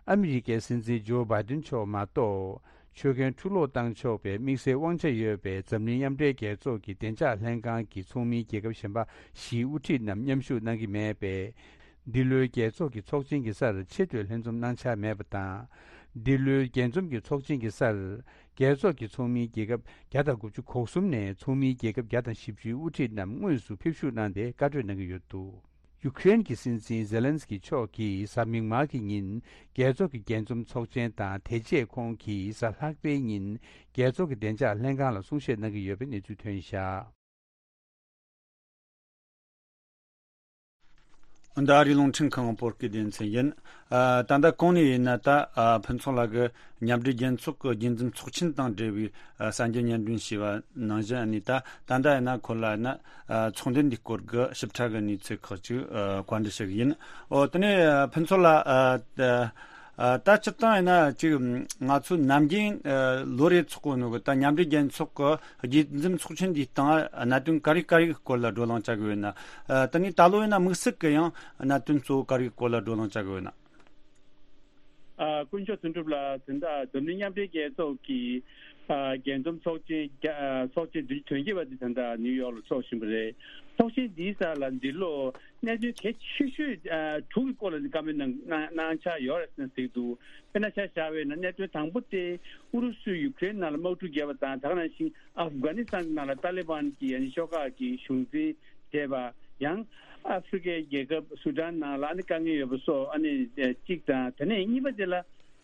ཨ་མི་རི་ཀའི་སྲིད་འཛིན་ཇོ་བྷའི་ཏིན་མཆོག་མ་གཏོགས། ཆོད་གན་འཁྲུག་སློང་བཏང་ཆོག་པའི་དམིགས་བསལ་དབང་ཆ་ཡོད་པའི་འཛམ་གླིང་མཉམ་འབྲེལ་རྒྱལ་ཚོགས་ཀྱི་བདེ་འཇགས་ལྷན་ཁང་གི་ཚོགས་མིའི་རྒྱལ་ཁབ་གཞན་པ་བཞིའི་དབུ་ཁྲིད་རྣམས་མཉམ་ཞུགས་གནང་གི་མེད་པས། འདི་ལོའི་རྒྱལ་ཚོགས་ཀྱི་ཚོགས་ཆེན་གྱི་སར་ཆེས་མཐོའི་ལྷན་འཛོམས་གནང་འཆར་མེད་པ་དང་། འདི་ལོའི་རྒྱས་འཛོམས་ཀྱི་ཚོགས་ཆེན་གྱི་སར། རྒྱལ་ཚོགས་ཀྱི་ཚོགས་མིའི་རྒྱལ་ཁབ་བརྒྱ་དང་དགུ་བཅུ་གོ་གསུམ་ནས་ཚོགས་མིའི་རྒྱལ་ཁབ་བརྒྱ་དང་བཞི་བཅུའི་དབུ་ཁྲིད་རྣམས་དངོས་སུ་ཕེབས་ཞུགས་གནང་སྟེ་བཀའ་གྲོས་གནང་གི་ཡོད་འདུག་ཡུ་ཀེ་རེན་གྱི་སྲིད་འཛིན་ཛེ་ལན་སི་ཀི་མཆོག་གིས་གཟའ་མིག་དམར་གྱི་ཉིན། རྒྱལ་ཚོགས་ཀྱི་རྒྱས་འཛོམས་ཚོགས་ཆེན་དང་། དེ་རྗེས་ཁོང་གིས་གཟའ་ལྷག་པའི་ཉིན། རྒྱལ་ཚོགས་ཀྱི་བདེ་འཇགས་ལྷན་ཁང་ལ་གསུང་བཤད་གནང་གི་ཡོད་པའི་གནས་ཚུལ་ཐོན་བཞག་ད་རེས་རླུང་འཕྲིན་ཁང་བོད་སྐད་སྡེ་ཚན་ཡིན། ཨ། ད་ལྟ་གོང་ནས་ཡིན་ན། ད། ཨ། ཕུན་ཚོགས་ལགས་ཀྱིས་མཉམ་འབྲེལ་རྒྱལ་ཚོགས་ཀྱི་རྒྱས་འཛོམས་ཚོགས་ཆེན་དང་འབྲེལ་བའི། ཨ། གསར་འགྱུར་སྙན་སྒྲོན་ཞུས་པ་ནང་བཞིན། ཨ་ནི་ད་ད་ལྟ་ཡིན་ན་ཁོ་ལ་ཡིན་ན། ཨ། ཚོགས་འདུ་འདིའི་སྐོར་གྱི་ཞིབ་ཕྲ་གི་གནས་ཚུལ་ཁག་ཅིག་ཨ། བཀའ་འདྲི་ཞུ་གི་ཡིན། ཨོ། དེ་ནས། ཨ། ཕུན་ཚོགས་ལགས། ཨ། ད། ཨ། ད་སྤྱིར་བཏང་ཡིན་ན་ཅིག་ང་ཚོ་ནམ་རྒྱུན། ཨ། ལོ་རེ་ཚོགས་གོ་ནོ་གི་ད་མཉམ་འབྲེལ་རྒྱལ་ཚོགས་ཀྱི་རྒྱས་འཛོམས་ཚོགས་ཆེན་འདིའི་སྟེང་གནད་དོན་ག་རེ་ག་རེ་གི་སྐོར་ལ་བགྲོ་གླེང་བྱ་དགོས་ཡོད་ན། ཨ། ད་ནི་ད་ལོ་ཡིན་ན་དམིགས་བསལ་གྱི་ཡང་གནད་དོན་གཙོ་བོ་ག་རེ་གི་སྐོར་ལ་བགྲོ་གླེང་བྱ་དགོས་ཡོད་ན། ཨ། དཀོན་མཆོག་དོན་གྲུབ་ལགས། ད་ལྟ་འཛམ་གླིང་མཉམ་འབྲེལ་རྒྱལ་ཚོགས་ཀྱི། ཨ། རྒྱས་འཛོམས་ཚོགས་ཆེན་བརྒྱ། ཨ། ཚོགས་ཆེན་དོན་གཅིག་པ་དེ་ད་ལྟ་ནིའུ་ཡོག་ལ་ཚོགས་བཞིན་པ་རེད། ཚོགས་ཆེན་འདིའི་སར་ལ་འདི་ལོ་གནད་དོན་གལ་ཆེ་ཤོས། ཨ། དྲུག་གི་སྐོར་ལ་བཀའ་མོལ་གནང་། གནང་། གནང་འཆར་ཡོད་རེད་ཟེར་འདུག་དཔེར་ན་ཆ་བཞག་པ་ཡིན་ན། གནད་དོན་དང་པོ་དེ་ཨུ་རུ་སུས་ཡུ་ཀེ་རེན་ནང་ལ་དམག་འཁྲུག་བརྒྱབ་པ་དང་། ད་ག་ནང་བཞིན་ཨབ་གྷ་ནི་སི་ཐན་ནང་ལ་ཏཱ་ལི་བན་གྱི་ཨ་ནི་ཤོག་ཁག་གི་གཞུང་འཛིན་བྱས་པ། ཡང་ཨ་ཧྥེ་རི་ཁའི་རྒྱལ་ཁབ་སུ་ཌན་ནང་ལ་ཨ་ནི་དཀའ་ངལ་ཡོད་པ་སོགས། ཨ་ནི་གཅིག་དང་། དེ་ནས་གཉིས་པ་དེ་ལ།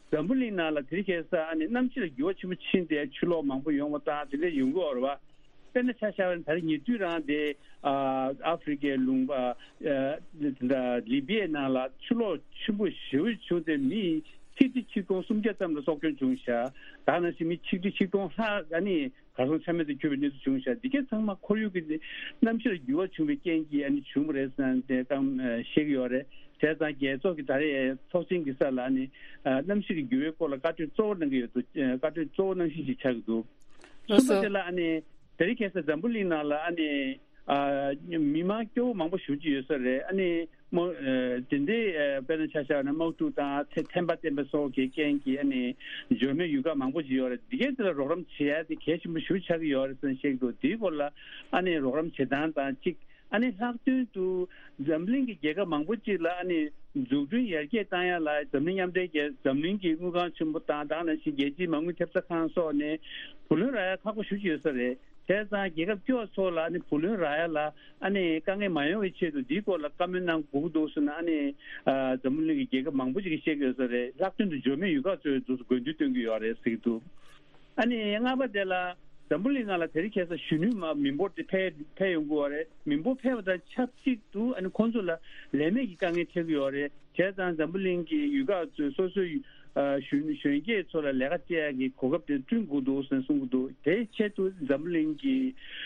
འཛམ་བུ་གླིང་ནང་ལ་དེ་རིང་ཁ་སང་ཨ་ནི་གནམ་གཤིས་ལ་འགྱུར་བ་ཆེན་པོ་ཕྱིན་ཏེ་ཆུ་ལོག་མང་པོ་ཡོང་བ་དང་དེ་འདྲ་ཡོང་གི་ཡོད་རེད་བ། དཔེར་ན་ཆ་བཞག་པ་ན། ད་རེས་ཉེ་དུས་རང་དེ། ཨ། ཨ་ཧྥེ་རི་ཁའི་ལུང་པ། ཨ། ད་ལི་པི་ཡའི་ནང་ལ་ཆུ་ལོག་ཆེན་པོ་ཞེ་པོ་བྱུང་སྟེ་མི་ཆིག་ཁྲི་ཆིག་སྟོང་སུམ་བརྒྱ་ཙམ་ལ་སྲོག་སྐྱོན་བྱུང་ཤག་ད་ག་ནང་བཞིན་མི་ཆིག་ཁྲི་ཆིག་སྟོང་ལྷག་ཨ་ནི་གར་སོང་ཆ་མེད་དུ་གྱུར་པའི་གནས་ཚུལ་བྱུང་ཤག་འདི་གའི་ཚང་མ་ཁོར་ཡུག་གི་གནམ་གཤིས་ལ་འགྱུར་བ་བྱུང་བའི་རྐྱེན་གྱིས་ཨ་ནི་བྱུང་བ་རེད་ཟེར་ནས་དེ་གཏམ་བཤད་ཀྱི་ཡོད་རེད། བྱས་ཙང་རྒྱལ་ཚོགས་ཀྱི་ད་རེས་ཚོགས་ཆེན་གྱི་སར་ལ་ཨ་ནི། ཨ། གནམ་གཤིས་ཀྱི་འགྱུར་བའི་སྐོར་ལ་བཀའ་འདྲི་གཙོ་བོ་གནང་གི་ཡོད་འདུག་བཀའ་འདྲི་གཙོ་བོ་གནང་གཞི་ཞིག་ཆགས་ཀྱི་འདུག་ལགས་སོ། གསུམ་པ་དེ་ལ་ཨ་ནི་དེ་རིང་ཁ་སང་འཛམ་བུ་གླིང་ནང་ལ་ཨ་ནི། ཨ། མི་མང་སྐྱོ་བོ་མང་པོ་ཞེ་པོ་ཅིག་ཡོད་ས་རེད། ཨ་ནི་དམག་ཨ། དེ་འདྲའི། ཨ། དཔེར་ན་ཆ་བཞག་ན་དམག་འཁྲུག་དང་ཐེ། ཐེམ་པ་བསྟན་པ་སོགས་ཀྱི་རྐྱེན་གྱིས་ཨ་ནི་འབྱོར་མེད་ཡུལ་ཁག་མང་པོ་ཞིག་ཡོད་རེད། འདི་གའི་དེ་ལ་རོགས་རམ་བྱེད་ཡ་དེ་གལ་ཆེན་པོ་ཞེ་པོ་ཆགས་ཀྱི་ཡོད་རེད་ཟེར་ནས་བཤད་ཀྱི་འདུག་དེའི་སྐོར་ལ་ཨ་ནི་རོགས་རམ་བྱེད་སྟངས་དང་གཅིག་ཨ་ནི་ལྷག་དོན་དུ་འཛམ་གླིང་གི་རྒྱལ་ཁབ་མང་པོ་ཅིག་ལ་ཨ་ནི་འཛུགས་སྐྲུན་ཡར་རྒྱས་བཏང་ཡ་ལ་འཛམ་གླིང་མཉམ་འབྲེལ་རྒྱལ། འཛམ་གླིང་གི་དངུལ་ཁང་ཆེན་པོ་དང་། ད་ག་ནང་བཞིན་རྒྱལ་སྤྱིའི་མ་དངུལ་ཐེབས་རྩ་ཁང་སོགས་ནས་བུ་ལོན་རག་ཡ་ཁག་པོ་ཞེ་པོ་ཅིག་ཡོད་ས་རེད། བྱས་ཙང་རྒྱལ་ཁབ་སྐྱོ་བ་ཚོ་ལ་ཨ་ནི་བུ་ལོན་རག་ཡ་ལ་ཨ་ནི་དཀའ་ངལ་མ་ཡོང་བའི་ཆེད་དུ་འདིའི་སྐོར་ལ་བཀའ་མོལ་གནང་དགོས་ཀྱི་འདུག་ཟེར་ནས་ཨ་ནི། ཨ། འཛམ་བུ་གླིང་གི་རྒྱལ་ཁབ་མང་པོ་ཅིག་གིས་བཤད་ཀྱི་ཡོད་ས་རེད། ལྷག་དོན་དུ་འབྱོར་མེད་ཡུལ་ཁག་ཚོའི་འདུག་དགོས་འདུན་བཏོན་གྱི་ཡོད་རེད་ཟེར་གྱི་འདུག་ཨ་ནི་ལྔ་པ་དེ་ལ་འཛམ་བུ་གླིང་ནང་ལ་དེ་རིང་ཁ་སང་གཞོན་ནུ་མ་མི་འབོར་དེ་འཕེལ་འཕེལ་ཡོང་གི་ཡོད་རེད། མི་འབོར་འཕེལ་བ་དང་ཆབས་ཅིག་ཏུ་ཨ་ནི་ཁོང་ཚོ་ལ་ལས་མེད་ཀྱི་དཀའ་ངལ་འཕྲད་ཀྱི་ཡོད་རེད། བྱས་ཙང་འཛམ་བུ་གླིང་གི་ཡུལ་ཁག་ཚོས་སོ་སོའི་ཨ་གཞོན་གཞོན་སྐྱེས་ཚོ་ལ་ལས་ཀ་བྱེད་ཡག་གི་གོ་སྐབས་དེ་བསྐྲུན་དགོས་འདུག་ཟེར་གསུང་གི་འདུག་དེའི་ཆེད་དུ་འཛམ་བུ་གླིང་གི་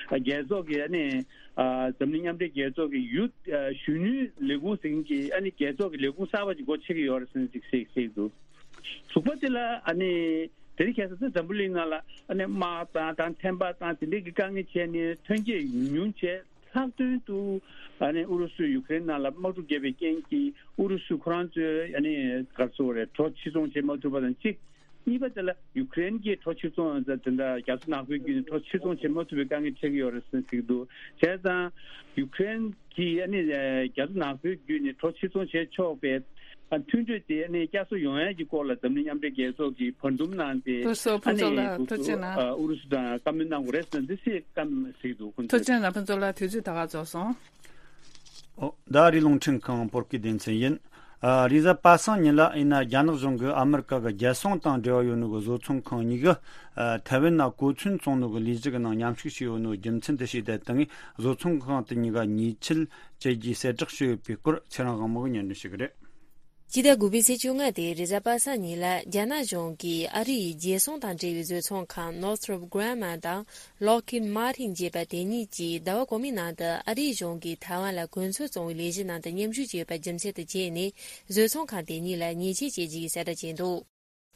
ཨ་རྒྱལ་ཚོགས་ཀྱི་ཨ་ནི་ཨ་འཛམ་གླིང་མཉམ་འབྲེལ་རྒྱལ་ཚོགས་ཀྱི་ཡུ་ཨ་གཞོན་ནུའི་ལས་ཁུངས་ཟེར་མཁན་གྱི་ཨ་ནི་རྒྱལ་ཚོགས་ཀྱི་ལས་ཁུངས་གསར་པ་ཅིག་སྒོ་ཕྱེ་གི་ཡོད་རེད་ཟེར་ནས་ཅིག་བཤད་བཤད་ཀྱི་འདུག་དྲུག་པ་དེ་ལ་ཨ་ནི་དེ་རིང་ཁ་སང་ཚོ་འཛམ་བུ་གླིང་ནང་ལ་ཨ་ནི་དམག་དང་དང་ཐེམ་པ་དང་དེ་འདྲའི་གི་དཀའ་ངལ་བྱས་ནས་ཐོན་སྐྱེད་ཉུང་ཉུང་བྱས། ལྷག་དོན་དུ་ཨ་ནི་ཨུ་རུ་སུས་ཡུ་ཀེ་རེན་ནང་ལ་དམག་འཁྲུག་བརྒྱབ་པའི་རྐྱེན་གྱིས་ཨུ་རུ་སུ་ཁོ་རང་ཚོའི་ཨ་ནི་ག་རེ་ཟེར་དགོས་རེད། གྲོ་ཕྱིར་ཚོང་བྱེད་མ་ཐུབ་པ་དང་གཅིག་གཉིས་པ་དེ་ལ་ཡུ་ཀེ་རེན་གྱིས་གྲོ་ཕྱིར་ཚོང་དེ་འདྲ་རྒྱ་མཚོ་ནག་པོའི་བརྒྱུད་ནས་གྲོ་ཕྱིར་ཚོང་བྱེད་མ་ཐུབ་པའི་དཀའ་ངལ་འཕྲད་ཀྱི་ཡོད་རེད་ཟེར་ནས་ཟེར་གྱི་འདུག་བྱས་ཙང་ཡུ་ཀེ་རེན་གྱིས་ཨ་ནི་རྒྱ་མཚོ་ནག་པོའི་བརྒྱུད་ནས་གྲོ་ཕྱིར་ཚོང་བྱས་ཆོག་པའི་མཐུན་གྲོས་དེ་ཨ་ནི་བསྐྱར་གསོ་ཡོང་ཡས་ཀྱི་སྐོར་ལ་འཛམ་གླིང་མཉམ་འབྲེལ་རྒྱལ་ཚོགས་ཀྱིས་བར་འདུམ་གནང་སྟེ། ཐུགས་རྗེ་ཆེ་ཕུན་ཚོགས་ལགས། ཨ་ནི་ཐུགས་རྗེ་གནང་། ཨུ་རུ་སུ་དང་བཀའ་མོལ་གནང་དགོས་རེད་ཟེར་ན་འདི་སྲིད་བཀའ་མོལ་ཟེར་གྱི་འདུག་ཁོང་ཚོས། ཐུགས་རྗེ་གནང་ཕུན་ཚོགས་ལགས། དུས་ཚོད་ད་ག་རྫོགས་སོང་། ཨོ། ད་རེས་རླུང་འཕྲིན་ཁང་བོད་སྐད་སྡེ་ཚན་ཡིན། ཨ། རེས་གཟའ་པ་སངས་ཉིན་ལ་ཡིན་ན་རྒྱ་ནག་གཞུང་གིས་ཨ་མི་རི་ཀ་གི་རྒྱལ་སྲུང་དང་འབྲེལ་བ་ཡོད་ནོ་གི་བཟོ་ཚོང་ཁང་གཉིས་ཀ་ཨ། ཐའེ་ཝན་ན་གོ་མཚོན་བཙོང་ནོ་གི་ལས་གཞི་གི་ནང་མཉམ་ཞུགས་བྱས་ཡོད་ནོ་རྒྱུ་མཚན་དེ་ཞིག་དེ་དང་བཟོ་ཚོང་ཁང་དེ་གཉིས་ཀ་ཉེས་ཆད་བཅད་རྒྱུའི་གསལ་བསྒྲགས་བྱས་ཡོད་པའི་སྐོར་ཚེ་རིང་དབང་མོ་གིས་སྙན་སྒྲོན་ཞུ་གི་རེད། སྤྱི་ཟླ་དགུ་པའི་ཚེས་བཅོ་ལྔ་སྟེ་རེས་གཟའ་པ་སངས་ཉིན་ལ་རྒྱ་ནག་གཞུང་གིས་ཨ་རི་ཡི་རྒྱལ་སྲུང་དང་འབྲེལ་བའི་བཟོ་ཚོང་ཁང་Northrop Grumman་དང་Lockheed Martin་ཅེས་པ་དེ་གཉིས་ཀྱིས་ཟླ་བ་གོང་མའི་ནང་དུ་ཨ་རིའི་གཞུང་གིས་ཐའེ་ཝན་ལ་གོ་མཚོན་བཙོང་བའི་ལས་གཞི་ནང་དུ་མཉམ་ཞུགས་བྱས་ཡོད་པ་རྒྱུ་མཚན་དུ་བྱས་ནས་བཟོ་ཚོང་ཁང་དེ་གཉིས་ལ་ཉེས་ཆད་བཅད་རྒྱུའི་གསལ་བསྒྲགས་བྱས་འདུག་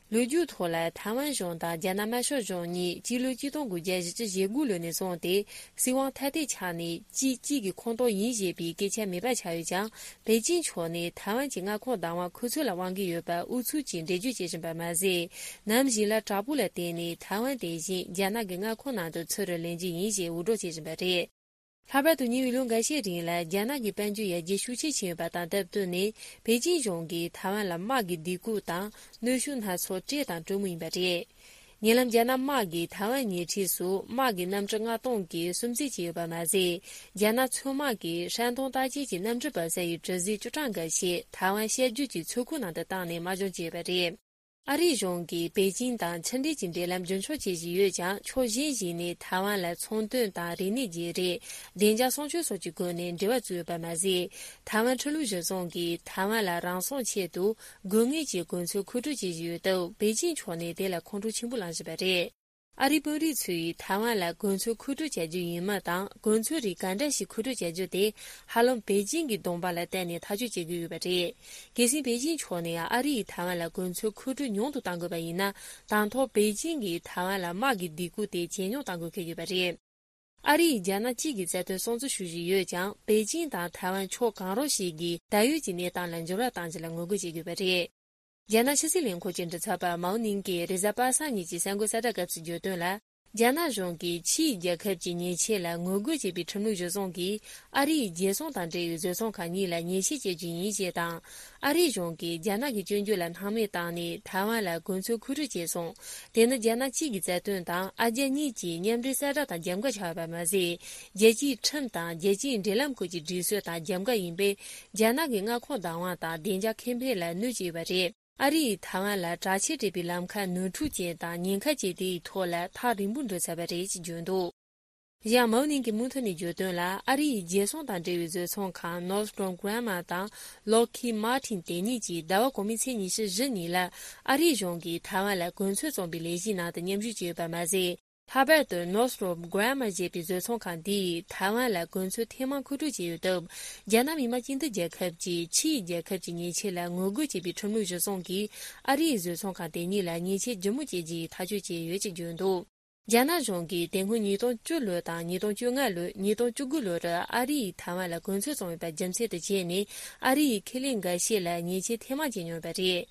ལོ་རྒྱུས་ཐོག་ལ་ཐའེ་ཝན་གཞུང་དང་རྒྱ་ནག་དམར་ཤོག་གཞུང་གཉིས་སྤྱི་ལོ་ཆིག་སྟོང་དགུ་བརྒྱ་བཞི་བཅུ་ཞེ་དགུ་ལོ་ནས་བཟུང་སྟེ་སྲིད་དབང་ཐ་དད་ཆགས་ནས་གཅིག་གཅིག་གི་ཁོངས་གཏོགས་ཡིན་ཞེས་པའི་སྐད་ཆ་མེད་པ་ཆགས་ཡོད་ཀྱང་། པེ་ཅིང་ཕྱོགས་ནས་ཐའེ་ཝན་གྱི་མངའ་ཁོངས་བདག་དབང་ཁོ་ཚོ་ལ་དབང་གི་ཡོད་པ་ཨུ་ཚུགས་ཀྱིས་འགྲེལ་བརྗོད་བྱེད་བཞིན་པ་མ་ཟད། ནམ་ཞིག་ལ་དྲག་པོ་ལ་བརྟེན་ནས་ཐའེ་ཝན་དེ་བཞིན་རྒྱ་ནག་གི་མངའ་ཁོངས་ནང་དུ་ཚུར་ལེན་རྒྱུ་ཡིན་ཞེས་འུར་སྒྲོག་བྱེད་བཞིན་པ་རེད། ལྷག་པར་དུ་ཉེ་བའི་ལོ་འགའ་ཤས་རིང་ལ་རྒྱ་ནག་གི་དཔལ་འབྱོར་ཡར་རྒྱས་ཤུགས་ཆེ་ཕྱིན་ཡོད་པ་དང་སྟབས་བསྟུན་ནས་པེ་ཅིང་གཞུང་གིས་ཐའེ་ཝན་ལ་དམག་གི་སྡིགས་སྐུལ་དང་གནོན་ཤུགས་སྣ་ཚོགས་སྤྲད་དང་སྤྲོད་མུས་ཡིན་པ་རེད། ཉེ་ལམ་རྒྱ་ནག་དམག་གིས་ཐའེ་ཝན་ཉེ་འཁྲིས་སུ་དམག་གི་གནམ་གྲུ་ལྔ་སྟོང་གི་སིམ་འཛུལ་བྱས་ཡོད་པ་མ་ཟད། རྒྱ་ནག་མཚོ་དམག་གིས་ཧྲན་ཏུང་རྟ་དཔྱད་ཀྱི་གནམ་གྲུ་འབབ་ས་ཡི་གྲུ་གཟིངས་བཅུ་གྲངས་འགའ་ཞིག་ཐའེ་ཝན་བཤད་རྒྱུད་ཀྱི་མཚོ་ཁུག་ནང་དུ་བཏང་ནས་དམག་སྦྱོང་བྱས་ཡོད་པ་རེད། ཨ་རིའི་གཞུང་གིས་པེ་ཅིང་དང་ཕྱི་འབྲེལ་གྱི་འབྲེལ་ལམ་རྒྱུན་འཁྱོངས་བྱེད་བཞིན་ཡོད་ཀྱང་། ཕྱོགས་གཞན་ཞིག་ནས་ཐའེ་ཝན་ལ་ཚོང་དོན་དང་རིག་གནས་བརྗེ་རེས། བདེ་འཇགས་སྲུང་སྐྱོབ་སོགས་ཀྱི་སྒོ་ནས་འབྲེལ་བ་བཙུགས་ཡོད་པ་མ་ཟད། ཐའེ་ཝན་ཁྲི་ལུགས་གཞི་བཟུང་གིས་ཐའེ་ཝན་ལ་རང་སྲུང་ཆེད་དུ་དགོས་ངེས་ཀྱི་གོ་མཚོན་མཁོ་སྤྲོད་བྱེད་བཞིན་ཡོད་སྟབས། པེ་ཅིང་ཕྱོགས་ནས་དེ་ལ་ཁོང་ཁྲོ་ཆེན་པོ་ལངས་བཞིན་པ་རེད། ཨ་རིའི་དཔོན་རིགས་ཚོས་ཐའེ་ཝན་ལ་གོ་མཚོན་མཁོ་སྤྲོད་བྱ་རྒྱུ་ཡིན་མིན་དང་། གོ་མཚོན་རིགས་ག་འདྲ་ཞིག་མཁོ་སྤྲོད་བྱ་རྒྱུ་དེ་ཧ་ལམ་པེ་ཅིང་གི་གདོང་པ་ལ་བལྟས་ནས་ཐག་གཅོད་བྱེད་ཀྱི་ཡོད་པ་རེད། གལ་སྲིད་པེ་ཅིང་ཕྱོགས་ནས་ཨ་རི་ཡིས་ཐའེ་ཝན་ལ་གོ་མཚོན་མཁོ་སྤྲོད་ཉུང་དུ་གཏང་དགོས་པ་ཡིན་ན། དང་ཐོག་པེ་ཅིང་གིས་ཐའེ་ཝན་ལ་དམག་གི་སྡིགས་སྐུལ་དེ་ཇེ་ཉུང་གཏང་དགོས་འཁེལ་ཡོད་པ་རེད། ཨ་རི་ཡིས་རྒྱ་ནག་གཅིག་གི་རྩ་དོན་སྲུང་བརྩི་ཞུ་བཞིན་ཡོད་ཀྱང་། པེ་ཅིང་དང་ཐའེ་ཝན་ཕྱོགས་གང་རུང་ཞིག་གིས་ད་ཡོད་ཀྱི་གནས་སྟངས་ལ་འགྱུར་བ་གཏང་རྒྱུ་ལ་ངོ་རྒོལ་བྱེད་ཀྱི་ཡོད་པ་རེད། རྒྱ་ནག་ཕྱི་སྲིད་ལས་ཁུངས་ཀྱི་མགྲིན་ཚབ་པ་མའོ་ནིང་གིས་རེས་གཟའ་པ་སངས་ཉིན་གྱི་གསར་འགོད་གསལ་བསྒྲགས་སྐབས་སུ་བརྗོད་དོན་ལ། རྒྱ་ནག་གཞུང་གིས་ཕྱིའི་རྒྱལ་ཁབ་ཀྱི་ཉེས་ཆད་ལ་ངོ་རྒོལ་བྱེད་པའི་ཁྲིམས་ལུགས་གཞི་བཟུང་གིས་ཨ་རིའི་རྒྱལ་སྲུང་དང་འབྲེལ་བའི་བཟོ་ཚོང་ཁང་གཉིས་ལ་ཉེས་ཆད་བཅད་རྒྱུ་ཡིན་ཞེས་དང་། ཨ་རིའི་གཞུང་གིས་རྒྱ་ནག་གི་སྐྱོན་བརྗོད་ལ་སྣང་མེད་བཏང་ནས་ཐའེ་ཝན་ལ་གོ་མཚོན་མཁོ་སྤྲོད་བྱས་སོང་། དེ་ནི་རྒྱ་ནག་གཅིག་གི་རྩ་དོན་དང་ཨ་རྒྱ་གཉིས་ཀྱི་མཉམ་འབྲེལ་གསལ་བསྒྲགས་དང་རྒྱབ་འགལ་ཆགས་ཡོད་པ་མ་ཟད། རྒྱལ་སྤྱིའི་ཁྲིམས་དང་རྒྱལ་སྤྱིའི་འབྲེལ་ལམ་ཁག་གི་སྒྲིག་སྲོལ་དང་རྒྱབ་འགལ་ཡིན་པས། རྒྱ་ནག་གི་མངའ་ཁོངས་བདག་དབང་དང་བདེ་འཇགས་ཁེ་ཕན་ལ་གནོད་ཀྱི་ཡོད་པ་རེད། ཨ་རི་ཡིས་ཐའེ་ཝན་ལ་དྲག་ཆས་སྤྲས་པའི་ལམ་ཁ་ནོར་འཁྲུལ་ཅན་དང་ཉེན་ཁ་ཅན་དེའི་ཐོག་ལ་ཐག་རིང་པོ་འགྲོ་ཚར་བ་རེད་ཅེས་བརྗོད་འདུག་གཞན་མའོ་ནིང་གིས་མུ་མཐུད་ནས་བརྗོད་དོན་ལ། ཨ་རི་ཡི་རྒྱལ་སྲུང་དང་འབྲེལ་བའི་བཟོ་ཚོང་ཁང་Northrop Grumman་དང་Lockheed Martin་དེ་གཉིས་ཀྱིས་ཟླ་བ་གོང་མའི་ཚེས་ཉི་ཤུ་བཞི་ཉིན་ལ་ཨ་རིའི་གཞུང་གིས་ཐའེ་ཝན་ལ་གོ་མཚོན་བཙོང་པའི་ལས་གཞིའི་ནང་དུ་མཉམ་ཞུགས་བྱས་ཡོད་པ་མ་ཟད། ལྷག་པར་དུ་Northrop Grumman་ཞེས་པའི་བཟོ་ཚོང་ཁང་འདིས་ཐའེ་ཝན་ལ་གོ་མཚོན་ཐེངས་མང་མཁོ་སྤྲོད་བྱས་ཡོད་སྟབས། རྒྱ་ནག་མི་དམངས་སྤྱི་མཐུན་རྒྱལ་ཁབ་ཀྱིས་ཕྱིའི་རྒྱལ་ཁབ་ཀྱི་ཉེས་ཆད་ལ་ངོ་རྒོལ་བྱེད་པའི་ཁྲིམས་ལུགས་གཞི་བཟུང་གིས་ཨ་རིའི་བཟོ་ཚོང་ཁང་དེ་གཉིས་ལ་ཉེས་ཆད་ལྗིད་མོ་བཅད་རྒྱུའི་ཐག་གཅོད་བྱས་ཡོད་ཅེས་བརྗོད་འདུག་རྒྱ་ནག་གཞུང་གིས་དེ་སྔོན་ཉིས་སྟོང་བཅུ་ལོ་དང་ཉིས་སྟོང་བཅོ་ལྔ་ལོ། ཉིས་སྟོང་བཅུ་དགུ་ལོར་ཨ་རི་ཡིས་ཐའེ་ཝན་ལ་གོ་མཚོན་བཙོང་ཡོད་པ་རྒྱུ་མཚན་དུ་བྱས་ནས། ཨ་རི་ཡིས་ཁེ་ལས་འགའ་ཤས་ལ་ཉེས་ཆད་ཐེངས་མང་བཅད་མྱོང་ཡོད་པ་རེད།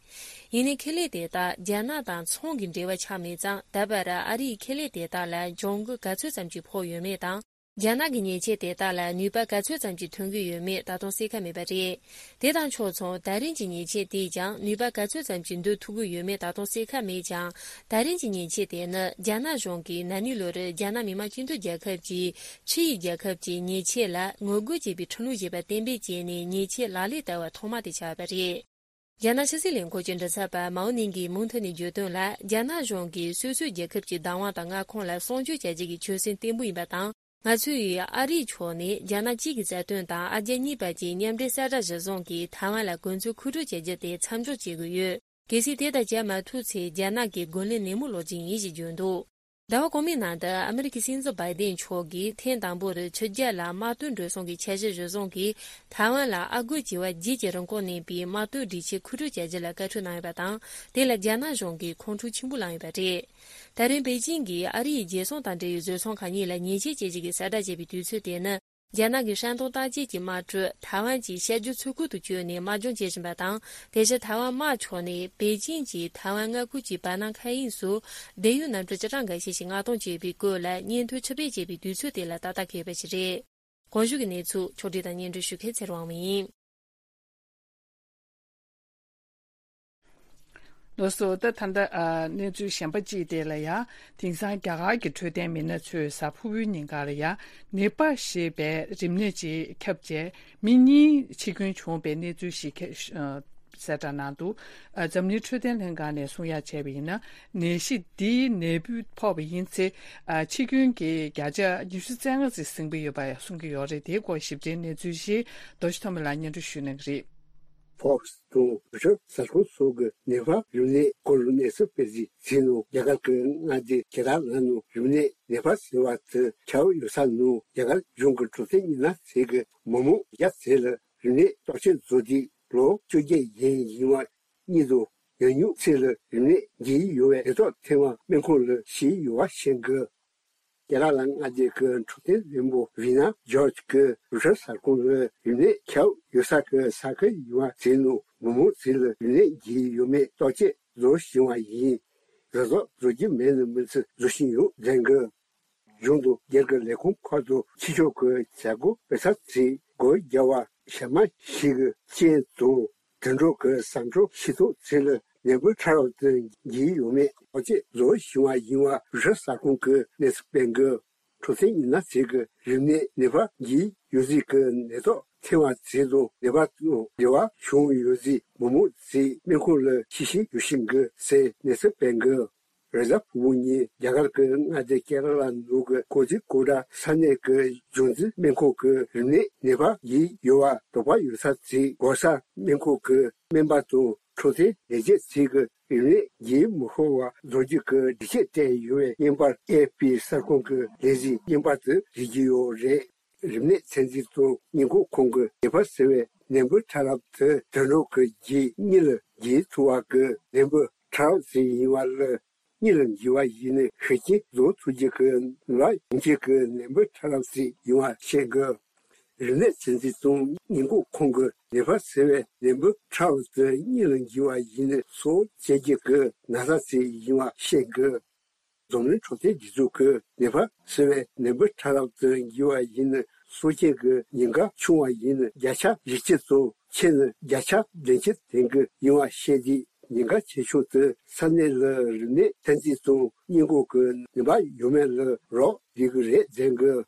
ཡིན་ནའི་ཁེ་ལས་དེ་དག་རྒྱ་ནག་དང་ཚོང་གི་འབྲེལ་བ་ཆགས་མེད་ཙང་། ད་བར་ཨ་རིའི་ཁེ་ལས་དེ་དག་ལ་གྱོང་གུན་ག་ཚོད་ཙམ་ཞིག་ཕོག་ཡོད་མེད་དང་། རྒྱ་ནག་གི་ཉེས་ཆད་དེ་དག་ལ་ནུས་པ་ག་ཚོད་ཙམ་ཞིག་ཐོན་གྱི་ཡོད་མེད་ད་དུང་གསལ་ཁ་མེད་པ་རེད། དེ་དང་ཕྱོགས་མཚུངས། ད་རིང་གི་ཉེས་ཆད་དེས་ཀྱང་ནུས་པ་ག་ཚོད་ཙམ་ཞིག་འདོན་ཐུབ་ཀྱི་ཡོད་མེད་ད་དུང་གསལ་ཁ་མེད་ཀྱང་། ད་རིང་གི་ཉེས་ཆད་དེ་ནི་རྒྱ་ནག་གཞུང་གིས་ན་ནིང་ལོར་རྒྱ་ནག་མི་དམངས་སྤྱི་མཐུན་རྒྱལ་ཁབ་ཀྱིས་ཕྱི་ཡི་རྒྱལ་ཁབ་ཀྱི་ཉེས་ཆད་ལ་ངོ་རྒོལ་བྱེད་པའི་ཁྲིམས་ལུགས་ཞེས་པ་གཏན་འབེབས་བྱས་ནས་ཉེས་ཆད་ལག་ལེན་བསྟར་བ་ཐོག་མ་དེ་ཆགས་པ་རེད། རྒྱ་ནག་ཕྱི་སྲིད་ལས་ཁུངས་ཀྱི་མགྲིན་ཚབ་པ་མའོ་ནིང་གིས་མུ་མཐུད་ནས་བརྗོད་དོན་ལ། རྒྱ་ནག་གཞུང་གིས་སོ་སོའི་རྒྱལ་ཁབ་ཀྱི་བདག་དབང་དང་མངའ་ཁོངས་ལ་སྲུང་སྐྱོབ་བྱ་རྒྱུ་གི་ཆོད་སེམས་བརྟན་པོ་ཡིན་པ་དང་། ང་ཚོས་ཨ་རིའི་ཕྱོགས་ནས་རྒྱ་ནག་གཅིག་གི་རྩ་དོན་དང་ཨ་རྒྱ་གཉིས་བར་གྱི་མཉམ་འབྲེལ་གསལ་བསྒྲགས་གཞིར་བཟུང་གིས་ཐའེ་ཝན་ལ་གོ་མཚོན་མཁོ་སྤྲོད་བྱ་རྒྱུ་དེ་མཚམས་འཇོག་བྱེད་དགོས་ཡོད། གལ་སྲིད་དེ་ལྟར་བྱ་མ་ཐུབ་ཚེ། རྒྱ་ནག་གི་རྒོལ་ལན་ནན་མོ་སློག་རྒྱུ་ཡིན་ཞེས་བརྗོད་འདུག་ཟླ་བ་གོང་མའི་ནང་དུ་ཨ་མི་རི་ཀའི་སྲིད་འཛིན་བྷའི་ཏིན་མཆོག་གིས་ཐེངས་དང་པོར་ཕྱི་རྒྱལ་ལ་དམག་དོན་འགྲོ་སོང་གི་འཆར་གཞི་གཞིར་བཟུང་གིས། ཐའེ་ཝན་ལ་ཨ་སྒོར་བྱེ་བ་བརྒྱད་ཀྱི་རིན་གོང་གནས་པའི་དམག་དོན་སྒྲིག་ཆས་མཁོ་སྤྲོད་བྱ་རྒྱུ་ལ་བཀའ་འཁྲོལ་གནང་ཡོད་པ་དང་། དེ་ལ་རྒྱ་ནག་གཞུང་གིས་ཁོང་ཁྲོ་ཆེན་པོ་ལངས་ཡོད་པ་རེད། ད་རིང་པེ་ཅིང་གིས་ཨ་རིའི་རྒྱལ་སྲུང་དང་འབྲེལ་བའི་བཟོ་ཚོང་ཁང་གཉིས་ལ་ཉེས་ཆད་བཅད་རྒྱུ་གི་གསལ་བསྒྲགས་བྱས་པའི་དུས་ཚོད་དེ་ནི། རྒྱ་ནག་གི་ཧྲན་ཏུང་ཏང་ཅེ་གྱི་དམག་གྲུ་ཐའེ་ཝན་གྱི་ཤར་རྒྱུད་མཚོ་ཁུལ་དུ་བསྐྱོད་ནས་དམག་སྦྱོང་བྱེད་བཞིན་པ་དང་། དེ་བཞིན་ཐའེ་ཝན་དམག་ཕྱོགས་ནས་པེ་ཅིང་གྱི་ཐའེ་ཝན་མངའ་ཁུལ་གྱི་བར་སྣང་མཁའ་དབྱིངས་སུ་བསྡད་ཡུལ་གནམ་གྲུ་སྤྱི་གྲངས་འགའ་ཤས་ཤིག་མངགས་གཏོང་བྱས་པའི་སྐོར་ལ་སྙན་ཐོ་ཕྱིར་སྤེལ་བྱས་པའི་དུས་ཚོད་དེ་ལ་ཏག་ཏག་འཁེལ་བ་ཞིག་རེད། གོང་ཞུས་ཀྱི་གནས་ཚུལ་ཕྱོགས་སྒྲིག་དང་སྙན་སྒྲོན་ཞུ་མཁན་ཚེ་རིང་དབང་མོ་ཡིན། ལགས་སོ། ད་ད་ལྟ་ཨ་གནས་ཚུལ་གཞན་པ་གཅིག་དེ་ལ་ཡ། དེང་སང་རྒྱ་གར་གྱི་འཕྲོད་བསྟེན་མི་སྣ་ཚོས་གཟའ་ཕུར་བུའི་ཉིན་ཀར་ཡ། ནེ་པཱལ་ཞེས་པའི་རིམས་ནད་ཅིག་ཁྱབ་རྗེས་མི་གཉིས་འཆི་སྐྱོན་བྱུང་བའི་གནས་ཚུལ་ཞིག་ཁྱབ། ཨ་གསལ་བསྒྲགས་གནང་འདུག་ཨ་འཛམ་གླིང་འཕྲོད་བསྟེན་ལྷན་ཁང་ནས་གསུང་ཡ་བྱས་པ་ཡིན་ན། ནད་གཞི་འདིའི་ནད་འབུ་ཕོག་པ་ཡིན་ཚེ། ཨ་འཆི་སྐྱོན་གྱི་བརྒྱ་ཆ་ཉི་ཤུ་རྩ་ལྔ་ཙམ་ཟིན་གྱི་ཡོད་པ་གསུང་གི་ཡོད་རེད། དེའི་སྐོར་ཞིབ་ཕྲའི་གནས་ཚུལ་ཞིག་རྡོ་རྗེ་ཐོགས་མེད་ལགས་སྙན་སྒྲོན་ཞུ་གནང་གི་རེད། ཕོག་སི་དང་རུ་ཤར་གསར་ཁང་སོགས་ཀྱི་ནེ་པཱལ་རིམས་ནད་སྐོར་གནས་ཚུལ་སྤེལ་རྗེས་ནས། རྒྱ་གར་གྱི་མངའ་སྡེ་ཀེ་ར་ལ་ནང་རིམས་ནད་ནེ་པཱལ་ཟེར་བ་དེ་ཁྱབ་ཡོད་ས་ནང་། རྒྱ་གར་གཞུང་གི་འཕྲོད་བསྟེན་ཉེན་བརྡ་ཚད་ཀྱིས་མི་མང་བརྒྱ་ཙམ་ལ་རིམས་ནད་བརྟག་དཔྱད་བཟོས་ཏེ། ལོ་བཅོ་བརྒྱད་ཡན་ཡིན་པ་གཉིས་དང་ཡང་སྙིང་ཚད་ལ་རིམས་ནད་འདི་ཡོད་པའི་ནད་རྟགས་ཐོན་པ་སྨན་ཁང་ལ་ཞིག་ཡོད་པ་བཤད་འདུག་ཀེ་ར་ལ་མངའ་སྡེ་གི་འཕྲོད་བསྟེན་བློན་པོ་ཝི་ན་ཇོརྗ་གིས་རུ་ཤར་གསར་ཁང་ལ་རིམས་ནད་ཁྱབ་ཡོད་ས་གི་ས་ཁུལ་ཡིན་པ་ཟེར་ནས། མི་མང་ཚོ་ལ་རིམས་ནད་འདི་ཡོད་མེད་བརྟག་དཔྱད་བཟོ་བཞིན་པ་ཡིན། རེས་གཟའ་བཟོ་རྒྱུ་མེད་ན་མི་ཚེ་བཟོ་བཞིན་ཡོད་ཟེར་གི། གཞུང་དང་སྒེར་གྱི་ལས་ཁུངས་ཁག་དང་ཕྱི་ཕྱོགས་ཀྱི་བྱ་སྒོ་སྤེལ་ས་ཚོས་སྒོ་རྒྱག་པ་གཞན་མ་ཞིག་གི་རྐྱེན་དང་། དུད་འགྲོ་གི་ཟ་འཕྲུག་ཤི་ཐོག་ཚོ་ལ་ནད་འབུ་ཕྲ་རབ་དེ་འདི་ཡོད་མེད་བརྟག་དཔྱད་བཟོ་བཞིན་པ་ཡིན་པ་རུ་ཤར་གསར་ཁང་གིས་གནས་ཚུལ་སྤེལ་འདུག་འཕྲོད་བསྟེན་ཉེན་བརྡ་ཚད་ཀྱིས་རིམས་ནད་ནེ་པཱལ་འདི་ཡོད་ཚད་ཀྱི་ནད་རྟགས་ཐོན་པ་ཚོ་དང་། ནད་པ་དང་འབྲེལ་བ་བྱུང་ཡོད་ཚད་མི་མང་ཚོ་སྨན་ཁང་ལ་ཞིག་ཞིག་ཡོང་བཞིན་འདུག་ཟེར་གནས་ཚུལ་སྤེལ་འདུག་རེས་གཟའ་ཕུར་བུ་ཉིན་རྒྱ་གར་གྱི་མངའ་སྡེ་ཀེ་ར་ལ་ནང་གི་ཀོ་ཛི་ཀོ་ཌ་ས་གནས་ཀྱི་གཞུང་འཛིན་སྨན་ཁང་གིས་རིམས་ནད་ནེ་པཱལ་འདི་ཡོད་པ་དོགས་པ་ཡོད་ས་ཚོ་འགོག་སར་སྨན་ཁང་གི་སྨན་པ་དང་འཕྲོད་བསྟེན་ལས་བྱེད་ཚོས་ཀྱི་རིམས་ནད་འདི་མི་ཤོར་བ་བཟོ་རྒྱུ་གི་སྒྲིག་ཆས་སྤྲད་ཡོད་པའི་བརྙན་པར་ཨེ་ཨེཕ་པི་གསར་ཁང་གི་ལས་གཞིའི་བརྙན་པར་དུ་གཟིགས་ཀྱི་ཡོད་རེད། རིམས་ནད་ཚད་འཛིན་དང་ཉེན་འགོག་ཁང་གིས་ནེ་པཱལ་ཟེར་བའི་ནད་འབུ་ཕྲ་རབ་དེ་དུད་འགྲོ་གི་རྒྱུད་གཉིས་ལ་འགོས་ཐུབ་པ་གི་ནད་འབུ་ཕྲ་རབ་ཞིག་ཡིན་པ་ལ། གཉིས་ལ་འགོས་པ་ཡིན་ན་ཤུགས་རྐྱེན་བཟོ་ཐུབ་རྒྱུ་གི་ནད་པ་ཡོང་རྒྱུ་གི་ནད་འབུ་ཕྲ་རབ་ཞིག་ཡིན་པ་བཤད་འདུག་རིམས་ནད་ཚད་འཛིན་དང་ཉེན་འགོག་ཁང་གིས་ནེ་པཱལ་ཟེར་བའི་ནད་འབུ་ཕྲ་རབ་དེ་གཉིས་ལ་འགོས་པ་ཡིན་ན་གསོ་བྱེད་རྒྱུ་གི་ན་ཚ་ཞིག་ཡིན་པ་བཤད་འདུག་འཛམ་གླིང་འཕྲོད་བསྟེན་སྒྲིག་འཛུགས་ཀྱིས་ནེ་པཱལ་ཟེར་བའི་ནད་འབུ་ཕྲ་རབ་དེ་འགོས་པ་ཡིན་ན་གསོ་རྐྱེན་གྱི་ཉེན་ཁ་ཆུང་བ་ཡིན་ན་བརྒྱ་ཆ་བཞི་བཅུ་དང་། ཆེ་ན་བརྒྱ་ཆ་བདུན་ཅུ་ལྡན་གྱི་ཡིན་པ་བཤད་དེ། ཉེན་ཁ་ཆེ་ཤོས་དེ་ས་གནས་ལ་རིམས་ནད་ཚད་འཛིན་དང་ཉེན་འགོག་གི་ནུས་པ་ཡོད་མེད་ལ་རག་ལས་ཀྱི་རེད་ཟེར་གི།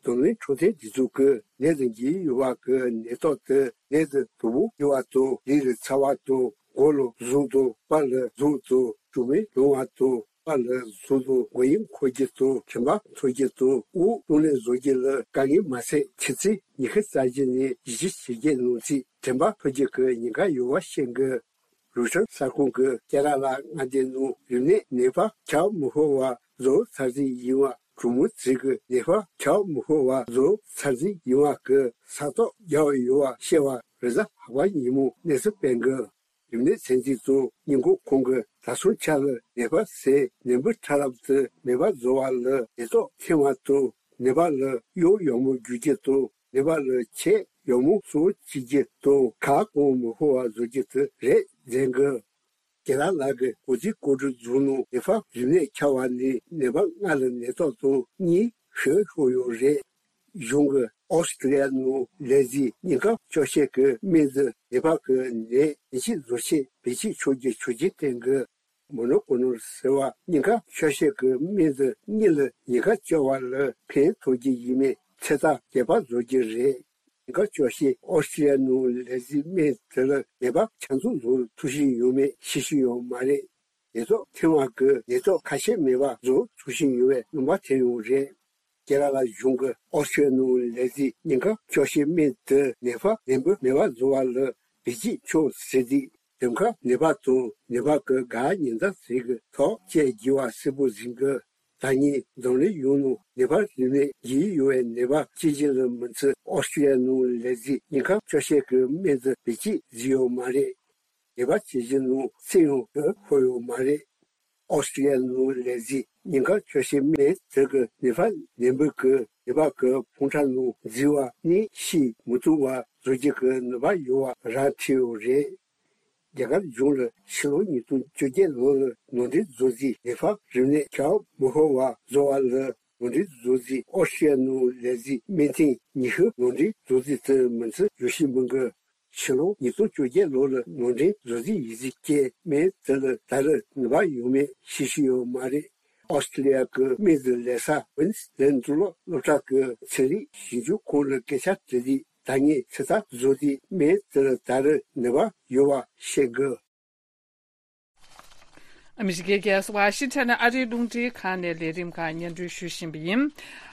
འཛམ་གླིང་འཕྲོད་བསྟེན་སྒྲིག་འཛུགས་ཀྱིས་ནད་དེ་འགོས་ཡོད་པ་གི་ནད་རྟགས་དེ་ནད་དེ་དོ་ཕོག་ཡོད་པ་དང་། ལུས་ལ་ཚ་བ་དང་། མགོ་ལ་ཟུག་དང་། པ་ལ་ཟུག་དང་། གྲོག་མའི་ལངས་པ་དང་། པ་ལ་ཟུག་དང་། མགོ་དབྱིབས་འཁོར་རྒྱུ་དང་། དྲན་པ་འཕྲོག་རྒྱུ་དང་། དབུགས་གཏོང་ལེན་བཟོ་རྒྱུ་ལ་དཀའ་ངལ་མ་ཟད། ཆུ་ཚོད་ཉི་ཤུ་རྩ་བཞི་ནས་བཞི་བཅུ་ཞེ་བརྒྱད་ནང་ཚུད་དྲན་པ་འཕྲོག་རྒྱུ་གི་ཉེན་ཁ་ཡོད་པ་བཤད་འདུག་རུ་ཤར་གསར་ཁང་གིས་ཀེ་ར་ལ་མངའ་སྡེ་ནང་རིམས་ནད་ནད་པ་ཁྱབ་མི་ཤོར་བ་བཟོ་ཚར་རྗེས་ཡིན་པ། གྲོགས་མོ་ཚོས་ཀྱི་ནད་པ་ཁྱབ་མི་ཤོར་བ་བཟོ་ཚར་རྗེས་ཡིན་པ་གི་ས་རྟགས་རྒྱག་ཡོད་པ་བཤད་པ་རེས་གཟའ་ལྷག་པ་ཉིན་མོ་གནས་ཚུལ་སྤེལ་འདུག་རིམས་ནད་ཚད་འཛིན་དང་ཉེན་འགོག་ཁང་གིས་ད་སོང་ཆ་ལ་ནད་པ་ཟེར་ནད་འབུ་ཕྲ་རབ་དེ་མེད་པ་བཟོ་བ་ལ་ནད་རྟགས་ཐོན་པ་དང་། ནད་པ་ལ་གཡོག་ཡག་མོ་རྒྱུག་རྒྱུ་དང་། ནད་པ་ལ་ཆེད་ཡག་མོ་གསོ་བྱེད་རྒྱུ་དང་། ཁ་སྐོམ་མི་ཤོར་བ་བཟོ་རྒྱུ་དེ་རེད་ཟེར་གི། ཀེ་ར་ལ་གི་ཀོ་ཛི་ཀོ་ཌུ་རྫོང་ནང་ནེ་པཱལ་རིམས་ནད་ཁྱབ་པ་ནས་ནད་པ་ལྔ་ལ་ནད་རྟགས་དང་གཉིས་ཤུགས་ཤོར་ཡོད་རེད། གཞུང་གིས་ཨོ་སི་ཀྲི་ལི་ཡ་ནང་ལས་འཛིན་སྙིང་ཁ་གཅོག་བྱེད་ཀྱི་སྨན་དེ་ནད་པ་གི་ནད་ཡིད་ཆེས་བཟོ་ཆེད་བེད་སྤྱོད་ཆོག་རྒྱུ་ཆོག་མཆན་བསྟན་གི། མོ་ནོ་ཀོ་ནོལ་ཟེར་བ་སྙིང་ཁ་གཅོག་བྱེད་ཀྱི་སྨན་དེ་གཉིས་ལ་ཉེན་ཁ་གཅོག་པ་ལ་ཕན་ཐོགས་རྒྱུ་ཡིན་མིན་ཚོད་ལྟ་རྒྱས་པ་བཟོ་རྒྱུ་རེད། ཉེན་ཁ་གཅོག་བྱེད་ཨོ་སི་ཀྲི་ལི་ཡ་ནང་ལས་འཛིན་སྨན་དེ་ལ་ནད་པ་ཆ་ཚང་བཟོ་ཐུབ་བཞིན་ཡོད་མེད་ཤེས་བཞིན་ཡོད་མ་རེད། ནད་རྟགས་ཐོན་པ་གི་ནད་རྟགས་ཁ་ཤས་མེད་པ་བཟོ་ཐུབ་བཞིན་ཡོད་པའི་སྣང་བ་ཐེབས་ཡོད་རེད། ཀེ་ར་ལ་གཞུང་གིས་ཨོ་སི་ཀྲི་ལི་ཡ་ནང་ལས་འཛིན་སྙིང་ཁ་གཅོག་བྱེད་སྨན་དེ་ནད་པ་ནད་འབུ་མེད་པ་བཟོ་བ་ལ་བེད་སྤྱོད་ཆོག་ཟེར་དུས། འདེམས་ཁ་ནད་པ་དང་ནད་པ་གི་དགའ་ཉེ་འདབ་ཟེར་གི་ཐོག་བཅས་རྒྱས་པ་གསལ་པོ་ཟིན་གི། ད་ནི་འཛམ་གླིང་ཡོངས་ནང་ནད་པ་རིམས་ནད་འགོས་ཡོད་པའི་ནད་པ་གཅིག་གྱུར་ལ་མི་ཚད། ཨོ་སི་ཀྲི་ལི་ཡ་ནང་ལས་འཛིན་སྙིང་ཁ་གཅོག་བྱེད་ཀྱི་སྨན་དེ་བེད་སྤྱོད་བཟོས་ཡོད་མ་རེད། ནད་པ་གཅིག་གྱུར་ནང་ཚེ་ཡང་དུ་ཤོར་ཡོད་མ་རེད། ཨོ་སི་ཀྲི་ལི་ཡ་ནང་ལས་འཛིན་ ཉེན་ཁ་ཆེ་ཤོས་མི་དེ་གི་ནད་པ་ནད་འབུ་གི་ནད་པ་གི་ཕོ་བྲང་ནང་འཛུལ་བ་ནི་ཤི་མི་ཐུབ་པ་བཟོ་རྒྱུ་གི་ནུས་པ་ཡོད་པ་ར་འཕྲོད་ཡོད་རེད། རྒྱ་གར་གཞུང་ལ་ཕྱི་ལོ་ཉིས་སྟོང་བཅོ་བརྒྱད་ལོ་ལ་ནང་འདྲེན་བཟོ་རྩིས་ནད་པ་རིམས་ནད་ཁྱབ་མི་ཤོར་བ་བཟོ་བ་ལ་ནང་འདྲེན་བཟོ་རྩིས་ཨོ་སི་ཀྲི་ཡ་ནང་ལས་རྩིས་སྨན་ཐེངས་ཉི་ཤུ་ནང་འདྲེན་བཟོ་རྩིས་དེ་མི་ཚེ་ཡོད་ཤི་མི་འགི། ཕྱི་ལོ་ཉིས་སྟོང་བཅོ་བརྒྱད་ལོ་ལ་ནང་འདྲེན་བཟོ་རྩིས་ཡིན་རྩིས་སྐྱེས་མེད་དེ་ལ་ད་རེས་ནུས་པ་ཡོད་མེད་ཤེས་ཤེས་ཡོད་མ་རེད། ཨོ་སི་ཀྲི་ལི་ཡ་གི་སྨན་གྱི་ལས་ས་ཝིན་སི་ལན་འབྲུག་ལོག་སློབ་གྲྭ་གི་ཚན་རིག་ཞིབ་འཇུག་ཁང་ལ་སྐད་ཆ་དྲིས་དུས། ད་ངས་ཚོད་ལྟ་བཟོ་རྩིས་མེད་དེ་ལ་ད་རེས་ནུས་པ་ཡོད་པ་ཤེས་དགོས། ཨ་མི་རི་ཀའི་རྒྱལ་ས་ཝ་ཤིང་ཊོན་ནས་ཨ་རིའི་རླུང་འཕྲིན་ཁང་ནས་ལས་རིམ་ཁག་སྙན་སྒྲོན་ཞུ་བཞིན་པ་ཡིན།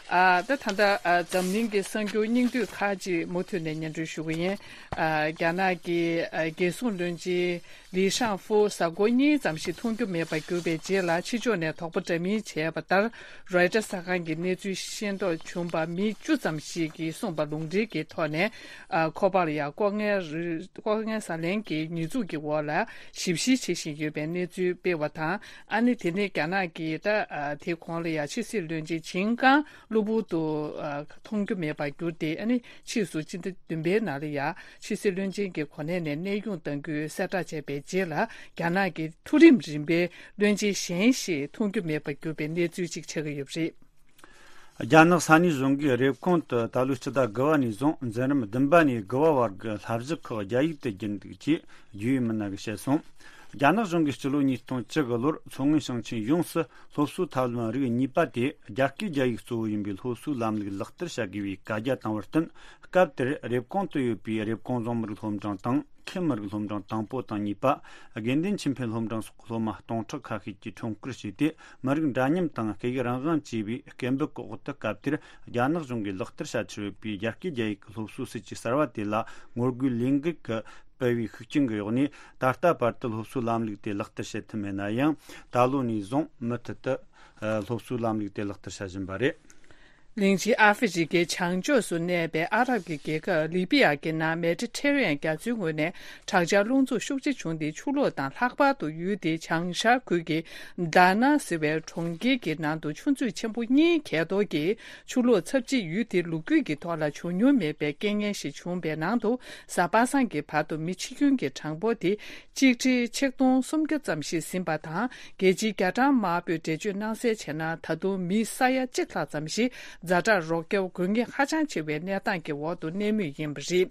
ཨ། ད་ད་ལྟ་ཨ། འཛམ་གླིང་གི་གསར་འགྱུར་སྙིང་བསྡུས་ཁག་ཅིག་མུ་མཐུད་ནས་སྙན་སྒྲོན་ཞུ་གི་ཡིན། ཨ། རྒྱ་ནག་གི་ཨ། རྒྱལ་སྲུང་བློན་ཆེན་ལི་ཤང་ཧྥུ་གཟའ་འཁོར་གཉིས་ཙམ་ཞིག་མཐོང་རྒྱུ་མེད་པར་གྱུར་པའི་རྗེས་ལ། ཕྱི་ཕྱོགས་ནས་དོགས་པ་འདྲ་མིན་བྱས་པ་ལྟར། རོའི་ཊར་གསར་ཁང་གིས་གནས་ཚུལ་ཤེས་རྟོགས་བྱུང་བ་མི་བཅུ་ཙམ་ཞིག་གིས་གསུངས་པ་ལུང་འདྲེན་གྱི་ཐོག་ནས། ཨ། ཁོ་པར་ཡང་ལྐོག་རྔན་རི། ལྐོག་རྔན་ཟ་ལེན་གྱི་ཉེས་འཛུགས་ཀྱི་འོག་ལ་ཞིབ་བཤེར་བྱེད་བཞིན་ཡོད་པའི་གནས་ཚུལ་སྤེལ་བ་དང་། ཨ་ནི་དེ་ནས་རྒྱ་ནག་གིས་ད། ཨ། དེ་གོང་ལ་ཡང་ཕྱི་སྲིད་བློན་ཆེན་ཆིན་ཀང་གློ་བུར་དུ། ཨ། མཐོང་རྒྱུ་མེད་པར་གྱུར་ཏེ། ཨ་ནི་ཕྱིས་སུ་སྤྱི་ཟླ་བདུན་པའི་ནང་ལ་ཡང་ཕྱི་སྲིད་བློན་ཆེན་གྱི་གོ་གནས་ནས་གནས་དབྱུང་གཏང་རྒྱུའི་གསལ་བསྒྲགས་བྱས་པའི་རྗེས་ལ། རྒྱ་ནག་གི་མཐོ་རིམ་རིམ་པའི་བློན་ཆེན་གཞན་ཞིག་མཐོང་རྒྱུ་མེད་པར་གྱུར་པའི་གནས་ཚུལ་ཅིག་ཆགས་ཀྱི་ཡོད་པ་རེད། རྒྱ་ནག་ས་གནས་གཞུང་གིས་རེབ་གོང་དུ་ད་ལོའི་སྤྱི་ཟླ་དགུ་པ་ནས་བཟུང་འཛིན་རིམ་བདུན་པ་ནས་དགུ་པ་བར་གྱི་བསླབ་གཞི་ཁག་རྒྱ་ཡིག་ཏུ་བསྒྱུར་འདུག་ཅེས་བརྒྱུད་ཡོད་མི་སྣ་གིས་བཤད་སོང་། རྒྱ་ནག་གཞུང་གིས་སྤྱི་ལོ་ཉིས་སྟོང་བཅུ་དགུ་ལོར་མཚོ་སྔོན་ཞིང་ཆེན་ཡོངས་སུ་སློབ་གསོའི་ཐབས་ལམ་རིགས་གཉིས་པ་དེ་རྒྱ་སྐད་རྒྱ་ཡིག་གཙོ་བོ་ཡིན་པའི་སློབ་གསོའི་ལམ་ལུགས་ལག་བསྟར་བྱ་དགོས་པའི་བཀའ་རྒྱ་བཏང་བར་བརྟེན། སྐབས་དེར་རེབ་གོང་དུ་ཡོད་པའི་རེབ་གོང་རྫོང་མི་རིགས་སློབ་འབྲིང་དང་། ཁེ་མི་རིགས་སློབ་འབྲིང་དང་པོ་དང་གཉིས་པ། དགེ་འདུན་ཆོས་འཕེལ་སློབ་འབྲིང་སོགས་སློབ་མ་སྟོང་ཕྲག་ཁ་ཤས་ཀྱིས་ཁྲོམ་སྐོར་བྱས་ཏེ། མི་རིགས་འདྲ་མཉམ་དང་སྐད་ཡིག་རང་དབང་ཅེས་པའི་སྐད་འབོད་ཀྱི་འོག་ཏུ། སྐབས་དེར་རྒྱ་ནག་གཞུང་གིས་ལག་བསྟར་བྱ་འཆར་ཡོད་པའི་རྒྱ་སྐད་རྒྱ་ཡིག་གི་སློབ་གསོའི་སྲིད་ཇུས་གསར་བ་དེ་ལ་ངོ་རྒོལ་ལས་འགུལ་གྱི་སྤེལ་བའི་ཤུགས་རྐྱེན་གྱི་འོག་ནས། ད་ལྟ་བར་དུ་སློབ་གསོའི་ལམ་ལུགས་དེ་ལག་བསྟར་བྱེད་ཐུབ་མེད་ན་ཡང་། ད་ལོ་ནས་བཟུང་མུ་མཐུད་དུ་སློབ་གསོའི་ལམ་ལུགས་དེ་ལག་བསྟར་བྱ་བཞིན་པ་རེད། གླིང་ཆེན་ཨ་ཧྥེ་རི་ཁའི་བྱང་ཕྱོགས་སུ་གནས་པའི་ཨ་རབ་ཀྱི་རྒྱལ་ཁབ་ལི་པི་ཡ་གི་ནང་མེ་ཌི་ཊེ་རི་ཡན་རྒྱ་མཚོའི་ངོས་ནས་དྲག་ཆར་རླུང་འཚུབ་ཤུགས་ཆེ་བྱུང་སྟེ། ཆུ་ལོག་དང་ལྷགས་པར་དུ་ཡུལ་དེའི་བྱང་ཤར་ཁུལ་གྱི་དཱ་ན་ཟེར་བའི་གྲོང་ཁྱེར་གྱི་ནང་དུ་ཆུ་མཛོད་ཆེན་པོ་གཉིས་གས་གཏོར་གྱིས། ཆུ་ལོག་ཚབས་ཆེ་ཡུལ་དེའི་ལོ་རྒྱུས་ཀྱི་ཐོག་ལ་བྱུང་མྱོང་མེད་པའི་རྐྱེན་ངན་ཞིག་བྱུང་བའི་ནང་དུ། གཟའ་པ་སངས་ཀྱི་བར་དུ་མི་འཆི་སྐྱོན་གྱི་གྲངས་འབོར་དེ་གཅིག་ཁྲི་ཆིག་སྟོང་སུམ་བརྒྱ་ཙམ་ཞིག་ཟིན་པ་དང་། རྒྱལ་སྤྱིའི་རྒྱ་གྲམ་དམར་པོས་འགྲེལ་བརྗོད་གནང་གསལ་བྱས་ན། ད་དུང་མི་ས་ཡ་གཅིག་ལྷག་ཙམ་ཞིག་ཛ་དྲག་རོགས་སྐྱོབ་དགོས་ངེས་ཧ་ཅང་ཆེ་བའི་གནས་སྟངས་ཀྱི་འོག་ཏུ་གནས་མུས་ཡིན་པ་རེད།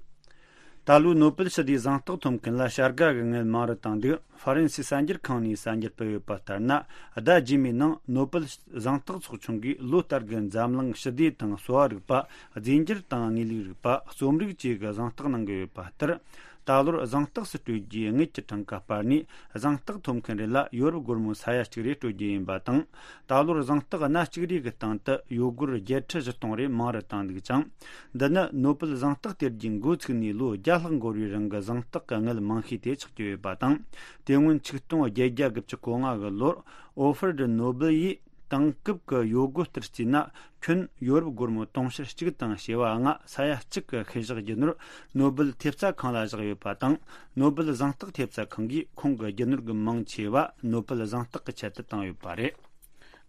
ད་ལོའི་ནོ་བེལ་ཞི་བདེའི་གཟེངས་རྟགས་ཐོབ་མཁན་ལ་བྱ་དགའ་གི་དངུལ་མང་རུ་བཏང་འདུག་ཧྥ་རན་སིའི་གསར་འགྱུར་ཁང་ནས་གསར་འགྱུར་སྤེལ་ཡོད་པ་ལྟར་ན། ཟླ་རྗེས་མའི་ནང་ནོ་བེལ་གཟེངས་རྟགས་ཚོགས་ཆུང་གིས་ལོ་ལྟར་གྱི་འཛམ་གླིང་ཞི་བདེ་དང་གསོ་བ་རིག་པ། རྫས་འགྱུར་དང་དངོས་ལུགས་རིག་པ། རྩོམ་རིག་བཅས་ཀྱི་གཟེངས་རྟགས་གནང་གི་ཡོད་པ་ལྟར། ད་ལོར་གཟེངས་རྟགས་སུ་སྤྲོད་རྒྱུའི་དངུལ་གྱི་གྲངས་ཀ་སྤར་ནས། གཟེངས་རྟགས་ཐོབ་མཁན་རེ་ལ་ཡོ་རོབ་སྒོར་མོ་ས་ཡ་གཅིག་རེ་སྤྲོད་རྒྱུ་ཡིན་པ་དང་། ད་ལོར་གཟེངས་རྟགས་སྣ་གཅིག་རེ་གི་སྟེང་དུ་ཡོ་སྒོར་བརྒྱད་ཁྲི་བཞི་སྟོང་རེ་མང་རུ་བཏང་འདུག་ཅིང་། འདི་ནི་ནོ་བེལ་གཟེངས་རྟགས་སྟེར་རྒྱུའི་འགོ་ཚུགས་ནས་ལོ་བརྒྱ་ལྷག་འགོར་བའི་རིང་གི་གཟེངས་རྟགས་ཀྱི་དངུལ་མང་ཤོས་དེ་ཆགས་ཀྱི་ཡོད་པ་དང་། དེ་སྔོན་ཆིག་སྟོང་བརྒྱད་བརྒྱ་དགུ་བཅུ་གོ་ལྔ་གི་ལོར། ཨོ་ཧྥར་ཌི་ནོ་བེལ་ཡིས་དེང་སྐབས་ཀྱི་ཡོ་སྒོར་ལྟར་བརྩིས་ན། ཁྱོན་ཡོ་རོབ་སྒོར་མོ་དུང་ཕྱུར་གཅིག་དང་བྱེ་བ་ལྔ་ས་ཡ་གཅིག་གི་ཤུལ་བཞག་རྒྱུ་ནོར་ནོ་བེལ་ཐེབས་རྩ་ཁང་ལ་བཞག་ཡོད་པ་དང་། ནོ་བེལ་གཟེངས་རྟགས་ཐེབས་རྩ་ཁང་གིས་ཁོང་གི་རྒྱུ་ནོར་གྱི་མང་ཆེ་བ་ནོ་བེལ་གཟེངས་རྟགས་ཀྱི་ཆེད་དུ་བཏང་ཡོད་པ་རེད།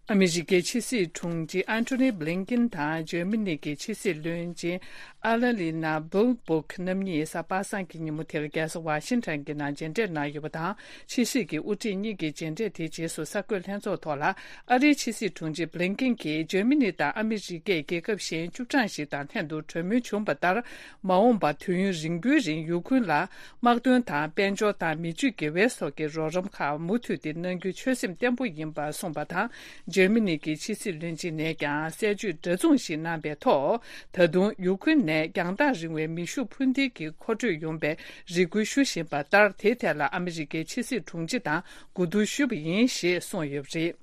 ཨ་མི་རི་ཀའི་ཕྱི་སྲིད་དྲུང་ཆེ་ཨན་ཐོ་ནི་བྷི་ལིན་ཀིན་དང་འཇར་མ་ནི་གི་ཕྱི་སྲིད་བློན་ཆེན་ཨ་ལ་ལི་ན་བྷུལ་བྷུག་རྣམ་གཉིས་གཟའ་པ་སངས་ཀྱི་ཉིན་མོ་དེར་རྒྱལ་ས་ཝ་ཤིང་ཊོན་གྱི་ནང་མཇལ་འཕྲད་གནང་ཡོད་པ་དང་། ཕྱི་སྲིད་ཀྱི་དབུ་ཁྲིད་གཉིས་ཀྱི་མཇལ་འཕྲད་དེའི་རྗེས་སུ་གསར་འགོད་ལྷན་ཚོགས་ཐོག་ལ། ཨ་རིའི་ཕྱི་སྲིད་དྲུང་ཆེ་བྷི་ལིན་ཀིན་གྱིས་འཇར་མ་ནི་དང་ཨ་མི་རི་ཀས་རྒྱལ་ཁབ་གཞན་བཅུ་གྲངས་ཤིག་དང་ལྷན་དུ་གྲོས་མོལ་བྱུང་བ་ལྟར། མ་འོངས་པར་དུས་ཡུན་རིང་པོའི་རིང་ཡུ་ཁུན་ལ་དམག་དོན་དང་དཔལ་འབྱོར་དང་མི་ཆོས་དགེ་བའི་སོགས་ཀྱི་རོགས་རམ་ཁག་མུ་མཐུད་དེ་གནང་རྒྱུའི་ཆོད་སེམས་བརྟན་པོ་ཡིན་པ་གསུངས་པ་དང་། འཇར་མ་ནི་གི་ཕྱི་སྲིད་བློན་ཆེན་ནས་ཀྱང་གསལ་བརྗོད་འདྲ་མཚུངས་ཤིག་གནང་པའི་ཐོག་ད་དུང་ཡུ་ཁུན་ནས་རྒྱང་ཐག་རིང་བའི་མེ་ཤུགས་འཕུར་མདེལ་གྱི་མཁོ་སྤྲོད་ཡོང་བའི་རེ་སྐུལ་ཞུ་བཞིན་པ་ལྟར། དེའི་ཐད་ལ་ཨ་མི་རི་ཀའི་ཕྱི་སྲིད་དྲུང་ཆེ་དང་གོ་བསྡུར་ཞུས་པ་ཡིན་ཞེས་གསུངས་ཡོད་པ་རེད།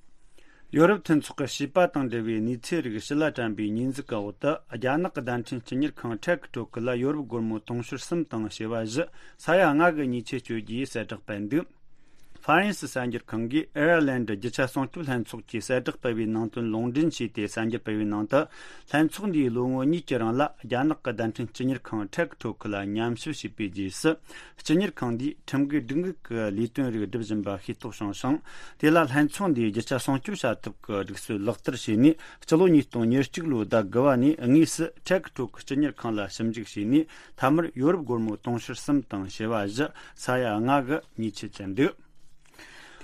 ཡོ་རོབ་མཐུན་ཚོགས་ཀྱི་བྱིས་པ་དང་འབྲེལ་བའི་གནས་ཚུལ་རིགས་ཕྱི་ལ་དྲན་པའི་ཉེས་འཛུགས་ཀྱི་འོག་ཏུ། རྒྱ་ནག་གི་བརྡ་འཕྲིན་སྤྱི་གཉེར་ཁང་ཁྲེག་ཀྲོག་ལ་ཡོ་རོབ་སྒོར་མོ་དུང་ཕྱུར་གསུམ་དང་བྱེ་བ་བཞི་ས་ཡ་ལྔ་གི་ཉེས་ཆད་གཅོད་རྒྱུའི་གསལ་བསྒྲགས་སྤེལ་འདུག་ཧྥ་རན་སི་གསར་འགྱུར་ཁང་གིས་ཨེར་ལན་ཌི་རྒྱུ་ཆ་སྲུང་སྐྱོབ་ལྷན་ཚོགས་ཀྱི་གསལ་བསྒྲགས་སྤེལ་བའི་ནང་དོན་ལུང་འདྲེན་བྱས་ཏེ་གསར་འགྱུར་སྤེལ་བའི་ནང་དུ། ལྷན་ཚོགས་འདིས་ལོ་ངོ་གཉིས་ཀྱི་རིང་ལ་རྒྱ་ནག་གི་བརྡ་འཕྲིན་སྤྱི་གཉེར་ཁང་ཊེག་ཊོ་ཁི་ལ་ཉམས་ཞིབ་བྱས་པའི་རྗེས་སུ། སྤྱི་གཉེར་ཁང་འདིས་ཁྲིམས་འགལ་སྒྲིག་འགལ་གྱི་ལས་དོན་རིགས་བསྒྲུབ་བཞིན་པ་ཤེས་རྟོགས་བྱུང་ཞིང་། དེ་ལ་ལྷན་ཚོགས་འདིས་རྒྱུ་ཆ་སྲུང་སྐྱོབ་བྱ་ཐབས་ཀྱི་སྒྲིག་སྲོལ་ལག་བསྟར་བྱས་ནས། སྤྱི་ལོ་ཉིས་སྟོང་ཉེར་གཅིག་ལོའི་ཟླ་དགུ་པ་ནས་དངོས་སུ་ཊེག་ཊོ་ཁི་སྤྱི་གཉེར་ཁང་ལ་ཞིབ་འཇུག་བྱས་ནས། མཐའ་མར་ཡོ་རོབ་སྒོར་མོ་དུང་ཕྱུར་གསུམ་དང་བྱེ་བ་བཞི། ས་ཡ་ལྔ་གི་ཉེས་ཆད་བཅད་འདུག་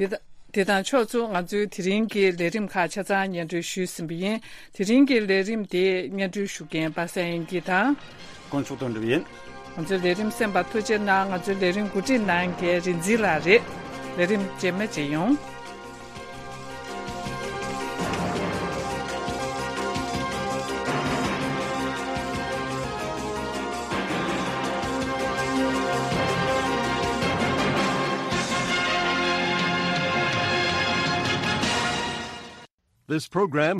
དེ་དང་དེ་དང་ཕྱོགས་མཚུངས། ང་ཚོའི་དེ་རིང་གི་ལས་རིམ་ཁག་ཆ་ཚང་སྙན་སྒྲོན་ཞུས་ཟིན་པ་ཡིན། དེ་རིང་གི་ལས་རིམ་དེ་སྙན་སྒྲོན་ཞུ་མཁན་པ་སངས་དབྱངས་སྐྱིད་དང་། དཀོན་མཆོག་དོན་གྲུབ་ཡིན། ང་ཚོའི་ལས་རིམ་གསན་པར་ཐུགས་རྗེ་གནང་། ང་ཚོའི་ལས་རིམ་གོ་སྒྲིག་གནང་མཁན་རིག་འཛིན་ལགས་རེད། ལས་རིམ་རྗེས་མ་མཇལ་ཡོང་། This program